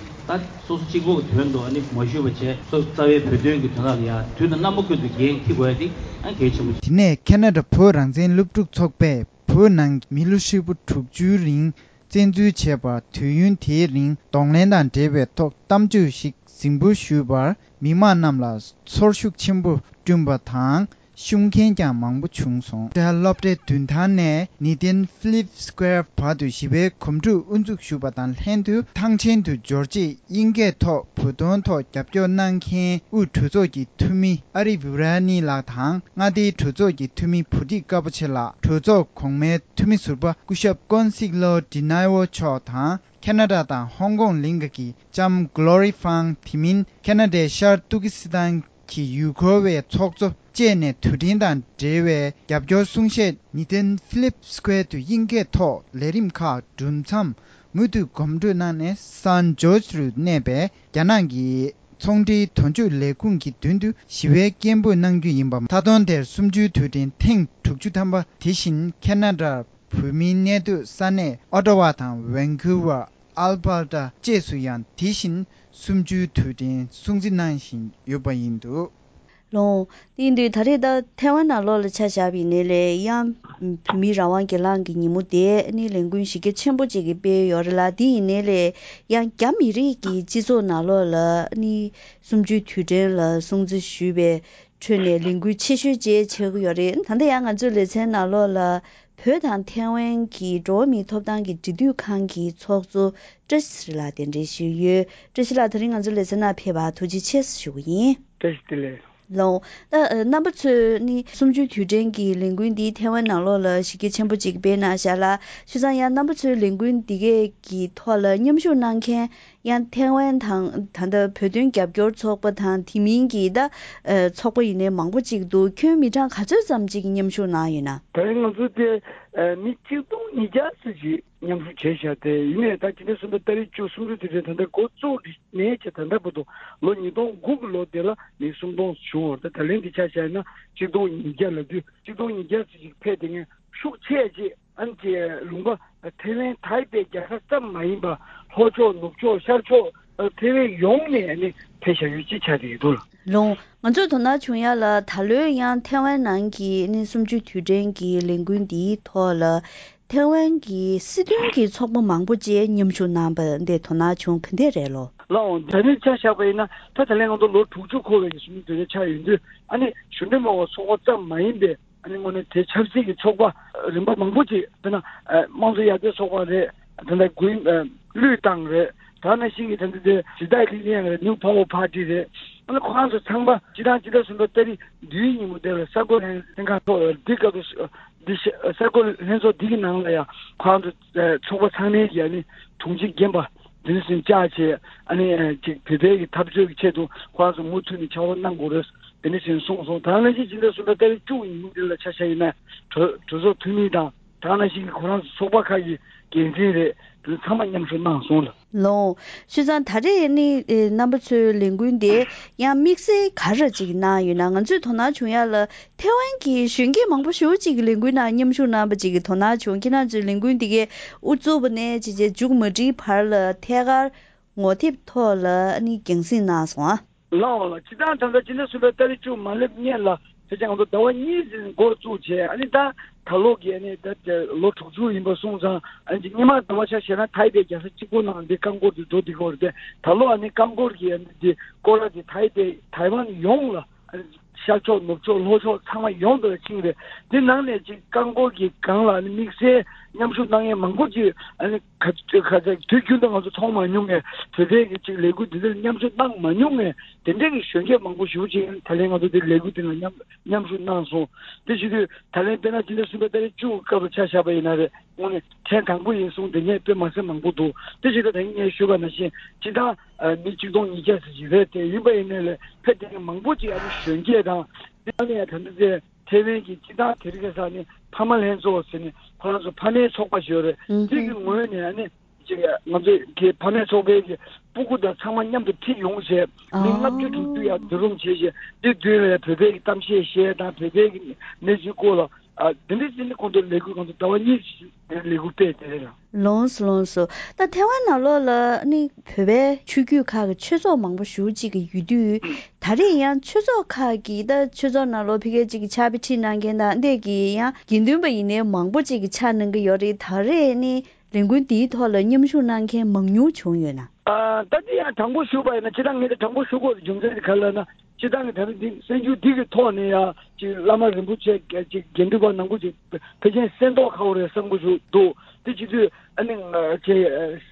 ད་སོ་སོ་གཅིག་པོ་གི་དོན་དུ་ཨ་ནི་མ་ཞུགས་པ་བྱས། སོ་རྩ་བའི་བོད་དོན་གྱི་དོན་དག་ལ་ཡ་དུས་དང་རྣམ་པ་ཀུན་ཏུ་འགན་འཁྱེར་དགོས་ཡ་དེ་ཨ་གལ་ཆེན་པོ། དེ་ནས་ཁེ་ན་ཌ་བོད་རང་བཙན་སློབ་ཕྲུག་ཚོགས་པས་བོད་ནང་མི་ལོ་ཧྲིལ་པོ་དྲུག་ཅུའི་རིང་བཙན་འཛུལ་བྱས་པ། དུས་ཡུན་དེའི་རིང་གདོང་ལེན་དང་འབྲེལ་བའི་ཐོག་གཏམ་བརྗོད་ཞིག་གཟིགས་འབུལ་ཞུས་པར། མི་མང་རྣམས་ལ་ཚོར་ཤུགས་ཆེན་པོ་བསྐྲུན་པ་དང་། ཤུགས་རྐྱེན་ཀྱང་མང་པོ་བྱུང་སོང་། སློབ་གྲྭའི་མདུན་ཐང་ནས་ནི་ཏན་ཕི་ལིབ་སི་ཀོ་ཝེར་བར་དུ་ཞི་བའི་གོམ་བགྲོད་དབུ་འཛུགས་ཞུས་པ་དང་ལྷན་དུ། ཐང་ཆེན་དུ་འབྱོར་རྗེས་དབྱིན་སྐད་ཐོག་བོད་དོན་ཐོག་རྒྱབ་སྐྱོར་གནང་མཁན་དབུས་གྲོས་ཚོགས་ཀྱི་འཐུས་མི་ཨ་རི་བྷི་ར་ནི་ལགས་དང་། མངའ་སྡེའི་གྲོས་ཚོགས་ཀྱི་འཐུས་མི་བུ་ཁྲིད་དཀར་པོ་ཆེ་ལགས། གྲོས་ཚོགས་གོང་མའི་འཐུས་མི་ཟུར་པ་སྐུ་ཞབས་ཀོན་སིག་ལོ་ཌི་ནའི་ཝོ་མཆོག་དང་། ཁེ་ན་ཌ་དང་ཧོང་ཀོང་གླིང་ག་གི་ལྕམ་གྷོ་ལོ་རི་ཧྥང་། དེ་མིན་ཁེ་ན་ཌའི་ཤར་ཏུར་ཀི་སི་ཐན་གྱི་ཡུལ་སྐོར་བའི་ཚོགས་གཙོ་བཅས་ནས་དུས་དྲན་དང་འབྲེལ་བའི་རྒྱབ་སྐྱོར་གསུང་བཤད། ནི་ཏན་ཕི་ལིབ་སི་ཀོ་ཝེར་དུ་དབྱིན་སྐད་ཐོག་ལས་རིམ་ཁག་གྲུབ་མཚམས། མུ་མཐུད་གོམ་བགྲོད་གནང་ནས། སན་ཇོར་ཇི་རུ་གནས་པའི་རྒྱ་ནག་གི་ཚོང་འབྲེལ་དོན་གཅོད་ལས་ཁུངས་ཀྱི་མདུན་དུ་ཞི་བའི་སྐད་འབོད་གནང་རྒྱུ་ཡིན་པ། མཐའ་སྟོང་དེར་གསུམ་བཅུའི་དུས་དྲན་ཐེངས་དྲུག་ཅུ་ཐམ་པ། དེ་བཞིན་ཁེ་ན་ཌར་བོད་མིའི་གནས་སྡོད་ས་གནས་ཨོ་ཊ་ཝ་དང་ཝན་ཀུ་ཝར། ཨལ་བྷར་ཊ་བཅས་སུ་ཡང་དེ་བཞིན་གསུམ་བཅུའི་དུས་དྲན་སྲུང་བརྩི་གནང་བཞིན་ཡོད་པ་ཡིན་འདུག། ལོང་། དེ་ཡིན་དུས་ད་རེས་ད་ཐའེ་ཝན་ནང་ལོགས་ལ་ཆ་བཞག་པ་ཡིན་ནའི་ལས་ཡང་བོད་མིའི་རང་དབང་སྒེར་ལངས་ཀྱི་ཉིན་མོ་དེ་ནི་ལས་འགུལ་གཞི་རྒྱ་ཆེན་པོ་ཅིག་གིས་སྤེལ་ཡོད་རེད་ལ། དེ་ཡིན་ནའི་ལས་ཡང་རྒྱ་མི་རིགས་ཀྱི་སྤྱི་ཚོགས་ནང་ལོགས་ལ་ནི་གསུམ་བཅུའི་དུས་དྲན་ལ་སྲུང་བརྩི་ཞུས་པའི་ཁྲོད་ནས་ལས་འགུལ་ཆེ་ཤོས་བཅས་ཆགས་ཀྱི་ཡོད་རེད། ད་ལྟ་ཡང་ང་ཚོའི་ལེ་ཚན་ནང་ལོགས་ལ་བོད་དང་ཐའེ་ཝན་གྱི་འགྲོ་བ་མིའི་ཐོབ་ཐང་གི་འབྲེལ་མཐུད་ཁང་གི་ཚོགས་གཙོ་བཀྲ་ཤིས་ཚེ་རིང་ལགས་གདན་འདྲེན་ཞུས་ཡོད། བཀྲ་ཤིས་ལགས་དེ་རིང་ང་ཚོའི་ལེ་ཚན་ནང་ཕེབས་པར་ཐུགས་རྗེ་ཆེ་ཞུ་གི་ཡིན། བཀྲ་ཤིས་བདེ་ལེགས། ལོ། ད་རྣམ་པ་ཚོས་ནི་གསུམ་བཅུའི་དུས་དྲན་གྱི་ལས་འགུལ་འདི་ཐའེ་ཝན་ནང་ལོགས་ལ་གཞི་རྒྱ་ཆེན་པོ་ཅིག་སྤེལ་གནང་བཞག་ལ། བྱས་ཙང་ཡང་རྣམ་པ་ཚོའི་ལས་འགུལ་འདི་གས་ཀྱི་ཐོག་ལ་མཉམ་ཞུགས་གནང་མཁན་ཡང་ཐའེ་ཝན་དང་ད་ལྟ་བོད་དོན་རྒྱབ་སྐྱོར་ཚོགས་པ་དང་དེ་མིན་གྱི་ད་ཚོགས་པ་ཡིན་ནའི་མང་པོ་ཅིག་འདུག། ཁྱོན་མི་གྲངས་ག་ཚོད་ཙམ་ཅིག་མཉམ་ཞུགས་གནང་ཡོད་ན། ད་རིང་ང་ཚོ་དེ་མི་གཅིག་སྟོང་ཉིས་བརྒྱ་ཙམ་ཅིག་མཉམ་ཞུགས་བྱས་བཞག་སྟེ། ཡིན་ནའི་ད་ཕྱི་ཟླ་གསུམ་པའི་ཏ་རིག་བཅུ། གསུམ་བཅུའི་དུས་དྲན་ད་ལྟ་འགོ་བཙུགས་ནས་བྱས་ད་ལྟ་བར་དུ་ལོ་ཉིས་སྟོང་དགུ་གི་ལོ་དེ་ལ་མི་སུམ་སྟོང་བྱུང་བ་རེད། ད་ད་ལན་འདི་ཆ་བཞག་ན་གཅིག་སྟོང་ཉིས་བརྒྱ་ལབ་དུས་གཅིག་སྟོང་ཉིས་བརྒྱ་ཙམ་ཞིག་ཕེབས་དེ་ངས་ཤུགས་ཆེ་ཅིག་ཨ་ནི་ལུང་པ་ཐའེ་ཝན་ཐའེ་པེ་རྒྱལ་ས་ཙམ་མ་ཡིན་པ་ལྷོ་ཕྱོགས་ནུབ་ཕྱོགས་ཤར་ཕྱོགས་ཐའེ་ཝན་ཡོངས་ནས་ཨ་ནི་ཕེབས་བཞག་ཡོད་ཅེས་ཆགས་བསྡད་ཡོད་འདུག་ལ། ལོང་། ང་ཚོས་དོ་སྣང་བྱུང་ཡ་ལ་ད་ལོའི་ཡང་ཐའེ་ཝན་ནང་གི་ཨ་ནི་གསུམ་བཅུའི་དུས་དྲན་གྱི་ལས་འགུལ་འདིའི་ཐོག་ལ། ཐའེ་ཝན་གྱི་སྲིད་དོན་གྱི་ཚོགས་པ་མང་པོ་བཅས་མཉམ་ཞུགས་གནང་པ་འདི་དོ་སྣང་བྱུང་ག་འདྲ་རེད་ལོ། ལགས་འོང་། ད་ནི་ཆ་བཞག་པ་ཡིན་ན་ད་ད་ལན་ང་ཚོ་ལོ་དྲུག་ཅུ་འཁོར་བའི་གསུམ་བཅུའི་དུས་དྲན་ཆགས་ཡོད་དུས། ཨ་ནི་གཞོན་ནུ་མང་བ་ཚོགས་པ་ཙམ་མ་ཡིན་པའི་ཨ་ནི་དངོས་གནས་དེ་ཆབ་སྲིད་ཀྱི་ཚོགས་པ་རིམ་པ་མང་པོ་ཅིག་དཔེར་ན་དམངས་གཙོ་ཡར་ཐོན་ཚོགས་པ་རེད། ད་ལྟ་དགུན་བློས་བཏང་རེད། ད་ནང་བཞིན་གྱི་ད་ལྟ་དེ་ཇི་ཏའི་ལི་ལི་ཡང་རེད། ནིའུ་པ་ཝར་པར་ཊི་རེད། ཨ་ནི་ཁོ་རང་ཚོ་ཚང་མ་སྤྱི་བཏང་སྤྱི་ཟླ་གསུམ་པ་ཏ་རིག་བདུན་ཉིན་མོ་དེ་ལ་གསར་འགོད་ལྷན་ལྷན་ཁང་ཐོག་འདི་སྐབས་སུ་འདི་ཤ་གསར་འགོད་ལྷན་ཚོགས་འདི་གི་ནང་ལ་ཡང་ཁོ་རང་ཚོ་ཚོགས་པ་ཚང་མའི་ཡ་ནི་དྲུང་ཆེ་རྒན་པ་ དེ་འདྲ་ཞིག་བཅར་བྱས། ཨ་ནི་ཅིག་བོད་པའི་གི་འཐབ་རྩོད་ཀྱི་ཆེད་དུ་ཁོ་རང་ཚོ་མུ་མཐུད་ནས་ཕྱག་རོགས་གནང་དགོས་རེད། དེ་འདྲ་ཞིག་གསུངས་སོང་། ད་ནང་བཞིན་ཕྱི་ཟླ་གསུམ་པའི་ཏ་རིག་བཅུ་ཡིན་འདི་ལ་ཆ་བཞག་ཡིན་ན། གྲོས་གྲོས་ཚོགས་འཐུས་མི་དང་། ད་ནང་བཞིན་གྱི་ཁོ་རང་ཚོ་ཚོགས་པ་ཁག་གི་འགན་འཛིན་རེད། དེ་ཚང་མ་མཉམ་ཞུགས་གནང་སོང་ལ། ལོ། ཤུལ་ཙང་ད་རེས་ནི་ཨེ་རྣམ་པ་ཚོའི་ལས་འགུལ་འདི་ཡང་དམིགས་བསལ་ག་རེ་ཅིག་གནང་ཡོད་ན། ང་ཚོས་དོ་སྣང་བྱུང་ཡ་ལ་ཐེ་ཝན་གྱི་གཞོན་སྐྱེས་མང་པོ་ཞེ་པོ་ཅིག་གིས་ལས་འགུལ་ནང་མཉམ་ཞུགས་གནང་པ་ཅིག་གི་དོ་སྣང་བྱུང་། ཁྱེད་རང་ཚོའི་ལས་འགུལ་འདི་གའི་དབུ་བཙུགས་པ་ནས་ཅིག་ཅིག་མཇུག་མ་སྒྲིལ་བར་ལ་ཐད་ཀར་ངོ་དེབ་ཐོག་ལ་ནི་རྒྱང་སྲིང་གནང་སོང་ཨ། ལགས་འོང་ལགས། སྤྱིར་བཏང་ད་ལྟ་ཕྱི་ཟླ་གསུམ་པའི་ཏ་རིག་བཅུ་མ་སླེབས་སྔོན་ལ་ཕལ་ཆེར་ང་ཚོ་ཟླ་བ་གཉིས་ཙམ་འགོ་བཙུགས་བྱས། ཨ་ནི་ད་ད་ལོ་གི་ཨ་ནི་ད་ལོ་དྲུག་ཅུ་ཡིན་པ་སོང་ཙང་། ཨ་ནི་སྔོན་མ་ཟླ་བ་ཆ་བཞག་ན་ཐའི་པེ་རྒྱལ་ས་གཅིག་པོ་ནང་འདི་རྐང་འཁོར་དེ་འགྲོ་བསྡད་ཀྱི་ཡོད་རེད་དེ། ད་ལོ་ཨ་ནི་རྐང་འཁོར་གྱི་ཨ་ནི་འདི་སྐོར་ར་དེ་ཐའི་པེ་ཐའེ་ཝན་ཡོངས་ལ། ཨ་ནི་ཤར་ཕྱོགས་ནུབ་ཕྱོགས་ལྷོ་ཕྱོགས་ཚང་མ་ཡོངས་སུ་ཕྱིན་རེད། དེ་ནང་ནས་ཅིག་རྐང་འཁོར་གྱི་སྒང་ལ་ཨ་ནི་དམིགས་བསལ་མཉམ་ཞུགས་གནང་མཁན་མང་པོ་ཅིག་ཨ་ནི་ག་ག་ཚད་དུས་རྒྱུན་དུ་ང་ཚོ་མཐོང་མ་མྱོང་མཁན། བོད་པའི་གི་ཅིག་ལས་འགུལ་འདི་འདྲར་མཉམ་ཞུགས་གནང་མ་མྱོང་མཁན་དེ་འདྲའི་གི་གཞོན་སྐྱེས་མང་པོ་ཞེ་པོ་ཅིག་ད་ལན་ང་ཚོ་འདི་ལས་འགུལ་འདི་ལ་མཉམ་མཉམ་ཞུགས་གནང་སོང་། དེ་བྱེད་དུས་ད་ལན་དཔེར་ན་ཕྱི་ཟླ་གསུམ་པའི་ཏ་རིག་བཅུ་སྐབས་ལ་ཆ་བཞག་པ་ཡིན་ན་རེད། དངོས་གནས་ཐེངས་དང་པོ་ཡིན་གསུངས་དེ་ནས་དཔེ་མ་སྲིད་མང་པོ་འདུག་དེ་བྱེད་དུས་ད་ངས་ཞུས་པ་ནང་བཞིན་སྤྱིར་བཏང་ཨ་མི་གཅིག་སྟོང་ཉིས་བརྒྱ་ཙམ་ཞིག་རེད། དེ་ཡིན་པ་ཡིན་ནའི་ལས་ཕེབས་མཁན་མང་པོ་ཅིག་ཨ་ནི་གཞོན་སྐྱེས་དང་། དེ་ནས་ད་ལྟ་དེ་ཐེ་ཝན་གྱི་སྤྱིར་བཏང་དེ་རིང་ཁ་སང་ནི་ཕ་མ་ལྷན་ཚོགས་ཟེར་ནས་ཁོ་རང་ཚོ་ཕ་མའི་ཚོགས་པ་ཞིག་ཡོད་རེད། ཨུ་དེ་གི་ངོས་ནས་ཨ་ནི་ཅིག་ང་ཚོ་གི་ཕ་མའི་ཚོགས་པའི་གི་སྤུ་གུ་དང་ཚང་མ་མཉམ་དུ་ཁྲིད་ཡོང་བྱས། མི་ལྔ་བཅུ་དྲུག་ཅུ་ཡར་འཛུལ་རོགས་བྱས་བྱས། དེ་མདུན་ལ་བོད་པའི་གི་གཏམ་བཤད་བཤད་དང་། བོད་པའི་གི་གནས་ཚུལ་སྐོར་ལ་ཨ་དེ་འདྲ་ཟེར་ནས་ཁོང་ཚོ་ལས་འགུལ་ཁོང་ཚོ་ཟླ་བ་གཉིས་ལས་འགུལ་སྤེལ་དེ་རེད་ལ། ལོངས་སུ་ལོངས་སུ། ད་ཐེ་ཝན་ནང་ལོགས་ལ་ནི་བོད་པའི་ཆོས་བརྒྱུད་ཁག་གི་ཆོས་ཚོགས་མང་པོ་ཞེ་པོ་ཅིག་གི་ཡོད་དུས། ད་རེས་ཡང་ཆོས་ཚོགས་ཁག་གི་ད་ཆོས་ཚོགས་ནང་ལོགས་ཕ་གིར་ཅིག་གི་ཕྱག་དཔེ་ཁྲིད་གནང་མཁན་དང་འདི་གི་ཡང་དགེ་འདུན་པ་ཡིན་ནའི་མང་པོ་ཅིག་གི་ཕྱག་གནང་གི་ཡོད་རེད། ད་རེས་ནི་ལས་འགུལ་འདིའི་ཐོག་ལ་མཉམ་ཞུགས་གནང་མཁན་མང་ཉུང་བྱུང་ཡོད་ན། ཨ་ད་འདི་ཡང་དྲང་པོ་ཞུ་བ་ཡིན་ན། སྤྱིར་བཏང་ངས་ད་དྲང་པོ་ཞུ་དགོས་རྒྱུ་མཚན་དེ་ག་རེ་ལབ་ན། སྤྱིར་བཏང་གི་ད་རེས་འདི་གསར་འགྱུར་འདི་གི་ཐོག་ནས་ཡང་ཅིག་བླ་མ་རིན་པོ་ཆེ་ཅིག་དགེ་འདུན་པ་ནང་ཁུལ་ཅིག་ཕལ་ཆེར་གསན་མདོག་ཁ་པོ་རེད་བསམ་གྱི་འདུག་དེ་བྱེད་དུས་ཨ་ནི་ང་ཅིག་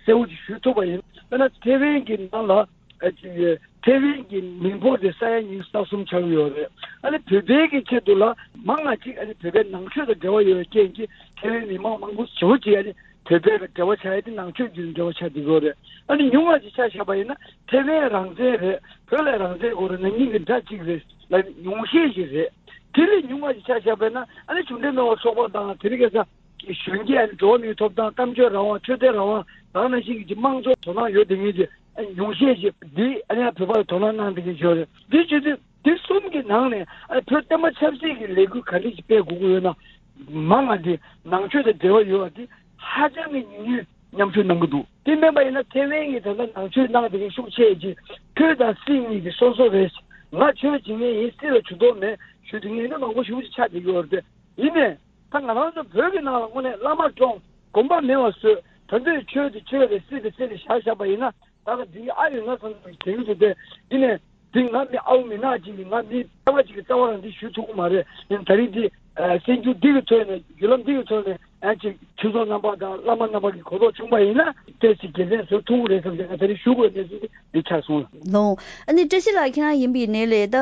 གསལ་པོ་ཅིག་ཞུ་ཐུབ་པ་ཡིན། དཔེར་ན་ཐེ་ཝན་གྱི་ནང་ལ་ཨ་ཅིག་ཐེ་ཝན་གྱི་མི་འབོར་དེ་ས་ཡ་ཉི་ཤུ་རྩ་གསུམ་ཆགས་ཡོད་རེད། ཨ་ནི་བོད་པའི་གི་ཆེད་དུ་ལ་མང་ང་ཅིག་ཨ་ནི་བོད་པའི་ནང་ཆོས་དང་འབྲེལ་བ་ཡོད་པའི་རྐྱེན་གྱིས་ཐེ་ཝན་མི་མང་མང་པོ་ཞེ་པོ་ཅིག་ཨ་ནི་བོད་པའི་འབྲེལ་བ་ཆགས་ཡ་དེ་ནང་ཆོས་བརྒྱུད་འབྲེལ་བ་ཆགས་བསྡད་ཡོད་རེད། ཨ་ནི་ཉུང་བ་ཅིག་ཆ་བཞག་པ་ཡིན་ན་ཐེ་ཝན་རང་བཙན་རེད། བོད་ལ་རང་བཙན་དགོས་རེད། ན་ནིང་གི་འདྲ་གཅིག་རེད་ལ་ཉུང་ཤས་ཤིག་རེད། དེ་ལས་ཉུང་བ་ཅིག་ཆ་བཞག་པ་ཡིན་ན་ཨ་ནི་གཞུང་འབྲེལ་མེད་པའི་ཚོགས་པ་དང་། དེ་རིང་ཁ་སང་གི་གཞོན་སྐྱེས་ཨ་ནི་འགྲོ་བ་མིའི་ཐོབ་ཐང་། གཏམ་བརྗོད་རང་དབང་། ཆོས་དད་རང་དབང་། ད་ག་ནང་བཞིན་གྱི་དམངས་གཙོ་དོ་སྣང་ཡོད་བསྡད་མཁན་གྱི་ཨ་ནི་ཉུང་ཤས་ཤིག་འདི་ཨ་ནི་ཡང་བོད་པ་ལ་དོ་སྣང་གནང་བསྡད་མཁན་ཞིག་ཡོད་རེད། འདི་བྱེད་དུས་འདི་གསུམ་གྱི་ནང་ནས་ཨ་བོད་བསྟན་པ་ཆབ་སྲིད་ཀྱི་ལས་འགུལ་ག་འདྲ་ཞིག་སྤེལ་དགོས་ཀྱི་ཡོད་ན། མང་ང་འདི་ནང་ཆོས་དང་འབྲེལ་བ་ཡོད་པ་འདི་ཧ་ཅང་གི་ཉུང་ཉུང་མཉམ་ཞུགས་གནང་གི་འདུག་དེ་མིན་པ་ཡིན་ན་ཐེ་ཝན་གྱི་ད་ལྟ་ནང་ཆོས་གནང་བསྡད་མཁན་ཤུགས་ཆེ་ཅིག་ཆོས་དང་སྲིད་གཉིས་ཀྱི་སོ་སོ་རེད། ང་ཆོས་བྱེད་མཁན་ཡིན། སྲིད་ལ་ཇུས་གཏོགས་མེད་ཞུ་བསྡད་མཁན་ཡིན་ན་མང་པོ་ཞེ་པོ་ཅིག་ཆགས་བསྡད་ཀྱི་ཡོད་རེད། ཡིན་ནའི་ད་ང་རང་ཚོ་བོད་ཀྱི་ནང་ལ་དངོས་གནས་བླ་མ་བཀྲོངས། དགོན་པ་མེད་པ་བཟོས། ད་ཚོས་ཆོས་དེ་ཆོས་རེད། སྲིད་དེ་སྲིད་རེད་བཞག་བཞག་པ་ཡིན་ན། ད་ག་འདི་ཨ་ཡོད་ན་བསམ་བསམ་དྲན་གྱི་འདུག་སྟེ། འདི་ནས་འདི་ང་མི་ཨའུ་མི་ནག་ཅིག་ཡིན། ང་མི་རྩ་བ་ཅིག་གི་རྩ་བ་རང་འདི་ཞུ་ཐུབ་ཀྱི་མ་རེད། ཡིན་ད་རིང་འདི་གསར་འགྱུར་འདི་གི་ཐོག་ནས་བརྒྱུད་ལམ་འདི་གི་ཐོག་ནས་ཨ་ཅིག་ཆོས་ཚོགས་རྣམ་པ་དང་བླ་མ་རྣམ་པ་གི་གོ་རྟོགས་བྱུང་པ་ཡིན་ན་ཏོག་ཙམ་དགེ་མཚན་བཟོ་ཐུབ་ཀྱི་རེད་བསམ་བྱས་ང་ད་རིང་ཞུ་དགོས་གནས་ཚུལ་འདི་ཆགས་སོང་ལ། ལོང་། ཨ་ནི་བཀྲ་ཤིས་ལགས་ཁྱེད་རང་ཡིན་པ་ཡིན་ནའི་ལས་ད་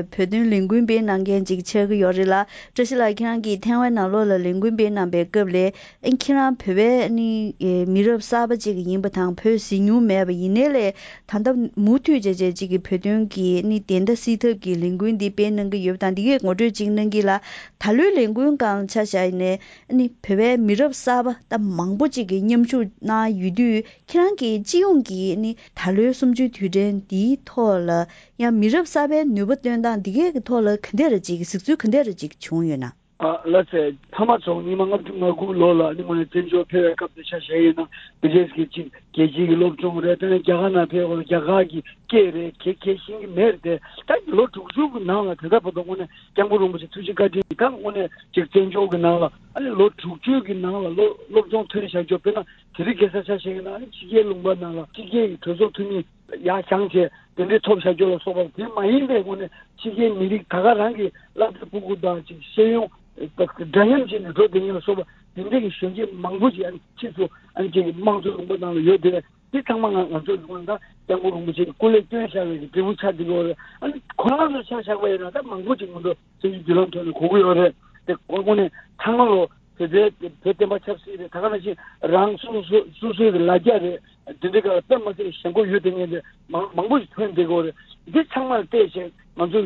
བོད་དོན་ལས་འགུལ་སྤེལ་གནང་མཁན་ཅིག་ཆགས་ཀྱི་ཡོད་རེད་ལ། བཀྲ་ཤིས་ལགས་ཁྱེད་རང་གིས་ཐེ་ཝན་ནང་ལོགས་ལ་ལས་འགུལ་སྤེལ་གནང་པའི་སྐབས་ལས། ཨ་ཁྱེད་རང་བོད་པའི་ནི་ཨེ་མི་རབས་གསར་པ་ཅིག་ཡིན་པ་དང་བོད་གཟིགས་མྱོང་མེད་པ་ཡིན་ནའི་ལས། ད་ལྟ་མུ་མཐུད་བྱས་བྱས་ཅིག་གི་བོད་དོན་གྱི་ནི་བདེན་མཐའ་གསལ་ཐབས་ཀྱི་ལས་འགུལ་འདི་སྤེལ་གནང་གི་ཡོད་པ་དང་། འདི་གས་ངོ་སྤྲོད་ཅིག་གནང་གི་ལ། ད་ལོའི་ལས་འགུལ་སྒང་ཆ་བཞག་ཡིན་ནའི་ནི་བོད་པའི་མི་རབས་གསར་པ་ད་མང་པོ་ཅིག་གིས་མཉམ་ཞུགས་གནང་ཡོད་དུས། ཁྱེད་རང་གིས་སྤྱི་ཡོངས་ཀྱི་ནི་ད་ལོའི་གསུམ་བཅུའི་དུས་དྲན་འདིའི་ཐོག་ལ་ཡང་མི་རབས་གསར་པའི་ནུས་པ་བཏོན་སྟངས་འདི་གས་ཀྱི་ཐོག་ལ་ག་འདྲ་རེ་ཅིག་གཟིགས་ཚུལ་ག་འདྲ་རེ་ཅིག་བྱུང་ཡོད་ན། ཨ་ལགས་སེ། ཐ་མ་ཚོ་ཉི་མ་ལྔ་བཅུ་ང་དགུ་ལོ་ལ་ནི་དངོས་གནས་བཙན་བྱོལ་ཕེབས་པའི་སྐབས་དེ་ཆ་བཞག་ཡིན་ན་དེ་རྗེས་ཀྱི་ཅིག་རྒྱལ་སྤྱིའི་གི་སློབ་སྦྱོང་རེད། དེ་ནས་རྒྱ་གར་ནང་ཕེབས་པ་ལ་རྒྱ་གར་གྱི་སྐད་རེད། ག་ག་ཤེས་ཀྱི་མེད་རེད་དེ། ད་ལོ་དྲུག་ཅུ་གི་ནང་ལ་དེ་ལྟ་བར་དུ་དངོས་གནས་སྐྱབས་མགོན་རིན་པོ་ཆེ་ཐུགས་རྗེ་བཀའ་དྲིན་གྱིས་ད་དངོས་གནས་ཅིག་བཙན་བྱོལ་གྱི་ནང་ལ་ཨ་ནི་ལོ་དྲུག་ཅུ་གི་ནང་ལ་སློབ་སློབ་སྦྱོང་ཐོན་བཞག་རྒྱུ། དཔེར་ན་དེ་རིང་ཁ་སང་ཆ་བཞག་ཡིན་ན་ཨ་ནི་ཕྱི་རྒྱལ་ལུང་པ་ནང་ལ་ཕྱི་རྒྱལ་གྱི་གྲོས་ཚོགས་འཐུས་མི་ཡར་བཞེངས་བྱས་དེ་འདྲའི་ཐོབ་བཞག་རྒྱུ་ལ་སོགས་པ། དེ་མ་ཡིན་པའི་སྒོ་ནས་ཕྱི་རྒྱལ་མི་རིགས་ད་ག་རང་གི་སློབ་གྲྭ་ཕྲུ་གུ་དང་ཅིག་ཤེས་ཡོན་འདྲ་མཉམ་བྱས་ནས་འགྲོ་བསྡད་མཁན་ལ་སོགས་པ་དེ་འདྲའི་གི་གཞོན་སྐྱེས་མང་པོ་ཞིག་ཨ་ནི་ཕྱིས་སུ་ཨ་ནི་ཅིག་དམངས་གཙོའི་ལུང་པ་ནང་ལ་ཡོད་དེ། འདི་ཚང་མ་ང་ང་ཚོ་ལུང་པ་ད་སྐྱབས་མགོན་རིན་པོ་ཆེ་གི་སྐུ་ལས་བསྐྱོན་བཞག་པའི་གི་འབྲས་བུ་ཆགས་འདུག་གི་རེད། ཨ་ནི་ཁོ་རང་ཚོ་ཆ་བཞག་པ་ཡིན་ན་ད་མང་པོ་ཅིག་ང་ཚོ་སྤྱི་འཐུས་བརྒྱུད་ལམ་ཐོག་ནས་གོ་གི་ཡོད་རེད་དེ། ཁོ་ཁོ་ནས་ཚང་མ་ལོ་བོད་པའི་བོད་བསྟན་པ་ཆབ་སྲིད་རེད། ད་ག་ནང་བཞིན་རང་སོ་སོ་སོ་སོའི་གི་ལ་རྒྱ་རེད། དེ་འདྲའི་སྐབས་ལ་དཔེ་མ་སྲིད་ཞེན་ཁོག་ཡོད་དེ་ངེས་དེ་མང་མང་པོ་ཞིག་ཐོན་བསྡད་ཀྱི་ཡོད་རེད། འདི་ཚང་མ་ལ་བལྟས་བྱས་ང་ཚོ་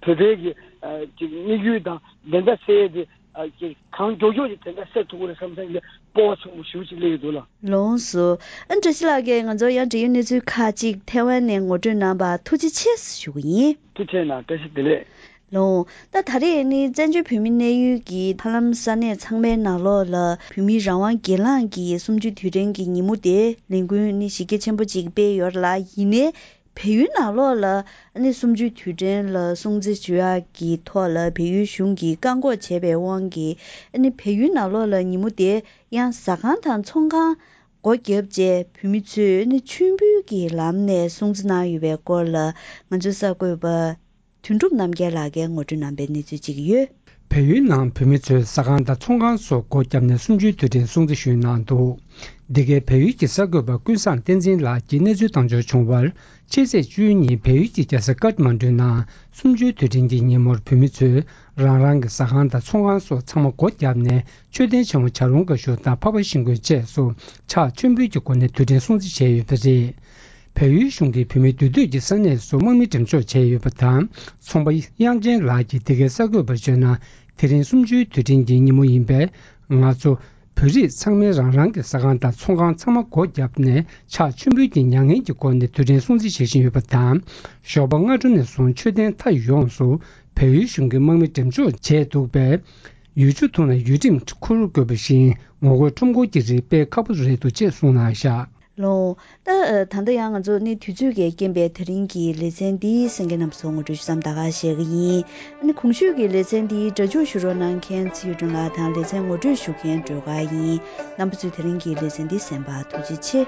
བོད་པའི་གི་ཅིག་དམིགས་ཡུལ་དང་བདེན་མཐའ་གསལ་ཡས་དེ། ཨ་ཀྱི་གང་མགྱོགས་མགྱོགས་ཀྱི་དེ་འདྲ་སེལ་ཐུབ་ཀྱི་རེད་བསམ་སེམས་ཀྱི་སྤོབས་པ་ཆེན་པོ་ཞེ་པོ་ཅིག་སླེབས་ཡོད་འདུག་ལགས། ལགས་སོ། ཨ་བཀྲ་ཤིས་ལགས་ཀྱིས་ང་ཚོར་ཡང་འབྲེལ་ཡོད་གནས་ཚུལ་ཁག་ཅིག་ཐེ་ཝན་ནས་ངོ་སྤྲོད་གནང་བར་ཐུགས་རྗེ་ཆེ་ཞུ་གི་ཡིན། ཐུགས་རྗེ་གནང་། བཀྲ་ཤིས་བདེ་ལེགས། ལགས། ད་ད་རེས་ནི་བཙན་བྱོལ་བོད་མི་གནས་ཡུལ་གྱི་ཧ་ལམ་ས་གནས་ཚང་མའི་ནང་ལོགས་ལ་བོད་མིའི་རང་དབང་སྒེར་ལངས་ཀྱི་གསུམ་བཅུའི་དུས་དྲན་གྱི་ཉིན་མོ་དེ་ལས་འགུལ་ནི་གཞི་རྒྱ་ཆེན་པོ་ཅིག་སྤེལ་ཡོད་ལ། ཡིན་ནའི། བལ་ཡུལ་ནང་ལོགས་ལ་ཨ་ནི་གསུམ་བཅུའི་དུས་དྲན་ལ་སྲུང་བརྩི་ཞུ་ཡག་གི་ཐོག་ལ་བལ་ཡུལ་གཞུང་གིས་བཀག་འགོག་བྱས་པའི་དབང་གིས་ཨ་ནི་བལ་ཡུལ་ནང་ལོགས་ལ་ཉིན་མོ་དེ་ཡང་ཟ་ཁང་དང་ཚོང་ཁང་སྒོ་བརྒྱབ་རྗེས་བོད་མི་ཚོས་ཨ་ནི་མཆོད་འབུལ་གྱི་ལམ་ནས་སྲུང་བརྩི་གནང་ཡོད་པའི་སྐོར་ལ་ང་ཚོའི་གསར་འགོད་པ་དོན་གྲུབ་རྣམ་རྒྱལ་ལགས་ཀྱིས་ངོ་སྤྲོད་གནང་པའི་གནས་ཚུལ་ཅིག་ཡོད། བལ་ཡུལ་ནང་བོད་མི་ཚོས་ཟ་ཁང་དང་ཚོང་ཁང་སོགས་སྒོ་བརྒྱབ་ནས་གསུམ་བཅུའི་དུས་དྲན་སྲུང་བརྩི་ཞུས་གནང་འདུག། འདི་གའི་བལ་ཡུལ་གྱི་གསར་འགོད་པ་ཀུན་བཟང་བསྟན་འཛིན་ལགས་ཀྱིས་གནས་ཚུལ་བཏང་འབྱོར་བྱུང་བར། ཕྱི་ཚེས་བཅུ་གཉིས་བལ་ཡུལ་གྱི་རྒྱལ་ས་ཀཏ་མན་ཌུ་ནང་གསུམ་བཅུའི་དུས་དྲན་གྱི་ཉིན་མོར་བོད་མི་ཚོས་རང་རང་གི་ཟ་ཁང་དང་ཚོང་ཁང་སོགས་ཚང་མ་སྒོ་བརྒྱབ་ནས་མཆོད་རྟེན་ཆེན་མོ་བྱ་ལུང་དགའ་ཤོད་དང་འཕགས་པ་ཤིང་ཀུན་བཅས་སུ་ཕྱག་མཆོད་འབུལ་གྱི་སྒོ་ནས་དུས་དྲན་སྲུང་བརྩི་བྱས་ཡོད་པ་རེད། བལ་ཡུལ་གཞུང་གིས་བོད་མི་འདུས་སྡོད་ཀྱི་ས་གནས་སུ་དམག་མི་འགྲེམས་འཇོག་བྱས་ཡོད་པ་དང་། ཚོང་པ་དབྱངས་ཅན་ལགས་ཀྱིས་འདི་གའི་གསར་འགོད་པར་བརྗོད་ན། དེ་རིང་གསུམ་བཅུའི་དུས་དྲན་གྱི་ཉིན་མོ་ཡིན་པས། ང་ཚོ་བོད་རིགས་ཚང་མས་རང་རང་གི་ཟ་ཁང་དང་ཚོང་ཁང་ཚང་མ་སྒོ་བརྒྱབ་ནས་ཕྱག་མཆོད་འབུལ་གྱི་མྱ་ངན་གྱི་སྒོ་ནས་དུས་དྲན་སྲུང་བརྩི་བྱེད་བཞིན་ཡོད་པ་དང་། ཞོགས་པ་སྔ་དྲོ་ནས་བཟུང་མཆོད་རྟེན་མཐའ་ཡོངས་སུ་བལ་ཡུལ་གཞུང་གིས་དམག་མི་འགྲེམས་འཇོག་བྱས་འདུག་པས། ཡུལ་ཕྱོགས་ཐོག་ནས་ཡུལ་ཁྲིམས་འཁུར་དགོས་པ་བཞིན་ངོ་རྒོལ་ཁྲོམ་སྐོར་གྱི་རིགས་སྤེལ་ཁག་པོ་རེད་འདུག་ཅེས་གསུངས་གནང་བཞག། ལགས། ད་ད་ལྟ་ཡང་ང་ཚོ་ནི་དུས་ཚོད་ཀྱི་རྐྱེན་པས་དེ་རིང་གི་ལེ་ཚན་འདི་གསན་མཁན་རྣམས་སུ་ངོ་སྤྲོད་ཞུ་མཚམས་ད་ག་བཞག་གི་ཡིན། ཨ་ནི་གོང་ཞུས་ཀྱི་ལེ་ཚན་འདི་སྒྲ་འཇུག་ཞུ་རོགས་གནང་མཁན་ཚེ་ཡུལ་སྒྲོན་ལགས་དང་ལེ་ཚན་ངོ་སྤྲོད་ཞུ་མཁན་སྒྲོལ་དཀར་ཡིན། རྣམ་པ་ཚོས་དེ་རིང་གི་ལེ་ཚན་འདི་གསན་པར་ཐུགས་རྗེ་ཆེ།